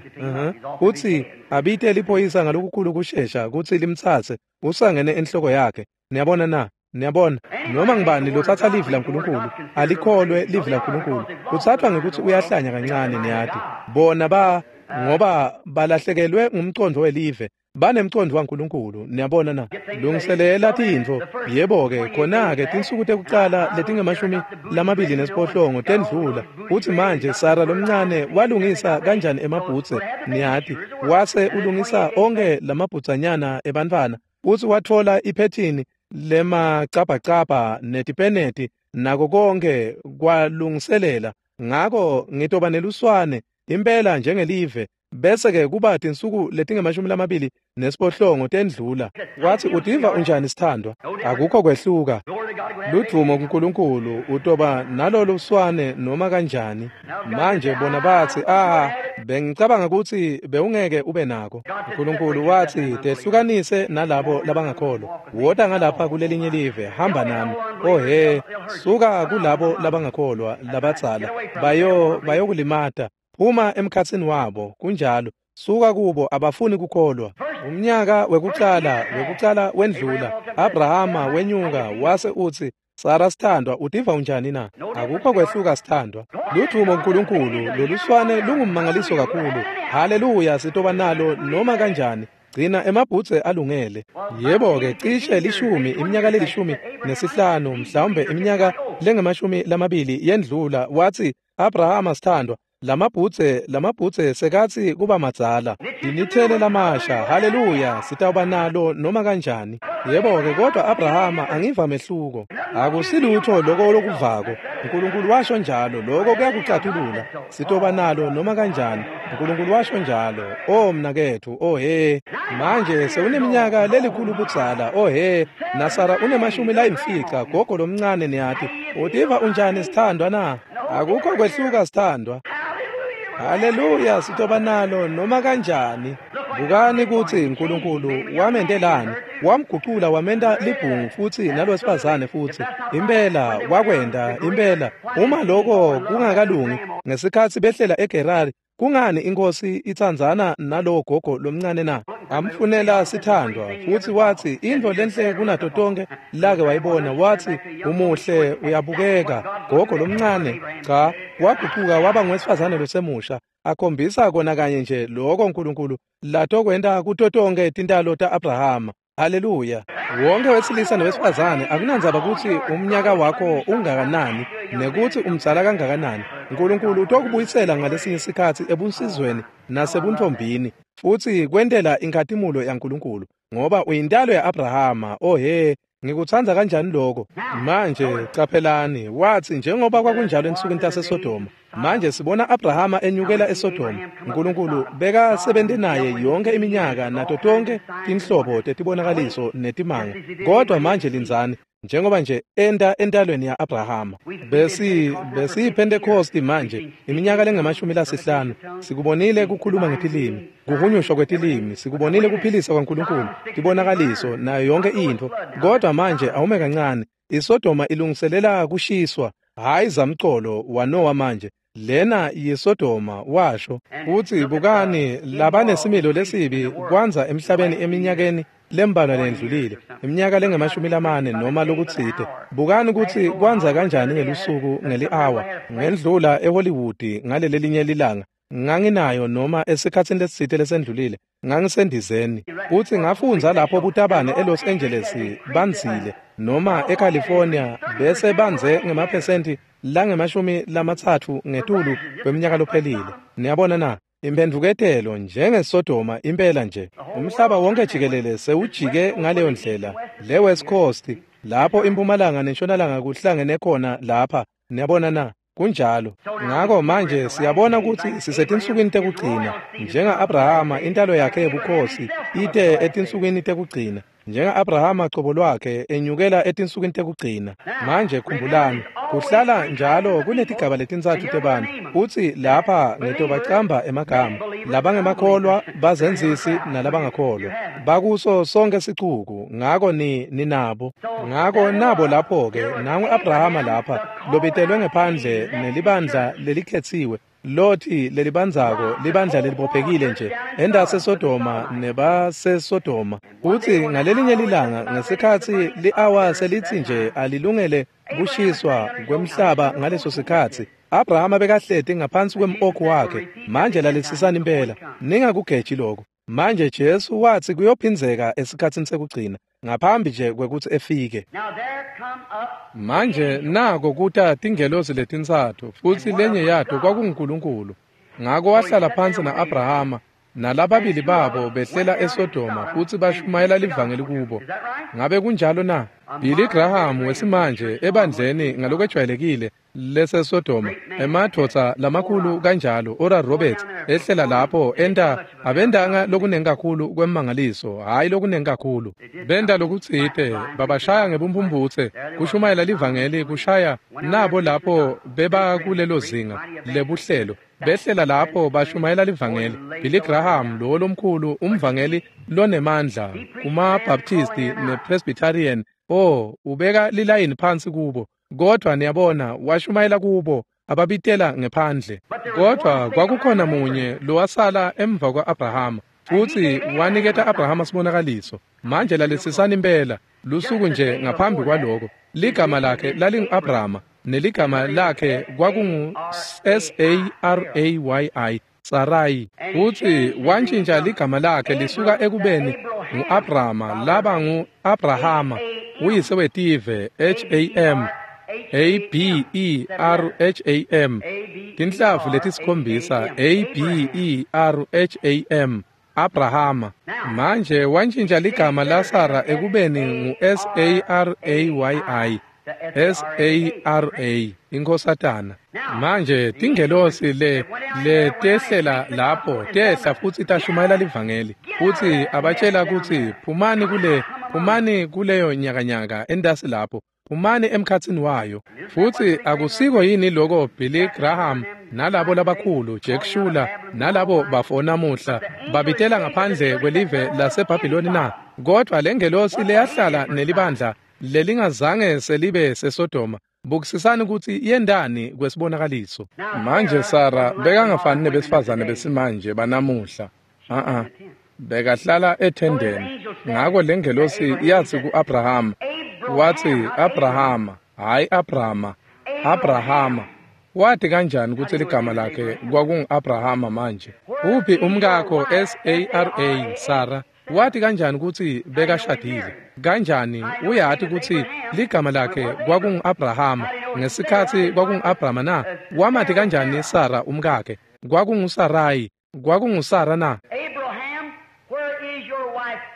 Utsi abite liphoyisa ngalokukhulu kushesha kutsi limtsatse, usangene enhloko yakhe. Niyabona na? Niyabona, noma ngibani lotsatsa livi laNkulunkulu alikholwe livi laNkulunkulu, utsathwa ngekutsi uyahlanya kancane. Niyati bona ngoba balahlekelwe ngumcondvo welive, banemcondvo waNkulunkulu. Niyabona na? Lungiselela tintfo. Yebo-ke, khona-ke tinsuku tekucala letingu-28 tendlula. Utsi manje Sara lomncane walungisa kanjani emabhutse? Niyati, wase ulungisa onke lamabhutsanyana ebantfwana. Utsi watfola iphethini lemacabhacabha netipeneti nako konke kwalungiselela. Ngako ngitoba neluswane impela njengelive. Bese-ke kuba tinsuku letingu-28 tendlula. Watsi utiva unjani sithandwa? Akukho kwehluka. Ludvumo kuNkulunkulu, utoba nalolu swane noma kanjani. Manje bona batsi, bengicabanga kutsi bewungeke ube nako. uNkulunkulu watsi, tehlukanise nalabo labangakholwa. Wota ngalapha kulelinye live, hamba nami. Oh he, suka kulabo labangakholwa labadzala. Bayokulimata. Phuma emkhatsini wabo, kunjalo. Suka kubo, abafuni kukholwa. Umnyaka wekucala wendlula. Abrahama wenyuka wase utsi, Sara sithandwa, utiva unjani na? Akukho kwehluka sithandwa. Ludvumo kuNkulunkulu, loluswane lungummangaliso kakhulu. Haleluya, sitoba nalo noma kanjani. Gcina emabhutse alungele. Yebo-ke, cishe 10, iminyaka le-15, mhlawumbe iminyaka lengama-20 yendlula. Watsi, Abrahama sithandwa, lamabhutse sekatsi kuba madzala. Dinithele lamasha, haleluya, sitawuba nalo noma kanjani. Yebo-ke, kodwa Abrahama angiva mehluko. Akusilutho loko lokuvako. uNkulunkulu washo njalo, lokho kuyakucathulula. Sitoba nalo noma kanjani. uNkulunkulu washo njalo. Oh mnaketfu, oh he. Manje sewuneminyaka lelikhulu budzala. Oh he, naSara une-50, gogo lomncane niyati. Utiva unjani sithandwa na? Akukho kwehluka sithandwa. Haleluya, sitoba nalo noma kanjani. Bukani kutsi uNkulunkulu wamentelani. Wamgucula wamenta libhungu futsi nalowesifazane futsi. Impela wakwenta, impela. Uma lokho kungakalungi, ngesikhatsi behlela eGerari, kungani inkosi itsandzana nalowo gogo lomncane na? Amfunela sithandwa futsi watsi intfo lenhle kunato tonke lake wayibona. Watsi umuhle, uyabukeka gogo lomncane. Cha, wagucuka waba ngowesifazane losemusha, akhombisa kona kanye nje lokho uNkulunkulu latokwenta kuto tonke tintalo ta-Abrahama. Haleluya. Wonke wesilisa nowesifazane, akunandzaba kutsi umnyaka wakho ungakanani nekutsi umdzala kangakanani, uNkulunkulu utokubuyisela ngalesinye sikhatsi ebunsizweni nasebuntfombini, futsi kwentela inkhatimulo yaNkulunkulu, ngoba uyintalo ya-Abrahama. Oh he, ngikutsandza kanjani lokho. Manje caphelani, watsi njengoba kwakunjalo ensukwini taseSodoma. Manje sibona Abrahama enyukela eSodoma. uNkulunkulu bekasebente naye yonke iminyaka nato tonke tinhlobo tetibonakaliso netimanga. Kodwa manje lindzani, njengoba nje enta entalweni ya-Abrahama. BesiyiPhentekosti manje, iminyaka lengama-50. Sikubonile kukhuluma ngetilimi, kuhunyushwa kwetilimi, sikubonile kuphilisa kwaNkulunkulu, tibonakaliso nayo yonke intfo. Kodwa manje awume kancane, iSodoma ilungiselela kushiswa. Hayi zamcolo waNowa manje, lena yiSodoma washo. Utsi bukani labanesimilo lesibi kwanza emhlabeni eminyakeni lembalwa lendlulile, iminyaka lengama-40 noma lokutsite. Bukani kutsi kwanza kanjani ngelusuku ngeli-hour. Ngendlula eHollywood ngalelelinye lilanga, nganginayo noma esikhatsini lesitsite lesendlulile, ngangisendizeni. Utsi ngafundza lapho butabane eLos Angeles bandzile, noma eCalifornia bese bandze ngemaphesenti langama-30 ngetulu kweminyaka lophelile. Niyabona na? Imphendvuketelo njengeSodoma impela nje. Umhlaba wonke jikelele sewujike ngaleyo ndlela. Le West Coast lapho impumalanga nentshonalanga kuhlangene khona lapha. Niyabona na? Kunjalo. Ngako manje siyabona kutsi sisetinsukwini tekugcina. Njenga-Abrahama intalo yakhe yebukhosi ite etinsukwini tekugcina. Njenga-Abrahama cobo lwakhe enyukela etinsukwini tekugcina. Manje khumbulani, kuhlala njalo kunetigaba letintsatfu tebantfu. Utsi lapha ngitobacamba emagama: labangemakholwa, bazenzisi nalabangakholwa. Bakuso sonke sicuku, ngako ninabo. Ngako nabo lapho-ke, nangu Abrahama lapha, lobitelwe ngephandle nelibandla lelikhetsiwe, Lothi lelibandzako, libandla lelibophekile nje, endaseSodoma nebaseSodoma. Utsi ngalelinye lilanga ngesikhatsi li-awa selitsi nje alilungele kushiswa kwemhlaba ngaleso sikhatsi, Abrahama bekahleti ngaphansi kwem-okhu wakhe. Manje lalelisisani impela, ningakugeji lokho. Manje Jesu watsi kuyophindzeka esikhatsini sekugcina, ngaphambi nje kwekutsi efike. Manje nako kuta tingelosi letintsatfu, futsi lenye yato kwakunguNkulunkulu. Ngako wahlala phansi na-Abrahama Nalababili babo behlela eSodoma futsi bashumayela livangeli kubo. Ngabe kunjalo na? Billy Graham wesimanje ebandleni ngalokwejwayelekile leseSodoma, emadvodza lamakhulu kanjalo, Oral Roberts ehlela lapho enta abendanga lokunengi kakhulu kwemmangaliso, hhayi lokunengi kakhulu. Benta lokutsite, babashaya ngebumphumputse, kushumayela livangeli kushaya nabo lapho beba kulelo zinga lebuhlelo. Behlela lapho bashumayela livangeli. Billy Graham lowo lomkhulu umvangeli lonemandla kuma-Baptisti ne-Presbyterian, oh, ubeka lilayini phansi kubo. Kodwa niyabona washumayela kubo ababitela ngephandle. Kodwa kwakukhona munye lowasala emva kwa-Abrahama futsi waniketa Abrahama sibonakaliso. Manje lalisisani impela lusuku nje ngaphambi kwaloko. Ligama lakhe lalingu-Abrahama neligama lakhe kwakungu Sarayi, Sarai. Futsi wantjintja ligama lakhe lisuka ekubeni ngu-Abrahama laba ngu-Abrahama, uyise wetive, H-A-M A-B-E-R-H-A-M, tinhlavu letisikhombisa, A-B-E-R-H-A-M, Abrahama. Manje wantjintja ligama laSara ekubeni ngu-S-A-R-A-Y-I, S-A-R-A, inkhosatana. Manje tingelosi le tehlela lapho tehla futsi tashumayela livangeli futsi abatshela kutsi phumani kuleyo nyakanyaka entasi lapho, phumani emkhatsini wayo. Futsi akusiko yini loko Billy Graham nalabo labakhulu Jack Shuler nalabo bafo namuhla babitela ngaphandle kwelive laseBhabhiloni na? Kodwa lengelosi leyahlala nelibandla lelingazange selibe seSodoma, bukisisani kutsi yendani kwesibonakaliso. Manje Sara bekangafani nebesifazane besimanje banamuhla. Bekahlala ethendeni. Ngako lengelosi yatsi ku-Abrahama, watsi Abrahama, hhayi Abrahama, Abrahama. Wati kanjani kutsi ligama lakhe kwakungu-Abrahama manje? Uphi umkakho S-A-R-A, Sara? Wati kanjani kutsi bekashadile? Kanjani uyati kutsi ligama lakhe kwakungu-Abrahama ngesikhatsi kwakungu-Abrahama na? Wamati kanjani Sara umkakhe? KwakunguSarayi, kwakunguSara na?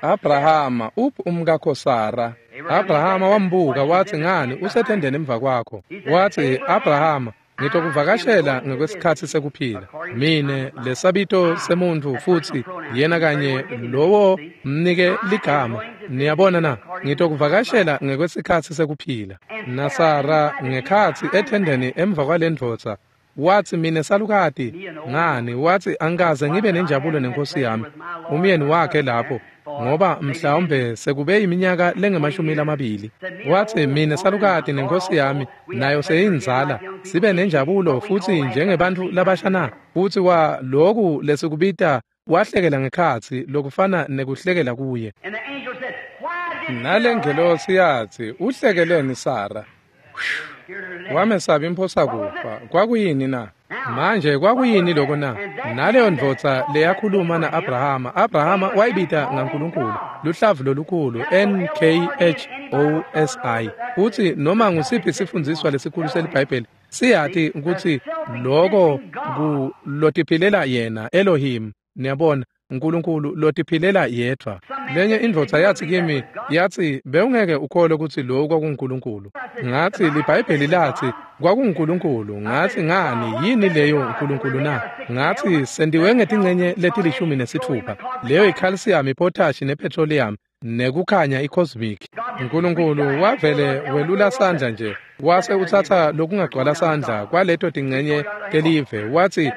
Abrahama, uphi umkakho Sara? Abrahama wambuka watsi, ngani usethendeni emva kwakho? Watsi, Abrahama, ngitokuvakashela ngekwesikhatsi sekuphila. Mine lesabito semuntfu futsi yena kanye lowo mnike ligama. Niyabona na? Ngitokuvakashela ngekwesikhatsi sekuphila. NaSara ngekhatsi ethendeni emva kwalendvodza watsi, mine salukati ngani? Watsi, angikaze ngibe nenjabulo nenkosi yami umyeni wakhe lapho, ngoba mhlawumbe sekube iminyaka lengemashumi lamabili. Watsi, mine salukati nenkosi yami nayo seyinzala, sibe nenjabulo futsi njengebantfu labasha na? Futsi wa loku lesikubita wahlekela ngekhatsi lokufana nekuhlekela kuye. Nalengelosi yatsi, uhlekeleni Sara? Wamesaba imphosa kufa. Kwakuyini na? Manje kwakuyini lokho na? Naleyo ndvodza leyakhuluma na-Abrahama, Abrahama wayibita ngaNkulunkulu, luhlavu lolukhulu N-K-H-O-S-I. Futsi noma ngusiphi sifundziswa lesikhulu seliBhayibheli siyati kutsi loko kulotiphilela yena Elohim. Niyabona, uNkulunkulu lotiphilela yedvwa. Lenye indvodza yatsi kimi, yatsi, bewungeke ukholwe kutsi lokhu kwakunguNkulunkulu. Ngatsi, liBhayibheli latsi kwakunguNkulunkulu. Ngatsi, ngani yini leyo uNkulunkulu na? Ngatsi, sentiwe ngetincenye leti-16, leyo i-calcium, i-potash ne-petroleum nekukhanya i-cosmic. uNkulunkulu wavele welula sandla nje wase utsatsa lokungagcwala sandla kwaleto tincenye telive, watsi,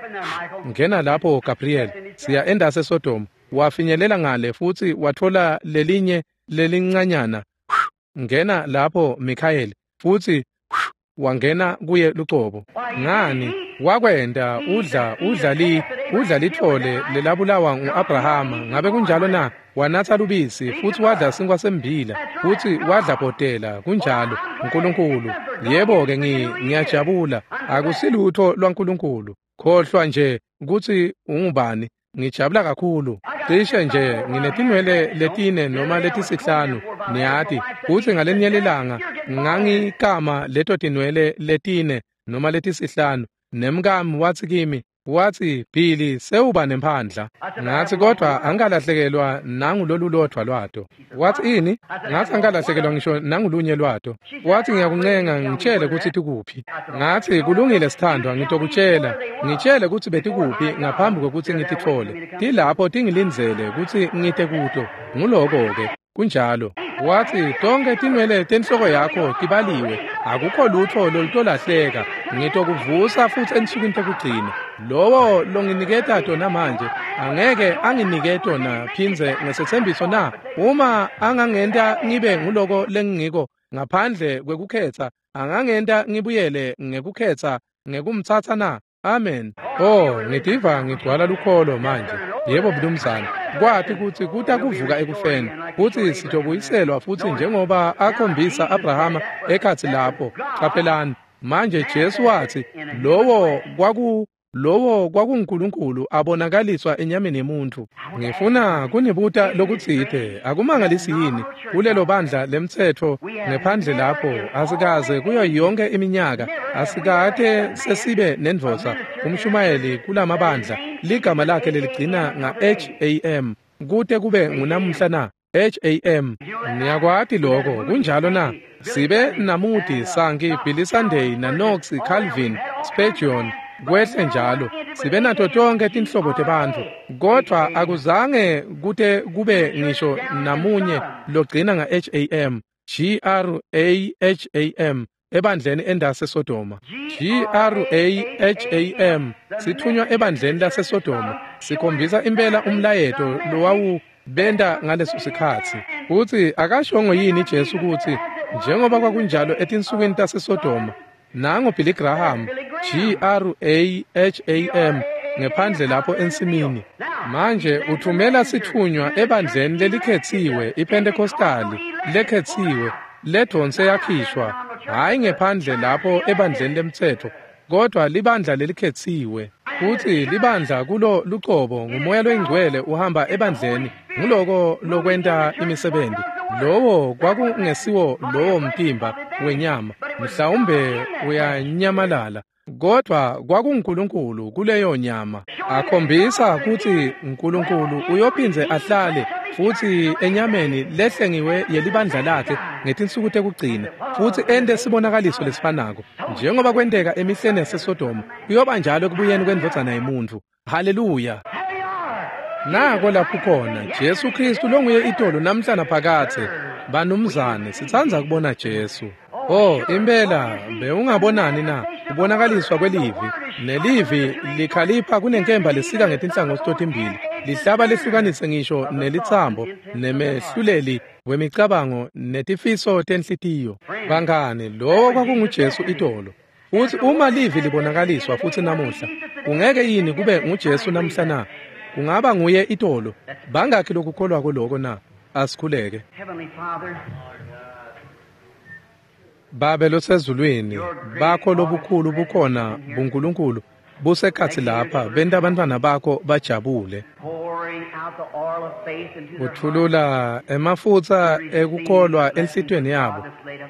ngena lapho Gabriel, siya endase eSodoma. Wafinyelela ngale futsi watfola lelinye lelincanyana, ngena lapho Mikhayeli, futsi wangena kuye lucobo. Ngani wakwenta? Udla lithole lelabulawa ngu-Abrahama. Ngabe kunjalo na? Wanatsa lubisi futsi wadla sinkwa sembila futsi wadla bhotela. Kunjalo, uNkulunkulu. Yebo-ke, ngiyajabula. Akusilutho lwaNkulunkulu. Khohlwa nje kutsi ungubani. Ngijabula kakhulu. Cishe nje nginetinwele 4 noma 5, niyati. Futsi ngalenye lilanga ngangikama leto tinwele 4 noma 5, nemkami watsi kimi, Watsi, Billy, sewuba nemphandla. Ngatsi, kodvwa angikalahlekelwa nangulolulodvwa lwato. Watsi, ini? Ngatsi, angikalahlekelwa ngisho nangulunye lwato. Watsi, ngiyakuncenga ngitshele kutsi tikuphi. Ngatsi, kulungile sithandwa, ngitokutshela. Ngitshele kutsi betikuphi ngaphambi kwekutsi ngititfole. Tilapho tingilindzele kutsi ngite kuto. Nguloko-ke. Kunjalo. Watsi, tonkhe tinwele tenhloko yakho tibaliwe. Akukho lutfo lolutolahleka. Ngitokuvusa futsi ensukwini tekugcina. Lowo longiniketa tona manje angeke anginike tona phindze ngesetsembiso na? Uma angangenta ngibe nguloko lengingiko ngaphandle kwekukhetsa, angangenta ngibuyele ngekukhetsa ngekumtsatsa na? Amen. Oh, ngitiva ngigcwala lukholo manje. Yebo mnumzane. Kwati kutsi kuta kuvuka ekufeni, kutsi sitobuyiselwa futsi njengoba akhombisa Abrahama ekhatsi lapho. Qaphelani. Manje Jesu watsi, lowo kwakunguNkulunkulu abonakaliswa enyameni yemuntfu. Ngifuna kunibuta lokutsite, akumangalisi yini kulelo bandla lemtsetfo ngephandle lapho asikaze kuyo yonke iminyaka asikate sesibe nendvodza umshumayeli kulamabandla ligama lakhe leligcina nga-HAM kute kube ngunamuhla na? HAM. Niyakwati lokho, kunjalo na? Sibe naMoody, Sankey, Billy Sunday, naKnox, Calvin, Spurgeon, kwehle njalo. Sibe nato tonke tinhlobo tebantfu, kodvwa akuzange kute kube ngisho namunye logcina nga-HAM, Graham, ebandleni endaseSodoma. Graham, sithunywa ebandleni laseSodoma, sikhombisa impela umlayeto lowawu benta ngaleso sikhatsi. Futsi akashongo yini Jesu kutsi njengoba kwakunjalo etinsukwini taseSodoma, nango Billy Graham, Graham, ngephandle lapho ensimini. Manje uthumela sithunywa ebandleni lelikhetsiwe, iPentecostali lekhetsiwe, ledonse yakhishwa, hhayi ngephandle lapho ebandleni lemtsetfo, kodvwa libandla lelikhetsiwe. Futsi libandla kulo lucobo ngumoya loyingcwele uhamba ebandleni, nguloko lokwenta imisebenti. Lowo kwakungesiwo lowo mtimba wenyama, mhlawumbe uyanyamalala, kodvwa kwakunguNkulunkulu kuleyo nyama. Akhombisa kutsi uNkulunkulu uyophindze ahlale futsi enyameni lehlengiwe yelibandla lakhe ngetinsuku tekugcina, futsi ente sibonakaliso lesifanako njengoba kwenteka emihleni yaseSodoma, kuyoba njalo ekubuyeni kwendvodzana yemuntfu. Haleluya! Nako lapho khona Jesu Kristu longuye itolo namhla naphakadze. Banumzane, sitsandza kubona Jesu. Oh, impela bewungabonani na? Kubonakaliswa kwelivi, nelivi likhalipha kunenkemba lesika ngetinhlangothi totimbili, lihlaba lehlukanise ngisho nelitsambo nemehluleli wemicabango netifiso tenhlitiyo. Bangani, lowo kwakunguJesu itolo. Futsi uma livi libonakaliswa futsi namuhla, kungeke yini kube nguJesu namhla na? Kungaba nguye itolo. Bangakhi lokukholwako loko na? Asikhuleke. Babe losezulwini, bakho lobukhulu bukhona buNkulunkulu busekhatsi lapha, benta abantwana bakho bajabule. Uthulula emafutsa ekukholwa enhlitiyweni yabo,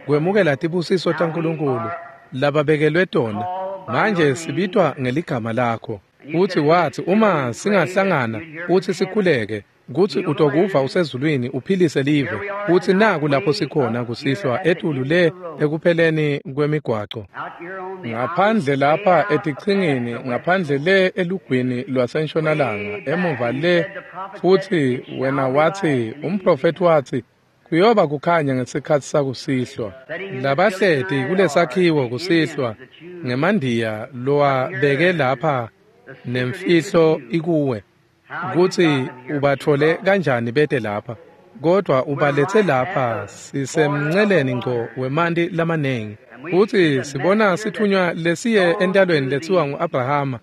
kwemukela tibusiso taNkulunkulu lababekelwe tona. Manje sibitwa ngeligama lakho. Uthi wathi uma singahlangana uthi sikhuleke, kutsi utokuva usezulwini uphilise live. Uthi naku lapho sikhona kusihlwa etulu le ekupheleni kwemigwaco, ngaphandle lapha etichingini, ngaphandle le elugwini lwasentshonalanga, emuva le. Futsi wena wathi, umprofethi wathi, kuyoba kukhanya ngesikhatsi sakusihlwa. Labahleti kulesakhiwo kusihlwa ngemandiya lowabeke lapha nemfihlo ikuwe, kutsi ubatfole kanjani bete lapha, kodwa ubaletse lapha sisemnceleni ngco wemanti lamanengi. Futsi sibona sithunywa lesiye entalweni letsiwa ngu-Abrahama,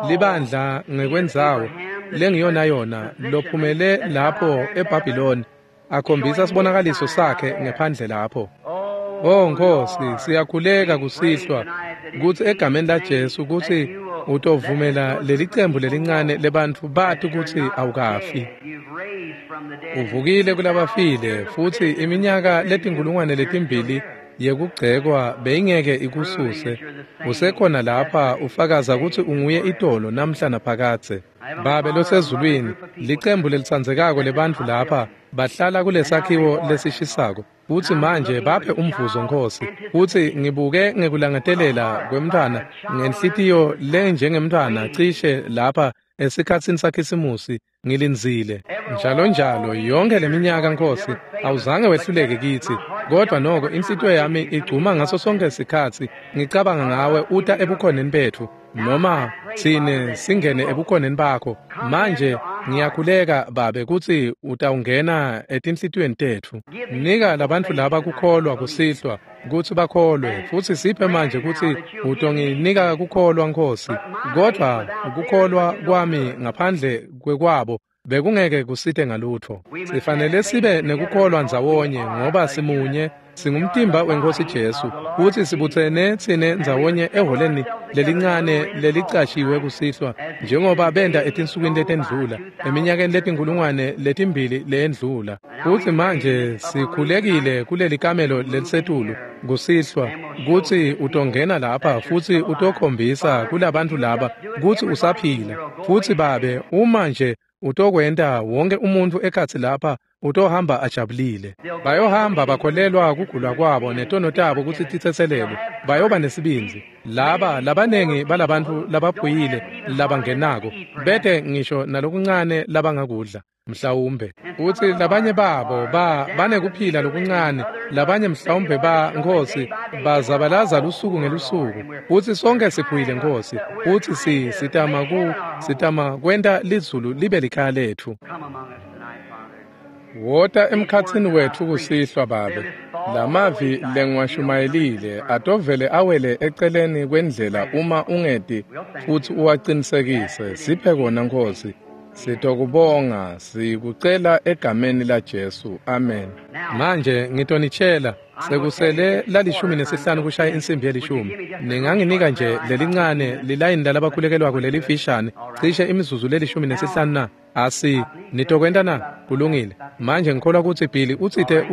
libandla ngekwendzawo lengiyona yona lophumele lapho eBhabhiloni, akhombisa sibonakaliso sakhe ngephandle lapho. Oh Nkosi, siyakhuleka kusihlwa kutsi egameni laJesu kutsi utovumela lelicembu lelincane lebantfu bati kutsi awukafi. Uvukile kulabafile, futsi iminyaka letinkulungwane letimbili yekugcekwa beyingeke ikususe. Usekhona lapha ufakaza ukuthi unguye itolo namhla naphakadze. Babe losezulwini, licembu lelitsandzekako lebantfu lapha bahlala kulesakhiwo lesishisako. Futsi manje baphe umvuzo Nkhosi. Futsi ngibuke ngekulangetelela kwemntfwana ngenhlitiyo lenjengemntfwana cishe lapha esikhatsini saKhisimusi ngilindzile. Njalo njalo yonke leminyaka Nkhosi awuzange wehluleke kitsi, kodwa noko inhlitiyo yami igcuma ngaso sonke sikhatsi ngicabanga ngawe uta ebukhoneni betfu noma tsine singene ebukhoneni bakho. Manje ngiyakhuleka Babe kutsi utawungena etinhlitiyweni tetfu. Nika labantfu laba kukholwa kusihlwa kutsi bakholwe, futsi siphe manje kutsi utonginika kukholwa Nkhosi, kodvwa kukholwa kwami ngaphandle kwekwabo bekungeke kusite ngalutfo. Sifanele sibe nekukholwa ndzawonye ngoba simunye, singumtimba weNkhosi Jesu, futsi sibutsene tsine ndzawonye eholeni lelincane lelicashiwe kusihlwa njengoba benta etinsukwini letendlula, eminyakeni letinkulungwane letimbili leyendlula. Futsi manje sikhulekile kuleli kamelo lelisetulu kusihlwa kutsi utongena lapha futsi utokhombisa kulabantfu laba kutsi usaphila. Futsi Babe, uma nje utokwenta wonke umuntfu ekhatsi lapha utohamba ajabulile. Bayohamba bakholelwa kugula kwabo netono tabo kutsi titsetselelwe. Bayoba nesibindzi. Laba labanengi balabantfu labaphuyile labangenako bete ngisho nalokuncane labangakudla mhlawumbe. Futsi labanye babo banekuphila lokuncane, labanye mhlawumbe ba Nkhosi bazabalaza lusuku ngelusuku. Futsi sonke siphuyile Nkhosi, futsi sitama kwenta lizulu libe likhaya letfu. Wota emkhatsini wetfu kusihlwa Babe. Lamavi lengiwashumayelile atovele awele eceleni kwendlela uma ungeti futsi uwaqinisekise. Siphe kona Nkhosi. Sitokubonga, sikucela egameni laJesu. Amen. Manje ngitonitshela sekusele la15 kushaya insimbi ye-10. Ninganginika nje lelincane lilayini lalabakhulekelwako lelifishane cishe imizuzu le15 na? Asi nitokwenta na? Kulungile. Manje ngikholwa kutsi Billy utsite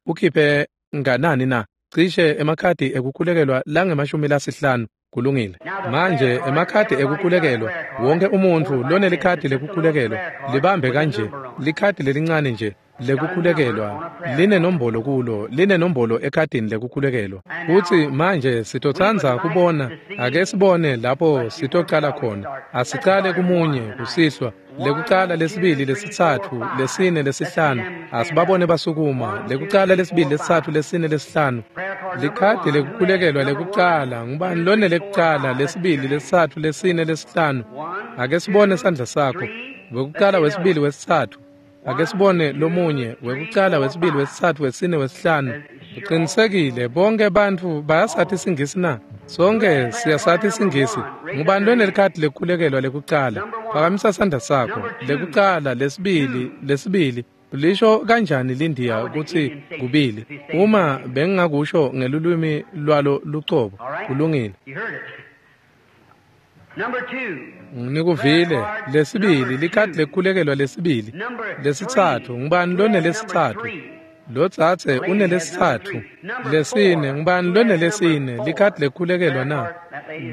ukhiphe nganani na? Cishe emakhadi ekukhulekelwa langema-50. Kulungile. Manje emakhadi ekukhulekelwa, wonke umuntfu lonelikhadi lekukhulekelwa libambe kanje, likhadi lelincane nje lekukhulekelwa linenombolo kulo, linenombolo ekhadini lekukhulekelwa. Futsi manje sitotsandza kubona, ake sibone lapho sitocala khona. Asicale kumunye kusihlwa, lekucala, lesibili, lesitsatfu, lesine, lesihlanu. Asibabone basukuma. Lekucala, lesibili, lesitsatfu, lesine, lesihlanu. Likhadi lekukhulekelwa lekucala. Ngubani lone lekucala, lesibili, lesitsatfu, lesine, lesihlanu? Ake sibone sandla sakho. Wekucala, wesibili, wesitsatfu. Ake sibone lomunye. Wekucala, wesibili, wesitsatfu, wesine, wesihlanu. Uqinisekile bonke bantfu bayasathi isiNgisi na? Sonke siyasathi isiNgisi. Ngubani lonelikhadi lekukhulekelwa lekucala? Phakamisa sandla sakho. Lekucala, lesibili, lesibili. Lisho kanjani lindiya kutsi kubili? Uma bengingakusho ngelulwimi lwalo lucobo. Kulungile. Nikuvile. Lesibili, likhadi lekukhulekelwa lesibili. Lesitsatfu, ngubani lonelesitsatfu? Lotsatse unelesitsatfu. Lesine, ngubani lonelesine? Likhadi lekukhulekelwa na?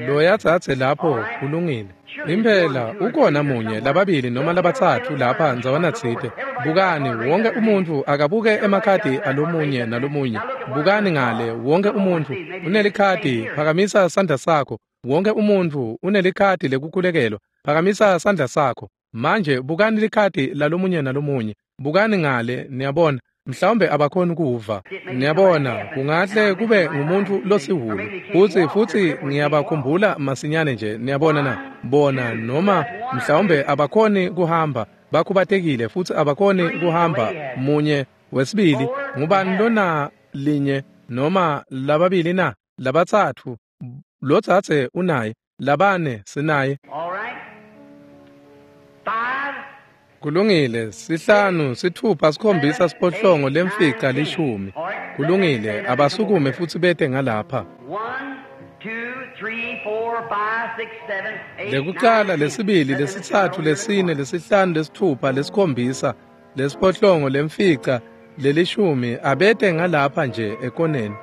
Loyatsatse lapho. Kulungile. Impela ukhona munye, lababili noma labatsatfu lapha ndzawana tsite. Bukani, wonke umuntfu akabuke emakhadi alomunye nalomunye. Bukani ngale, wonke umuntfu unelikhadi, phakamisa sandla sakho. Wonke umuntfu unelikhadi lekukhulekelwa, phakamisa sandla sakho. Manje bukani likhadi lalomunye nalomunye. Bukani ngale, niyabona. Mhlawumbe abakhoni kuva. Niyabona, kungahle kube ngumuntfu losihulu. Futsi ngiyabakhumbula masinyane nje, niyabona na? Bona noma mhlawumbe abakhoni kuhamba, bakhubatekile futsi abakhoni kuhamba. Munye, wesibili, ngubani lona linye noma lababili na? Labatsatfu, lotsatse unaye, labane sinaye. Kulungile, 5, 6, 7, 8, 9, 10. Kulungile, abasukume futsi bete ngalapha. Lekucala, lesibili, lesitsatfu, lesine, lesihlanu, lesitfupha, lesikhombisa, lesiphohlongo, lemfica, lelishumi, abete ngalapha nje ekoneni.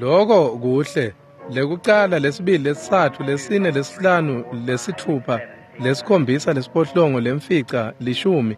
Loko kuhle. Lekucala, lesibili, lesitsatfu, lesine, lesihlanu, lesitfupha, lesikhombisa, lesiphohlongo, lemfica, 10.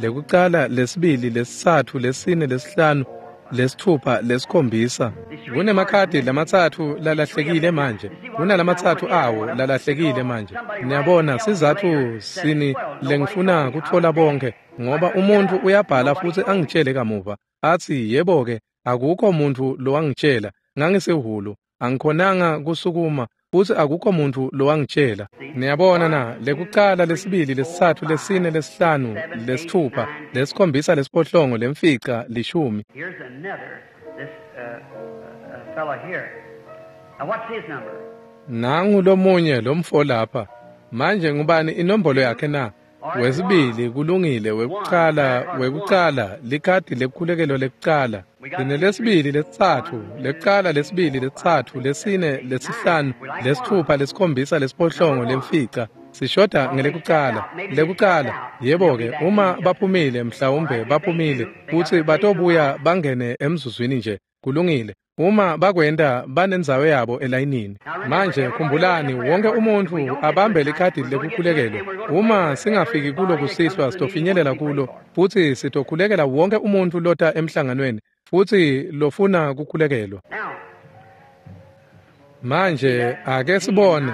Lekucala, lesibili, lesitsatfu, lesine, lesihlanu, lesitfupha, lesikhombisa. Kunemakhadi lamatsatfu lalahlekile manje. Kunalamatsatfu awo lalahlekile manje. Niyabona sizatfu sini lengifuna kutfola bonke, ngoba umuntfu uyabhala futsi angitshele kamuva atsi yebo-ke akukho muntfu lowangitshela, ngangisehhulu, angikhonanga kusukuma futsi akukho muntfu lowangitshela. Niyabona na? Lekucala, lesibili, lesitsatfu, lesine, lesihlanu, lesitfupha, lesikhombisa, lesiphohlongo, lemfica, 10. Here's another, this fellow here. Now what's his number? Nangu lomunye lomfo lapha. Manje ngubani inombolo yakhe na? Wesibili, kulungile. Wekucala, likhadi lekukhulekelwa lekucala. Linelesibili, lesitsatfu, lekucala, lesibili, lesitsatfu, lesine, lesihlanu, lesitfupha, lesikhombisa, lesiphohlongo, lemfica. Sishoda ngelekucala. Lekucala, yebo-ke, uma baphumile, mhlawumbe baphumile, futsi batobuya bangene emzuzwini nje. Kulungile. Uma bakwenta, banendzawo yabo elayinini. Manje khumbulani, wonke umuntfu abambe likhadi lekukhulekelwa. Uma singafiki kulo kusihlwa, sitofinyelela kulo futsi sitokhulekela wonke umuntfu lota emhlanganweni futsi lofuna kukhulekelwa. Manje ake sibone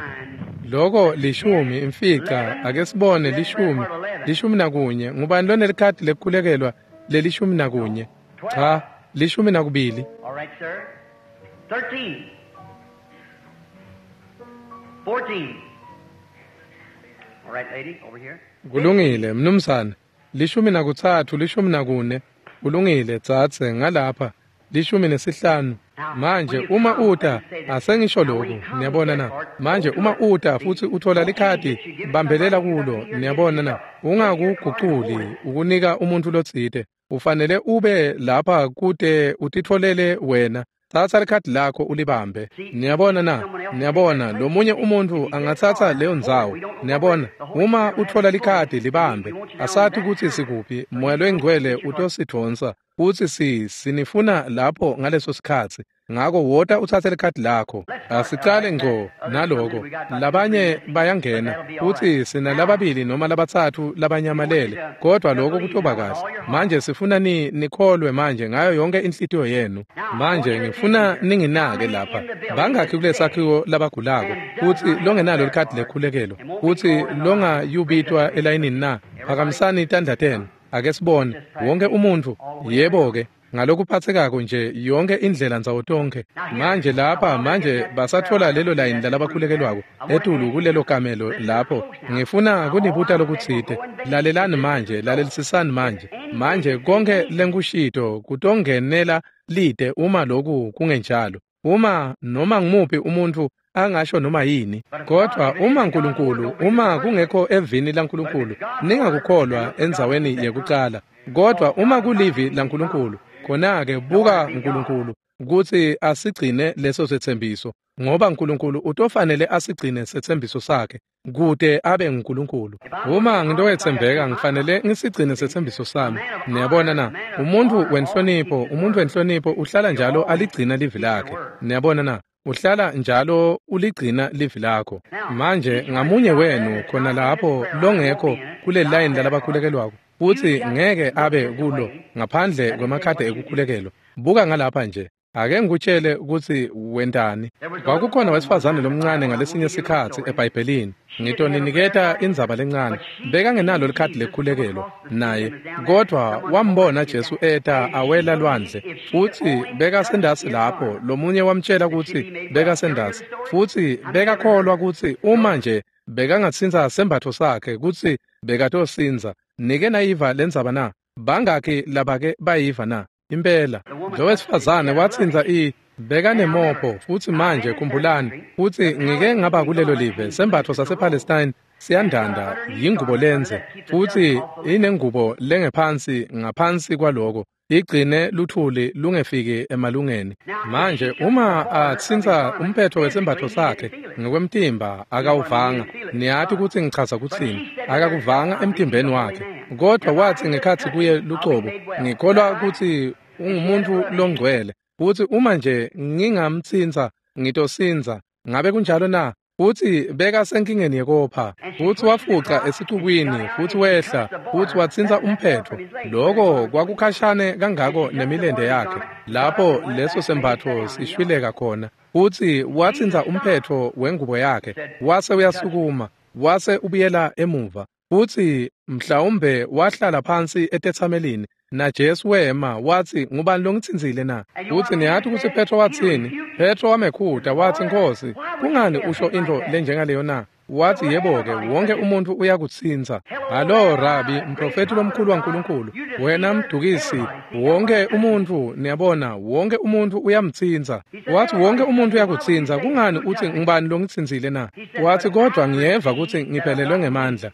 loko 10, imfica, ake sibone 10, 11. Ngubani lonelikhadi lekukhulekelwa leli-11? Cha, 12. All right, sir. 13. 14. All right, lady, over here. Kulungile, mnumzane. 13, 14. Kulungile, dzadze, ngalapha. 15. Manje uma uta, asengisho lokhu, niyabona na? Manje uma uta futsi uthola likhadi, bambelela kulo, niyabona na? Ungakuguculi ukunika umuntfu lotsite. Ufanele ube lapha kute utitfolele wena. Tsatsa likhadi lakho ulibambe. Niyabona na? Niyabona, lomunye umuntfu angatsatsa leyo ndzawo. Niyabona, uma utfola likhadi libambe. Asati kutsi sikuphi, Moya loyiNgcwele utosidvonsa futsi sinifuna lapho ngaleso sikhatsi. Ngako wota utsatse likhadi lakho. Asicale ngco naloko. Labanye bayangena futsi sinalababili noma labatsatfu labanyamalele, kodwa lokho kutoba kahle. Manje sifuna nikholwe manje ngayo yonke inhlitiyo yenu. Manje ngifuna ninginake lapha. Bangakhi kulesakhiwo labagulako futsi longenalo likhadi lekhulekelwa futsi longayubitwa elayinini na? Phakamisani tandla tenu. Ake sibone wonke umuntfu. Yebo-ke, ngalokuphatsekako nje yonke indlela ndzawo tonkhe. Manje lapha, manje basatfola lelo layini lalabakhulekelwako etulu kulelo kamelo lapho. Ngifuna kunibuta lokutsite. Lalelani manje, lalelisisani manje. Manje konke lenkushito kutongenela lite uma loku kungenjalo. Uma noma ngumuphi umuntfu angasho noma yini, kodwa uma Nkulunkulu, uma kungekho evini laNkulunkulu, ningakukholwa endzaweni yekucala. Kodwa uma kulivi laNkulunkulu, khona-ke buka Nkulunkulu kutsi asigcine leso setsembiso, ngoba Nkulunkulu utofanele asigcine setsembiso sakhe kute abe nguNkulunkulu. Uma ngintowetsembeka, ngifanele ngisigcine setsembiso sami. Niyabona na? Umuntfu wenhlonipho uhlala njalo aligcina livi lakhe. Niyabona na? Uhlala njalo uligcina livi lakho. Manje ngamunye wenu khona lapho longekho kule line lalabakhulekelwako futsi ngeke abe kulo ngaphandle kwemakhadi ekukhulekelwa, buka ngalapha nje. Ake ngikutshele kutsi wentani. Kwakukhona wesifazane lomncane ngalesinye sikhatsi eBhayibhelini. Ngitoniniketa indzaba lencane. Bekangenalo likhadi lekukhulekelwa naye, kodvwa wambona Jesu eta awela lwandle, futsi bekasendasi lapho. Lomunye wamtshela kutsi bekasendasi, futsi bekakholwa kutsi uma nje bekangatsintsa sembatfo sakhe kutsi bekatosindza. Nike nayiva lendzaba na? Bangakhi labake bayiva na? Impela lo wesifazane watsintsa bekanemopho. Futsi manje khumbulani, futsi ngike ngaba kulelo live, sembatfo sasePalestine siyandanda, yingubo lenze, futsi inengubo lengephansi ngaphansi kwaloko igcine luthuli lungefiki emalungeni. Manje uma atsintsa umphetho wesembatfo sakhe ngekwemtimba, akawuvanga. Niyati kutsi ngichaza kutsini. Akakuvanga emtimbeni wakhe, kodwa watsi ngekhatsi kuye lucobo, ngikholwa kutsi ungumuntu longcwele. Futsi uma nje ngingamtsintsa, ngitosindza. Ngabe kunjalo na? Futsi bekasenkingeni yekopha. Futsi wafuca esicukwini, futsi wehla, futsi watsintsa umphetfo. Loko kwakukhashane kangako nemilente yakhe, lapho leso sembatfo sishwileka khona. Futsi watsintsa umphetfo wengubo yakhe, wase uyasukuma, wase ubuyela emuva. Futsi mhlawumbe wahlala phansi etetsamelini, naJesu wema watsi, "Ngubani longitsintsile na?" Futsi niyati kutsi Petro watsini? Petro wamekhuta watsi, "Nkhosi, kungani usho intfo lenjengaleyo na?" Watsi, "Yebo-ke, wonke umuntfu uyakutsintsa." Halo Rabi, mprofethi lomkhulu waNkulunkulu, wena mdukisi, wonke umuntfu, niyabona, wonke umuntfu uyamtsintsa. Watsi, "Wonke umuntfu uyakutsintsa, kungani utsi ngubani longitsintsile na?" Watsi, "Kodvwa ngiyeva kutsi ngiphelelwe ngemandla.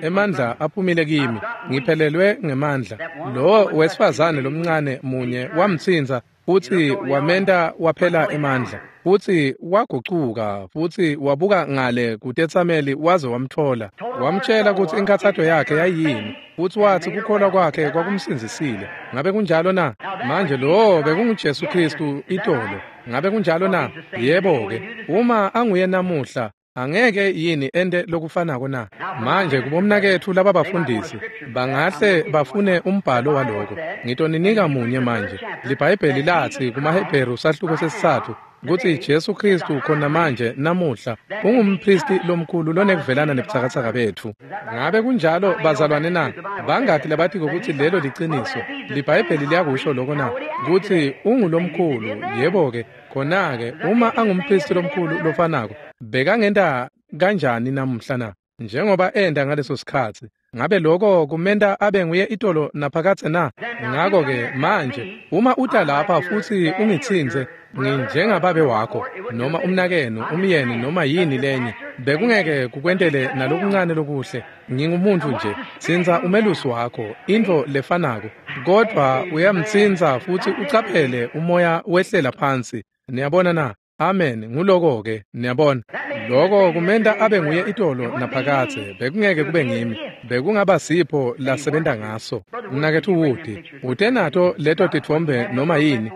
Emandla aphumile kimi, ngiphelelwe ngemandla." Lo wesifazane lomncane munye wamtsintsa, futsi wamenta waphela emandla. Futsi wagucuka, futsi wabuka ngale kutetsameli waze wamtfola. Wamtjela kutsi inkhatsato yakhe yayiyini, futsi watsi kukholwa kwakhe kwakumsindzisile. Ngabe kunjalo na? Manje lo bekunguJesu Khristu itolo. Ngabe kunjalo na? Yebo-ke, uma anguye namuhla, angeke yini ente lokufanako na? Manje kubomnaketfu lababafundisi bangahle bafune umbhalo waloko. Ngitoninika munye manje. LiBhayibheli latsi kumaHebheru sahluko sesitsatfu kutsi Jesu Khristu khona manje namuhla ungumphristi lomkhulu lonekuvelana nebutsakatsaka betfu. Ngabe kunjalo bazalwane na? Bangaki labatiko kutsi lelo liciniso? LiBhayibheli liyakusho loko na? Kutsi ungulomkhulu. Yebo-ke, khona-ke uma angumphristi lomkhulu lofanako, bekangenta kanjani namuhla na? Njengoba enta ngaleso sikhatsi. Ngabe loko kumenta abe nguye itolo naphakadze na? Ngako-ke manje uma uta lapha futsi ungitsintse, nginjengababe wakho noma umnakenu, umyeni noma yini lenye, bekungeke kukwentele nalokuncane lokuhle. Ngingumuntfu nje. Tsintsa umelusi wakho, intfo lefanako, kodvwa uyamtsintsa futsi ucaphele umoya wehlela phansi. Niyabona na? Amen. Nguloko-ke, niyabona. Loko kumenta abe nguye itolo naphakadze. Bekungeke kube ngimi. Bekungaba sipho lasebenta ngaso. Mnaketfu Wood, ute nato leto titfombe noma yini?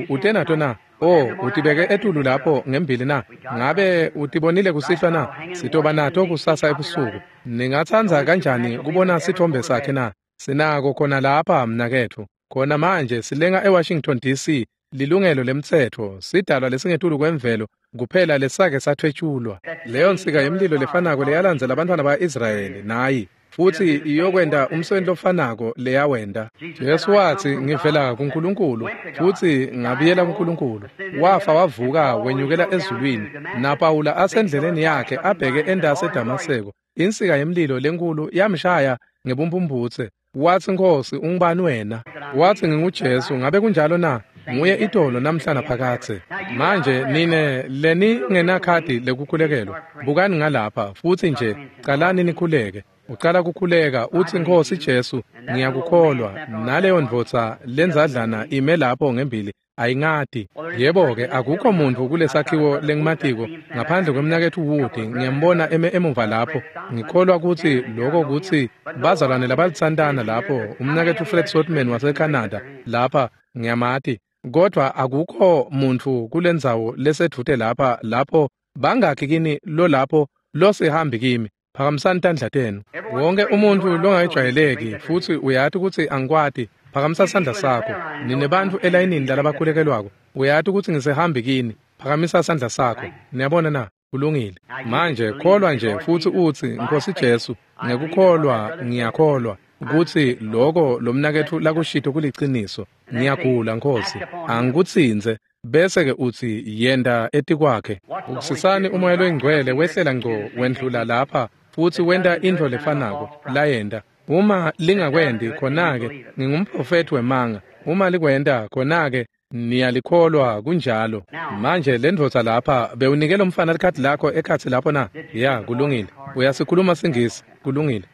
Ute nato na? Oh, utibeke etulu lapho ngembili na? Ngabe utibonile kusihlwa na? Sitoba nato kusasa ebusuku. Ningatsandza kanjani kubona sitfombe sakhe na? Sinako khona lapha, mnaketfu. Khona manje silenga eWashington DC. Lilungelo lemtsetfo, sidalwa lesingetulu kwemvelo kuphela lesake sathwetshulwa. Leyo nsika yemlilo lefanako leyalandzela abantwana ba-Israyeli nayi, futsi iyokwenta umsebenzi lofanako leyawenta. Jesu watsi, "Ngivela kuNkulunkulu futsi ngabuyela kuNkulunkulu." Wafa wavuka wenyukela ezulwini, naPawula asendleleni yakhe abheke entasi eDamaseko. Insika yemlilo lenkulu yamshaya ngebumphumputse. Watsi, "Nkhosi, ungubani wena?" Watsi, "NginguJesu." Ngabe kunjalo na? Nguye itolo namhla naphakadze. Manje nine leningenakhadi lekukhulekelwa, bukani ngalapha futsi nje calani nikhuleke. Ucala kukhuleka utsi, "Nkhosi Jesu, ngiyakukholwa." Naleyo ndvodza lenzadlana ime lapho ngembili ayingati. Yebo-ke, akukho muntfu kulesakhiwo lengimatiko ngaphandle kwemnaketfu Wood. Ngiyambona eme emuva lapho. Ngikholwa kutsi loko kutsi bazalwane labalitsantana lapho, umnaketfu Fred Sotman waseCanada lapha, ngiyamati. Kodvwa akukho muntfu kulendzawo lesedvute lapha lapho bangakhi kini lolapho losihambi kimi. Phakamisani tandla tenu. Wonke umuntfu longayijwayeleki futsi uyati kutsi angikwati, phakamisa sandla sakho. Nine bantfu elayinini lalabakhulekelwako, uyati kutsi ngisehambi kini, phakamisa sandla sakho. Niyabona na? Kulungile. Manje kholwa nje futsi utsi, "Nkhosi Jesu, ngekukholwa ngiyakholwa kutsi loko lomnaketfu lakushito kuliciniso. Ngiyagula, Nkhosi. Angikutsintse." Bese-ke utsi, "Yenta etikwakhe." Ukusisani umoya loyingcwele wehlela ngco wendlula lapha futsi wenta intfo lefanako layenta. Uma lingakwendi, khona-ke ngingumprofethi wemanga. Uma likwenta, khona-ke niyalikholwa. Kunjalo. Manje lendvodza lapha, bewunike lomfana likhadi lakho ekhatsi lapho na? Ya, kulungile. Uyasikhuluma siNgisi. Kulungile.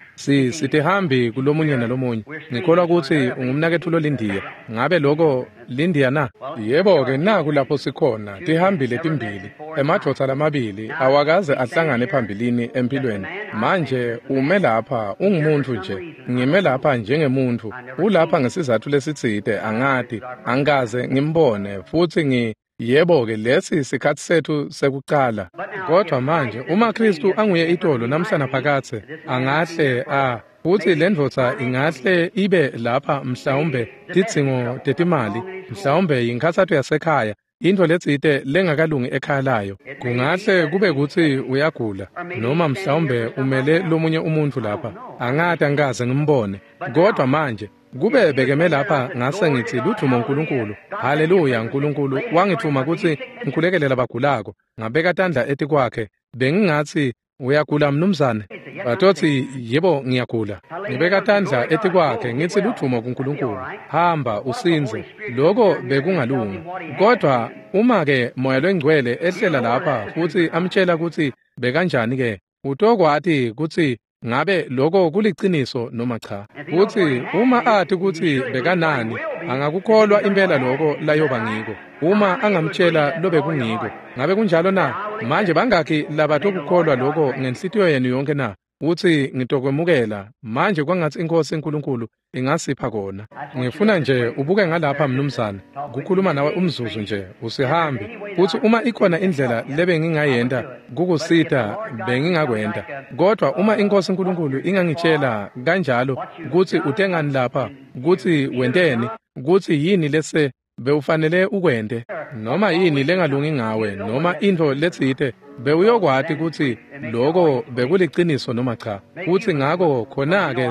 Sitihambi kulomunye nalomunye. Ngikholwa kutsi ungumnaketfu lolindiya. Ngabe loko lindiya na? Yebo-ke, naku lapho sikhona, tihambi letimbili, emadvodza lamabili, awakaze ahlangane phambilini empilweni. Manje ume lapha, ungumuntu nje. Ngime lapha njengemuntu. Ulapha ngesizatfu lesitsite, angati, angikaze ngimbone, futsi yebo-ke, lesi sikhatsi setfu sekucala. Kodwa manje uma Kristu anguye itolo namhla naphakadze, angahle futsi lendvodza ingahle ibe lapha mhlawumbe tidzingo tetimali, mhlawumbe yinkhatsato yasekhaya, intfo letsite lengakalungi ekhaya layo. Kungahle kube kutsi uyagula, noma mhlawumbe umele lomunye umuntfu lapha. Angati, angikaze ngimbone. Kodwa manje kube bekeme lapha ngase ngitsi ludvumo uNkulunkulu, haleluya, uNkulunkulu wangitfuma kutsi ngikhulekele labagulako, ngabeka tandla etikwakhe, bengingatsi uyagula mnumzane? Batotsi yebo ngiyagula. Ngibeka tandla etikwakhe ngitsi ludvumo kuNkulunkulu, hamba usindze. Loko bekungalunga. Kodwa uma ke Moya loNgcwele ehlela lapha futsi amtshela kutsi bekanjani ke, utokwati kutsi ngabe loko kuliciniso noma cha. Futsi uma ati kutsi bekanani, angakukholwa impela loko layoba ngiko. Uma angamtshela lobekungiko. Ngabe kunjalo na? Manje bangakhi labatokukholwa loko ngenhlitiyo yenu yonke na? Utsi ngitokwemukela. Manje kwangatsi iNkhosi uNkulunkulu ingasipha kona. Ngifuna nje ubuke ngalapha mnumzane, kukhuluma nawe umzuzu nje, usihambi. Futsi uma ikhona indlela lebengingayenta kukusita, bengingakwenta. Kodwa uma iNkhosi uNkulunkulu ingangitshela kanjalo kutsi utengani lapha, kutsi wenteni, kutsi yini lese bewufanele ukwente, noma yini lengalungi ngawe, noma intfo letsite, bewuyokwati kutsi loko bekuliciniso noma cha. Futsi ngako khona-ke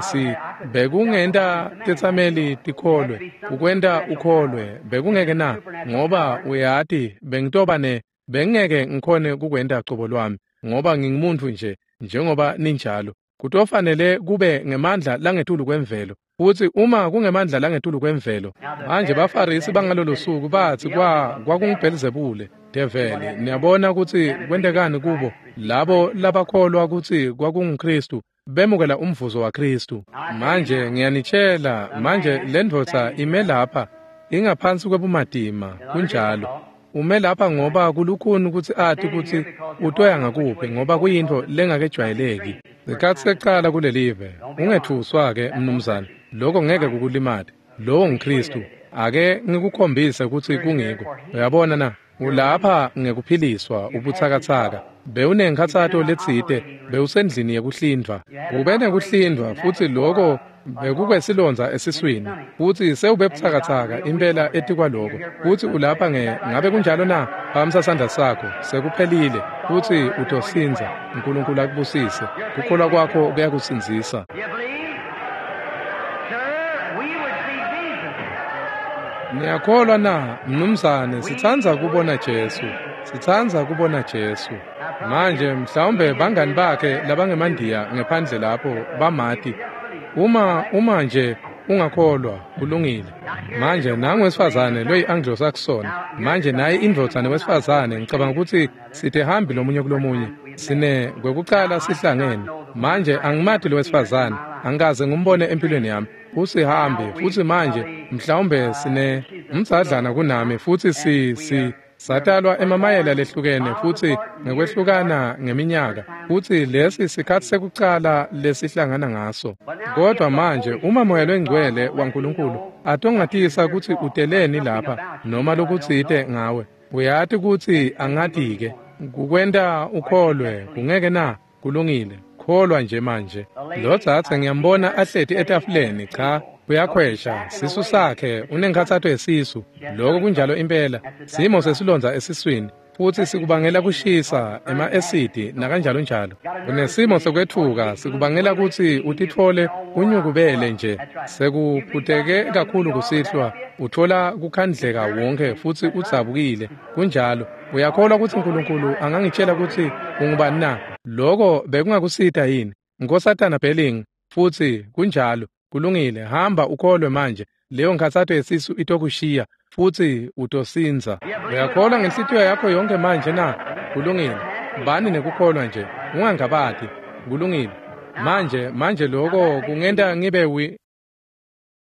bekungenta tetsameli tikholwe, ukwenta ukholwe, bekungeke na? Ngoba uyati bengitoba bengeke ngikhone kukwenta cobo lwami, ngoba ngingumuntu nje, njengoba ninjalo. Kutofanele kube ngemandla langetulu kwemvelo. Futsi uma kungemandla langetulu kwemvelo, manje baFarisi bangalolo suku batsi kwakunguBhelzebule, develi. Niyabona kutsi kwentekani kubo, labo labakholwa kutsi kwakunguKristu, bemukela umvuzo waKristu. Manje ngiyanitshela, manje lendvodza ime lapha, ingaphansi kwebumatima, kunjalo. Ume lapha ngoba kulukhuni kutsi ati kutsi utoya ngakuphi, ngoba kuyintfo lengakejwayeleki. Sikhatsi sekucala kulelive, ungetfuswa-ke mnumzane, loko ngeke kukulimate. Lowo nguKristu. Ake ngikukhombise kutsi kungiko. Uyabona na? Ulapha ngekuphiliswa ubutsakatsaka. Bewunenkhatsato letsite, bewusendlini yekuhlindvwa. Ube nekuhlindvwa futsi loko bekukwesilondza esiswini, futsi sewube butsakatsaka impela etikwaloko. Futsi ulapha ngabe kunjalo na? Phakamisa sandla sakho, sekuphelile, futsi utosindza. uNkulunkulu akubusise. Kukholwa kwakho kuyakusindzisa. Niyakholwa na, mnumzane? Sitsandza kubona Jesu. Sitsandza kubona Jesu. Manje mhlawumbe bangani bakhe labangemandiya ngephandle lapho bamati. Uma nje ungakholwa, kulungile. Manje nangu wesifazane loyi-Anglo-Saxon. Manje naye indvodza newesifazane, ngicabanga kutsi sitihambi lomunye kulomunye. Sine kwekucala sihlangene. Manje angimati lo wesifazane, angikaze ngimbone empilweni yami. Usihambi futsi manje mhlawumbe sine umdzadlana kunami, futsi satalwa emamayela lehlukene futsi ngekwehlukana ngeminyaka, futsi lesi sikhatsi sekucala lesihlangana ngaso. Kodwa manje uma Moya loNgcwele waNkulunkulu atongatisa kutsi uteleni lapha noma lokutsite ngawe, uyati kutsi angati-ke kukwenta ukholwe, kungeke na? Kulungile. Kholwa nje manje. Lo dzadze ngiyambona ahleti etafuleni, cha, uyakhwesha, sisu sakhe unenkhatsato yesisu. Loko kunjalo impela, simo sesilondza esiswini, futsi sikubangela kushisa, ema-esidi nakanjalo njalo. Unesimo sekwetfuka, sikubangela kutsi utitfole unyukubele nje. Sekuphuteke kakhulu kusihlwa, utfola kukhandleka wonke futsi udzabukile. Kunjalo. Uyakholwa kutsi uNkulunkulu angangitshela kutsi ungubani na? Loko bekungakusita yini? Nkosatana Belling, futsi kunjalo. Kulungile, hamba ukholwe manje. Leyo nkhatsato yesisu itokushiya futsi utosindza. Uyakholwa ngenhlitiyo yakho yonke manje na? Kulungile. Bani nekukholwa nje, ungangabati. Kulungile. Manje, manje loko kungenta ngibe wi